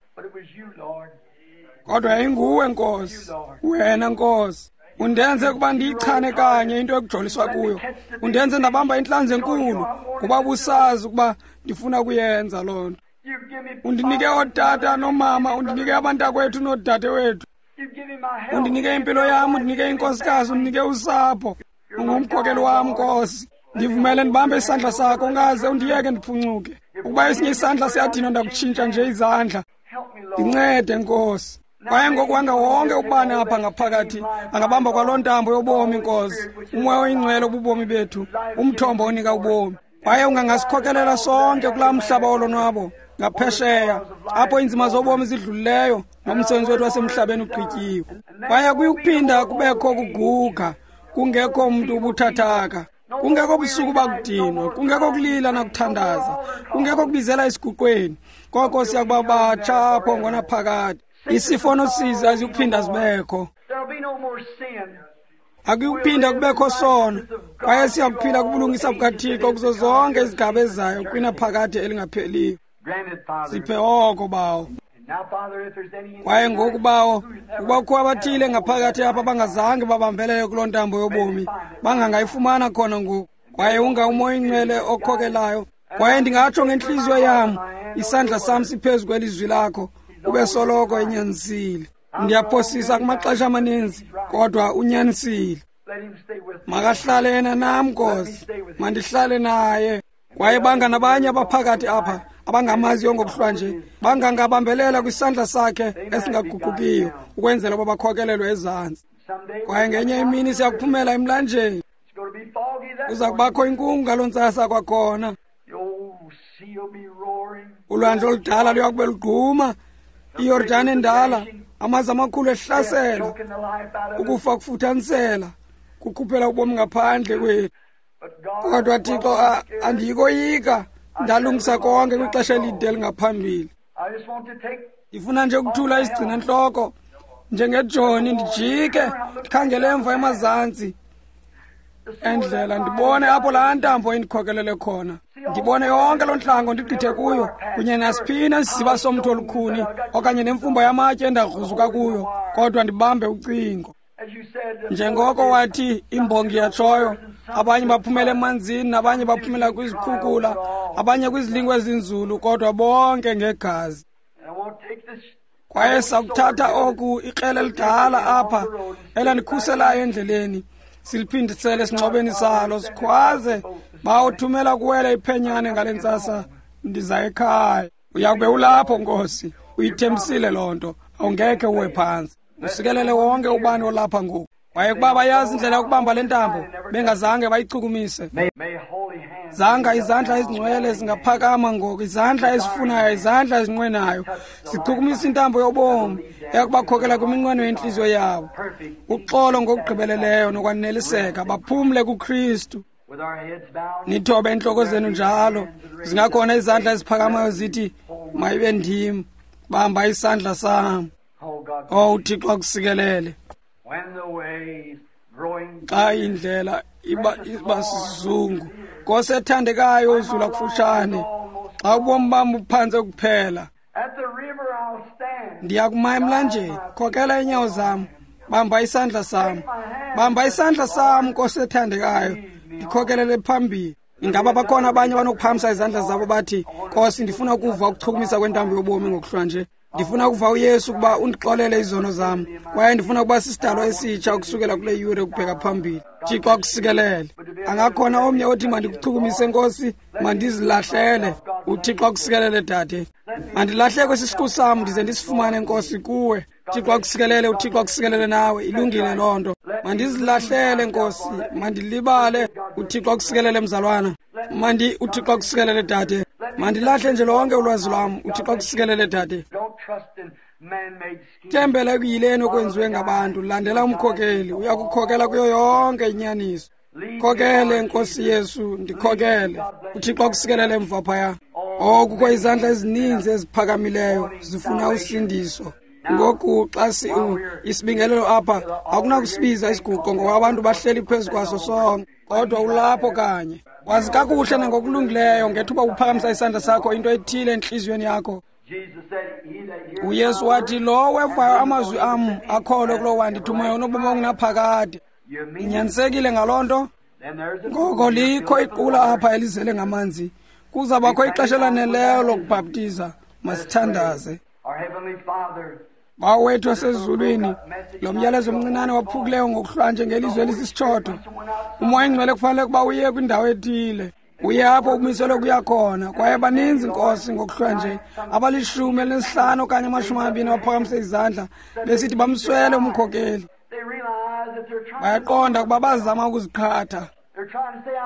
Kodwa yayinguwe Nkosi, wena Nkosi. Undenze ukuba ndiyichane kanye into ekujoliswa kuyo. Undenze ndabamba intlanzi enkulu, kuba busazi ukuba ndifuna ukuyenza loo nto. Undinike ootata noomama, undinike abantakwethu noodadewethu. Undinike impilo yam, undinike inkosikazi, undinike usapho. Ungumkhokeli wam Nkosi. Ndivumele ndibambe isandla sakho, ungaze undiyeke ndiphuncuke. Ukuba esinye isandla siyadinwa, ndakutshintsha nje izandla. Ndincede Nkosi. Kwaye ngoku wonke ubani apha ngaphakathi angabamba kwaloo ntambo yobomi Nkosi, umoya oyingcwele obubomi bethu, umthombo onika ubomi. Kwaye ungangasikhokelela sonke kulaa mhlaba wolonwabo ngaphesheya, apho iinzima zobomi zidlulileyo nomsebenzi wethu wasemhlabeni ugqityiwe. Kwaye kuyukuphinda kubekho kuguga, kungekho mntu ubuthathaka, kungekho busuku bakudinwa, kungekho kulila nakuthandaza, kungekho kubizela esiguqweni. Koko siyakuba batsha apho ngonaphakade. Isifo nosizi azikuphinda zibekho, akuyukuphinda kubekho sono. Kwaye siyakuphila kubulungisa bukaThixo kuzo zonke izigaba ezayo kwinaphakade elingapheliyo. Siphe oko Bawo. Kwaye ngoku Bawo, ukuba kukho abathile ngaphakathi apha abangazange babambelele kuloo ntambo yobomi, bangangayifumana khona ngoku. Kwaye unga umoya oyingcwele okhokelayo. Kwaye ndingatsho ngentliziyo yam, isandla sam siphezu kwelizwi lakho, ube soloko enyanisile. Ndiyaphosisa kumaxesha amaninzi, kodwa unyanisile. Makahlale yena nam Nkosi, mandihlale naye. Kwaye banga nabanye abaphakathi apha abangamaziyo ngokuhlwanje, bangangabambelela kwisandla sakhe esingaguqukiyo, ukwenzela uba bakhokelelwe ezantsi. Kwaye ngenye imini siyakuphumela emlanjeni. Kuza kubakho inkungu ngaloo ntsasa kwakhona. Ulwandle oludala luyakube lugquma, iYordani endala, amanzi amakhulu ehlasela, ukufa kufuthanisela, kukhuphela ubomi ngaphandle kwethu. Kodwa Thixo, andiyikoyika, ndalungisa konke kwixesha elide elingaphambili. Ndifuna nje ukuthula isigcina ntloko njengejoni, ndijike ndikhangele emva emazantsi endlela, ndibone apho laa ntambo indikhokelele khona, ndibone yonke loo ntlango ndigqithe kuyo, kunye nasiphina isiziba somthi olukhuni okanye nemfumba yamatye endagruzuka kuyo, kodwa ndibambe ucingo. Njengoko wathi imbongi yatshoyo, abanye baphumela emanzini, nabanye baphumela kwizikhukula, abanye kwizilingo ezinzulu, kodwa bonke ngegazi. Kwaye sakuthatha oku ikrele elidala apha elandikhuselayo endleleni, siliphindisele esingxobeni salo, sikhwaze, bawuthumela kuwela iphenyane ngale ntsasa, ndiza ekhaya. Uyakube ulapho Nkosi, uyithembisile loo nto, awungekhe uwe phantsi. Usikelele wonke ubani olapha ngoku. Kwaye kuba bayazi indlela yokubamba le ntambo, bengazange bayichukumise. Zanga izandla ezingcwele zingaphakama ngoku, izandla ezifunayo, izandla ezinqwenayo, zichukumisa intambo yobomi eyakubakhokela kwiminqweno yentliziyo yabo. Uxolo ngokugqibeleleyo nokwaneliseka, baphumle kuKristu. Nithobe intloko zenu njalo, zingakhona izandla eziphakamayo zithi, mayibe ndim, bamba isandla sam. Oh, uThixo akusikelele. Xa indlela iba sizungu, Nkosi ethandekayo uzula kufutshane, xa ubomi bam buphantse kuphela, ndiya kuma emlanjeni, khokela iinyawo zam, bamba isandla sam, bamba isandla sam, Nkosi ethandekayo, ndikhokelele phambili. Ingaba bakhona abanye abanokuphakamisa izandla zabo bathi, Nkosi, ndifuna ukuva ukuchukumisa kwentambo yobomi ngokuhlwa nje. Ndifuna ukuva uYesu ukuba undixolele izono zam, kwaye ndifuna ukuba sisidalwa esitsha ukusukela kule yure ukubheka phambili. Thixo akusikelele. Angakhona omnye othi, mandikuchukumise Nkosi, mandizilahlele. UThixo akusikelele, dade. Mandilahleke kwesi siqu sam ndize ndisifumane, Nkosi, kuwe. Thixo akusikelele, uThixo akusikelele nawe. Ilungile loo nto. Mandizilahlele, Nkosi, mandilibale. UThixo akusikelele, mzalwana. UThixo akusikelele, dade. Mandilahle nje lonke ulwazi lwam. UThixo akusikelele, dade. Thembela ekuyileni okwenziwe ngabantu. Landela umkhokeli, uyakukhokela kuyo yonke inyaniso. Khokele, Nkosi Yesu, ndikhokele. uThixo akusikelele emva phaya. Oh, kukho izandla ezininzi eziphakamileyo zifuna usindiso. Ngoku xa isibingelelo apha, akunakusibiza isiguqo ngoba abantu bahleli phezu kwaso sonke, kodwa ulapho kanye. Wazi kakuhle nangokulungileyo ngethuba uphakamisa isandla sakho, into ethile entliziyweni yakho. UYesu wathi, lowo wevayo amazwi am akholwe kulowo wandithumayo unobomi obungunaphakade. Inyanisekile ngaloo nto? Ngoko likho iqula apha elizele ngamanzi. Kuzabakho ixesha elaneleyo lokubhaptiza. Masithandaze. Bawo wethu osezulwini, lo myalezo omncinane waphukileyo ngokuhlwa nje ngelizwi elisisitshoto. UMoya Ingcwele kufanele ukuba uye kwindawo ethile, uye apho ukumiselwe kuya khona. Kwaye baninzi, Nkosi, ngokuhlwa nje aba-15 okanye 20 abaphakamise izandla besithi bamswele umkhokeli. Bayaqonda ukuba bazama ukuziqhatha,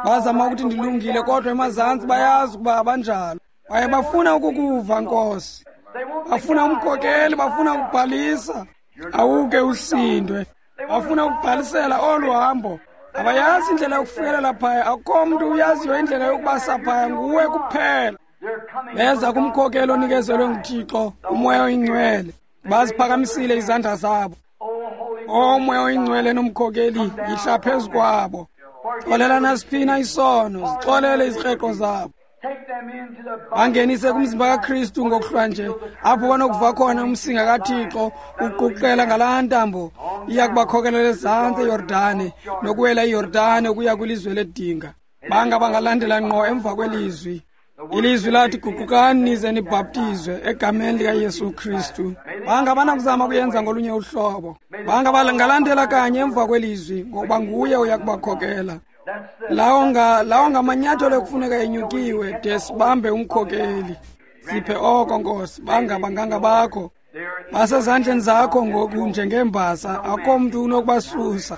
bazama ukuthi ndilungile, kodwa emazantsi bayazi ukuba abanjalo. Kwaye bafuna ukukuva, Nkosi, bafuna umkhokeli, bafuna ukubhalisa. Awuke usindwe, bafuna ukubhalisela olu hambo. Abayazi indlela yokufikelela phaya. Akukho mntu uyaziyo indlela yokubasa phaya, nguwe kuphela. Beza kumkhokeli onikezelwe nguThixo, uMoya Oyingcwele. Baziphakamisile izandla zabo. O Moya Oyingcwele nomkhokeli, yihla phezu kwabo. Xolela nasiphina isono, zixolele izikreqo zabo. Bangenise kumzimba kaKristu ngokuhlwa nje, apho banokuva khona umsinga kaThixo uquqela ngalaa ntambo iya kubakhokelela ezantsi eYordane, nokuwela iYordane ukuya kwilizwe ledinga. Banga bangalandela ngqo emva kwelizwi. Ilizwi lathi, guqukani nize nibhaptizwe egameni likaYesu Kristu. Banga banakuzama kuyenza ngolunye uhlobo. Banga bangalandela kanye emva kwelizwi, ngokuba nguye uya kubakhokela. Lawo ngamanyathelo ekufuneka enyukiwe de sibambe umkhokeli. Siphe oko, Nkosi. Banga bangangabakho. Basezandleni zakho ngoku njengeembasa, akho mntu unokubasusa.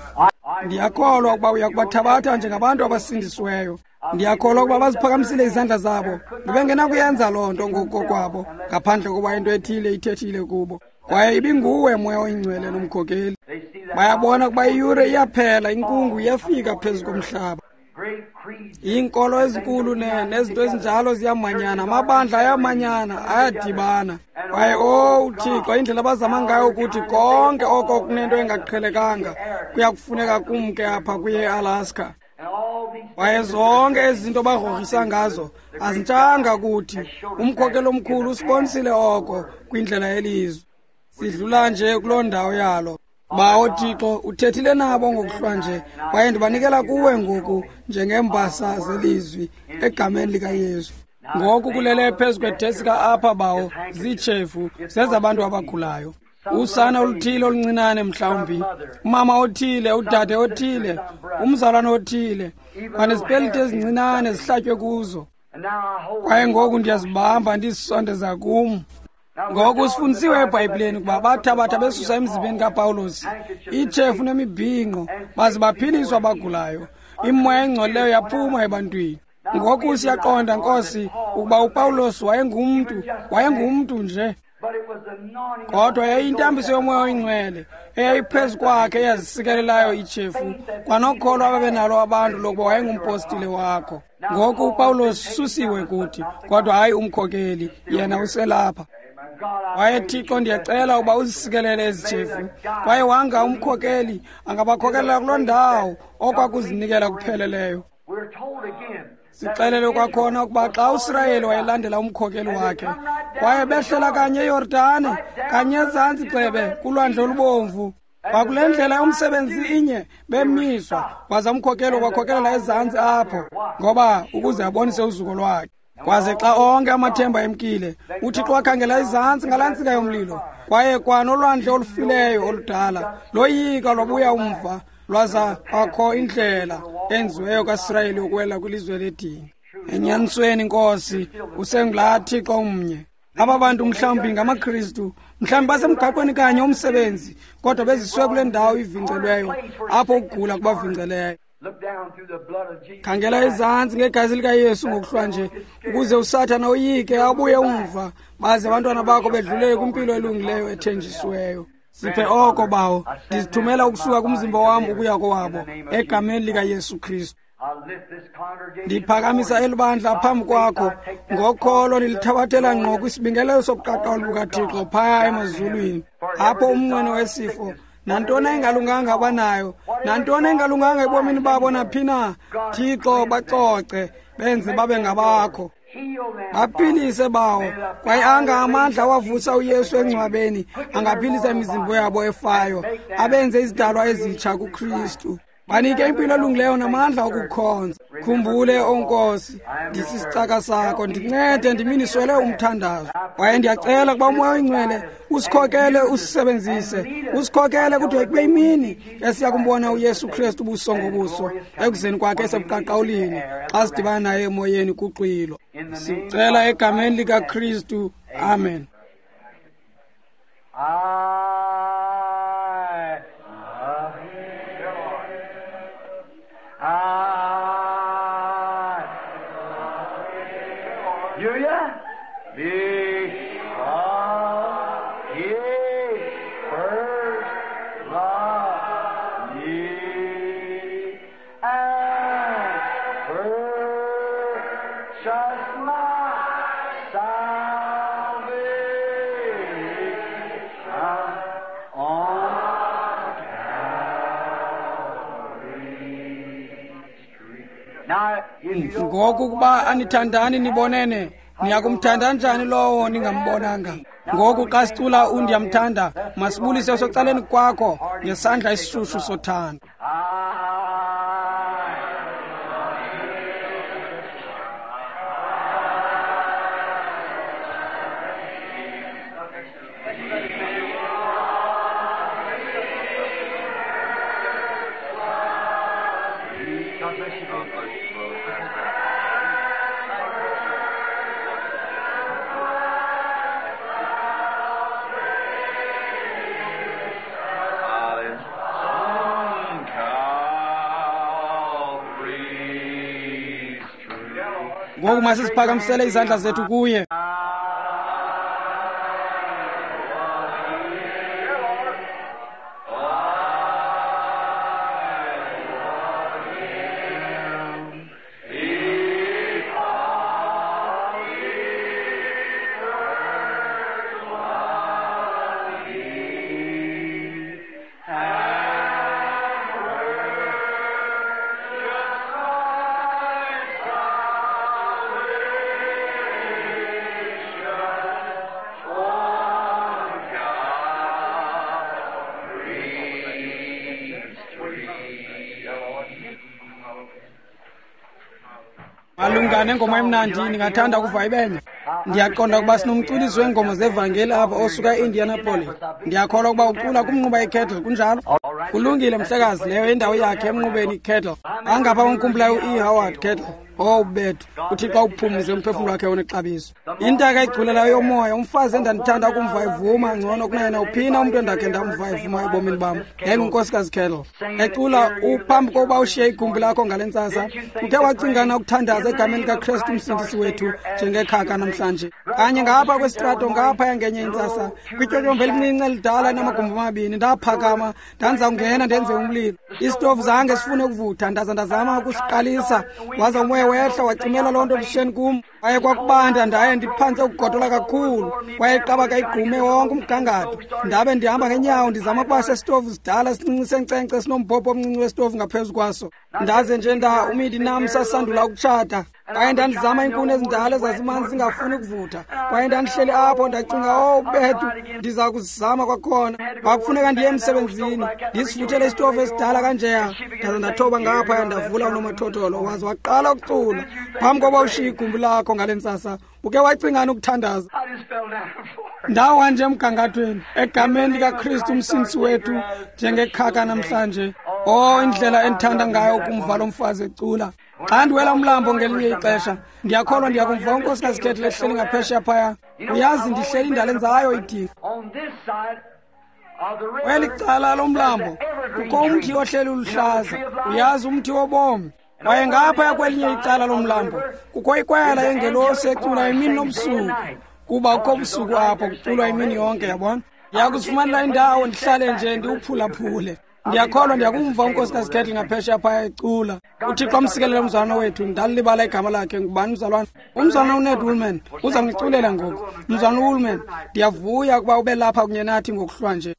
Ndiyakholwa ukuba uya kubathabatha njengabantu abasindisiweyo. Ndiyakholwa ukuba baziphakamisile izandla zabo. Bebengenakuyenza loo nto ngokokwabo ngaphandle kokuba into ethile ithethile kubo. Kwaye ibinguwe, Moya Oyingcwele nomkhokeli. Bayabona ukuba iyure iyaphela, inkungu iyafika phezu komhlaba. Iinkolo ezinkulu nezinto ezinjalo ziyamanyana, amabandla ayamanyana, ayadibana. Kwaye o uThixo, indlela abazama ngayo ukuthi konke oko kunento engaqhelekanga kuya kufuneka kumke apha kuye eAlaska. Kwaye zonke ezi zinto bagrogrisa ngazo azintshanga kuthi. Umkhokeli omkhulu usibonisile oko kwindlela yelizwi. Sidlula nje kuloo ndawo yalo. Bawo Thixo, uthethile nabo ngokuhlwa nje, kwaye ndibanikela kuwe ngoku njengeembasa zelizwi egameni likaYesu. Ngoku kulele phezu kwedesika apha, Bawo, ziitshefu zezabantu abagulayo. Usana oluthile oluncinane, mhlawumbi umama othile, udade othile, umzalwane othile, kwanezipeliti ezincinane zihlatywe kuzo. Kwaye ngoku ndiyazibamba ndizisondeza kum. Ngoku sifundisiwe eBhayibhileni ukuba bathabatha besusa emzimbeni kaPawulos iitshefu nemibhinqo, baze baphiliswa abagulayo. Imoya engcolileyo yaphuma ebantwini. Ngoku siyaqonda, Nkosi, ukuba uPawulos wayengumntu nje, kodwa yayiyintambiso yoMoya Oyingcwele eyayiphezu kwakhe eyazisikelelayo iitshefu, kwanokholo ababenalo abantu lokuba wayengumpostile wakho. Ngoku uPawulos susiwe kuthi, kodwa hayi umkhokeli, yena uselapha. Kwaye Thixo, ndiyacela uba uzisikelele ezi tshefu, kwaye wanga umkhokeli angabakhokelela kuloo ndawo okwakuzinikela kupheleleyo. Sixelele kwakhona ukuba xa uSirayeli wayelandela umkhokeli wakhe, kwaye behlela kanye eYordane, kanye ezantsi gxebe kulwandle olubomvu, kwakule ndlela yomsebenzi inye bemiswa, waza umkhokeli wakhokelela ezantsi apho, ngoba ukuze abonise uzuko lwakhe. Kwaze xa onke amathemba emkile, uThixo wakhangela izantsi ngalaa ntsika yomlilo, kwaye kwanolwandle olufileyo oludala loyika lwabuya umva, lwaza kwakho indlela enziweyo kaSirayeli yokuwela kwilizwe ledinga. Enyanisweni, Nkosi, usengulaa Thixo umnye. Aba bantu mhlawumbi ngamaKristu, mhlawumbi basemgaqweni kanye umsebenzi, kodwa beziswe kule ndawo ivingcelweyo, apho ukugula kubavingceleyo. Khangela ezantsi ngegazi likaYesu ngokuhlwa nje, ukuze uSathana oyike abuye umva, baze abantwana bakho bedlulele kwimpilo elungileyo ethenjisiweyo. Siphe oko, Bawo. Ndizithumela ukusuka kumzimba wam ukuya kowabo, egameni likaYesu Kristu. Ndiphakamisa eli bandla phambi kwakho ngokholo, ndilithabathela ngqo kwisibingelelo sobuqaqawuli bukaThixo phaya emazulwini, apho umnqweno wesifo, nantoni engalunganga abanayo, nantoni engalunganga ebomini babo naphi na, Thixo, bacoce, benze babe ngabakho. Baphilise, Bawo, kwaye anga amandla awavusa uYesu engcwabeni angaphilisa imizimba yabo efayo, abenze izidalwa ezitsha kuKristu. Banike impilo elungileyo namandla okukhonza. Khumbule, O Nkosi, ndisisicaka sakho, ndincede ndiminiswele umthandazo. Kwaye ndiyacela ukuba uMoya oyiNgcwele usikhokele, usisebenzise, usikhokele kude kube imini esiya kumbona uYesu Kristu ubuso ngobuso ekuzeni kwakhe esebuqaqawulini, xa sidibana naye emoyeni kuxwilo. Sicela egameni likaKristu, amen. I love you. I love you. Yeah? Because he first loved me and purchased my salvation on Calvary's tree. Now, if you don't Ngoku ukuba anithandani nibonene, niyakumthanda njani lowo ningambonanga? Ngoku xa sicula undiyamthanda, masibulise osecaleni kwakho ngesandla esishushu sothando. I God bless you. God bless you both. On Calvary's tree. Ngoku masiziphakamisele izandla zethu kuye. Malunga nengoma emnandi, ndingathanda ukuva ibenye. Ndiyaqonda ukuba sinomculisi weengoma zevangeli apha osuka e-Indianapolis. Ndiyakholwa ukuba ucula kumnquba iKettle, kunjalo? Kulungile, mhlekazi, leyo indawo yakhe emnqubeni iKettle. Angapha omkhumbulayo u-E. Howard Kettle. Oh bethu, uThixo awuphumze umphefumlo wakhe onexabiso. Intaka egculelayo yomoya, umfazi endandithanda ukumva evuma ngcono kunaye nawuphina umntu endakhe ndamva evuma ebomini bam, yayingunkosikazi Kettle. Ecula uphambi kokuba ushiye igumbi lakho ngale ntsasa, ukhe wacingana ukuthandaza egameni likaKristu umsindisi wethu njengekhaka namhlanje. Kanye ngapha kwesitrato ngaphaya ngenye intsasa, kwityotyombe elincinci elidala enamagumbi amabini, ndaphakama ndandiza kungena ndenze umlilo. Isitovu zange sifune ukuvutha, ndaza ndazama ukusiqalisa, waza umoya Kwaye wehla wacimela loo nto ebusweni kum. Kwaye kwakubanda, ndaye ndiphantse ukugodola kakhulu. Kwaye iqabaka igqume wonke umgangatho. Ndabe ndihamba ngenyawo ndizama ukuba sesitovu sidala sincinci senkcenkce sinombhobho omncinci wesitovu ngaphezu kwaso. Ndaze nje umidi nam sasandula ukutshata. Kwaye ndandizama iinkuni ezindala ezazimanzi zingafuni ukuvutha. Kwaye ndandihleli apho ndacinga, oh bethu, ndiza kuzama kwakhona. Kwakufuneka ndiye emsebenzini ndisivuthele isitovu esidala kanjeya. Ndaze ndathoba ngaphaya ndavula unomathotholo, waze waqala ukucula. Phambi koba ushiye igumbi lakho ngale ntsasa, uke wacingani ukuthandaza? Ndawa nje emgangathweni egameni likaKristu umsindisi wethu, njengekhaka namhlanje. Oh, indlela endithanda ngayo ukumva lo mfazi ecula. Xa ndiwela umlambo ngelinye ixesha, ndiyakholwa ndiyakumva unkosikazi Kettle ehleli ngaphesheya phaya. Uyazi, ndihleli ndalenzayo idinga. Kweli cala lomlambo kukho umthi ohleli uluhlaza, uyazi, umthi wobomi. Kwaye ngaphaya kwelinye icala lomlambo kukho ikwayala yengelosi ecula imini nobusuku, kuba kukho ubusuku apho kuculwa imini yonke, yabona. Ndiyakuzifumanela indawo ndihlale nje ndiwuphulaphule. Ndiyakholwa ndiyakumva unkosikazi Kettle ngaphesheya phaya ecula. UThixo amsikelele umzalwana wethu. Ndalibala igama lakhe. Ngubani umzalwana? Umzalwana uNed Woolman uza kundiculela ngoku. Mzalwana uWoolman, ndiyavuya ukuba ube lapha kunye nathi ngokuhlwa nje.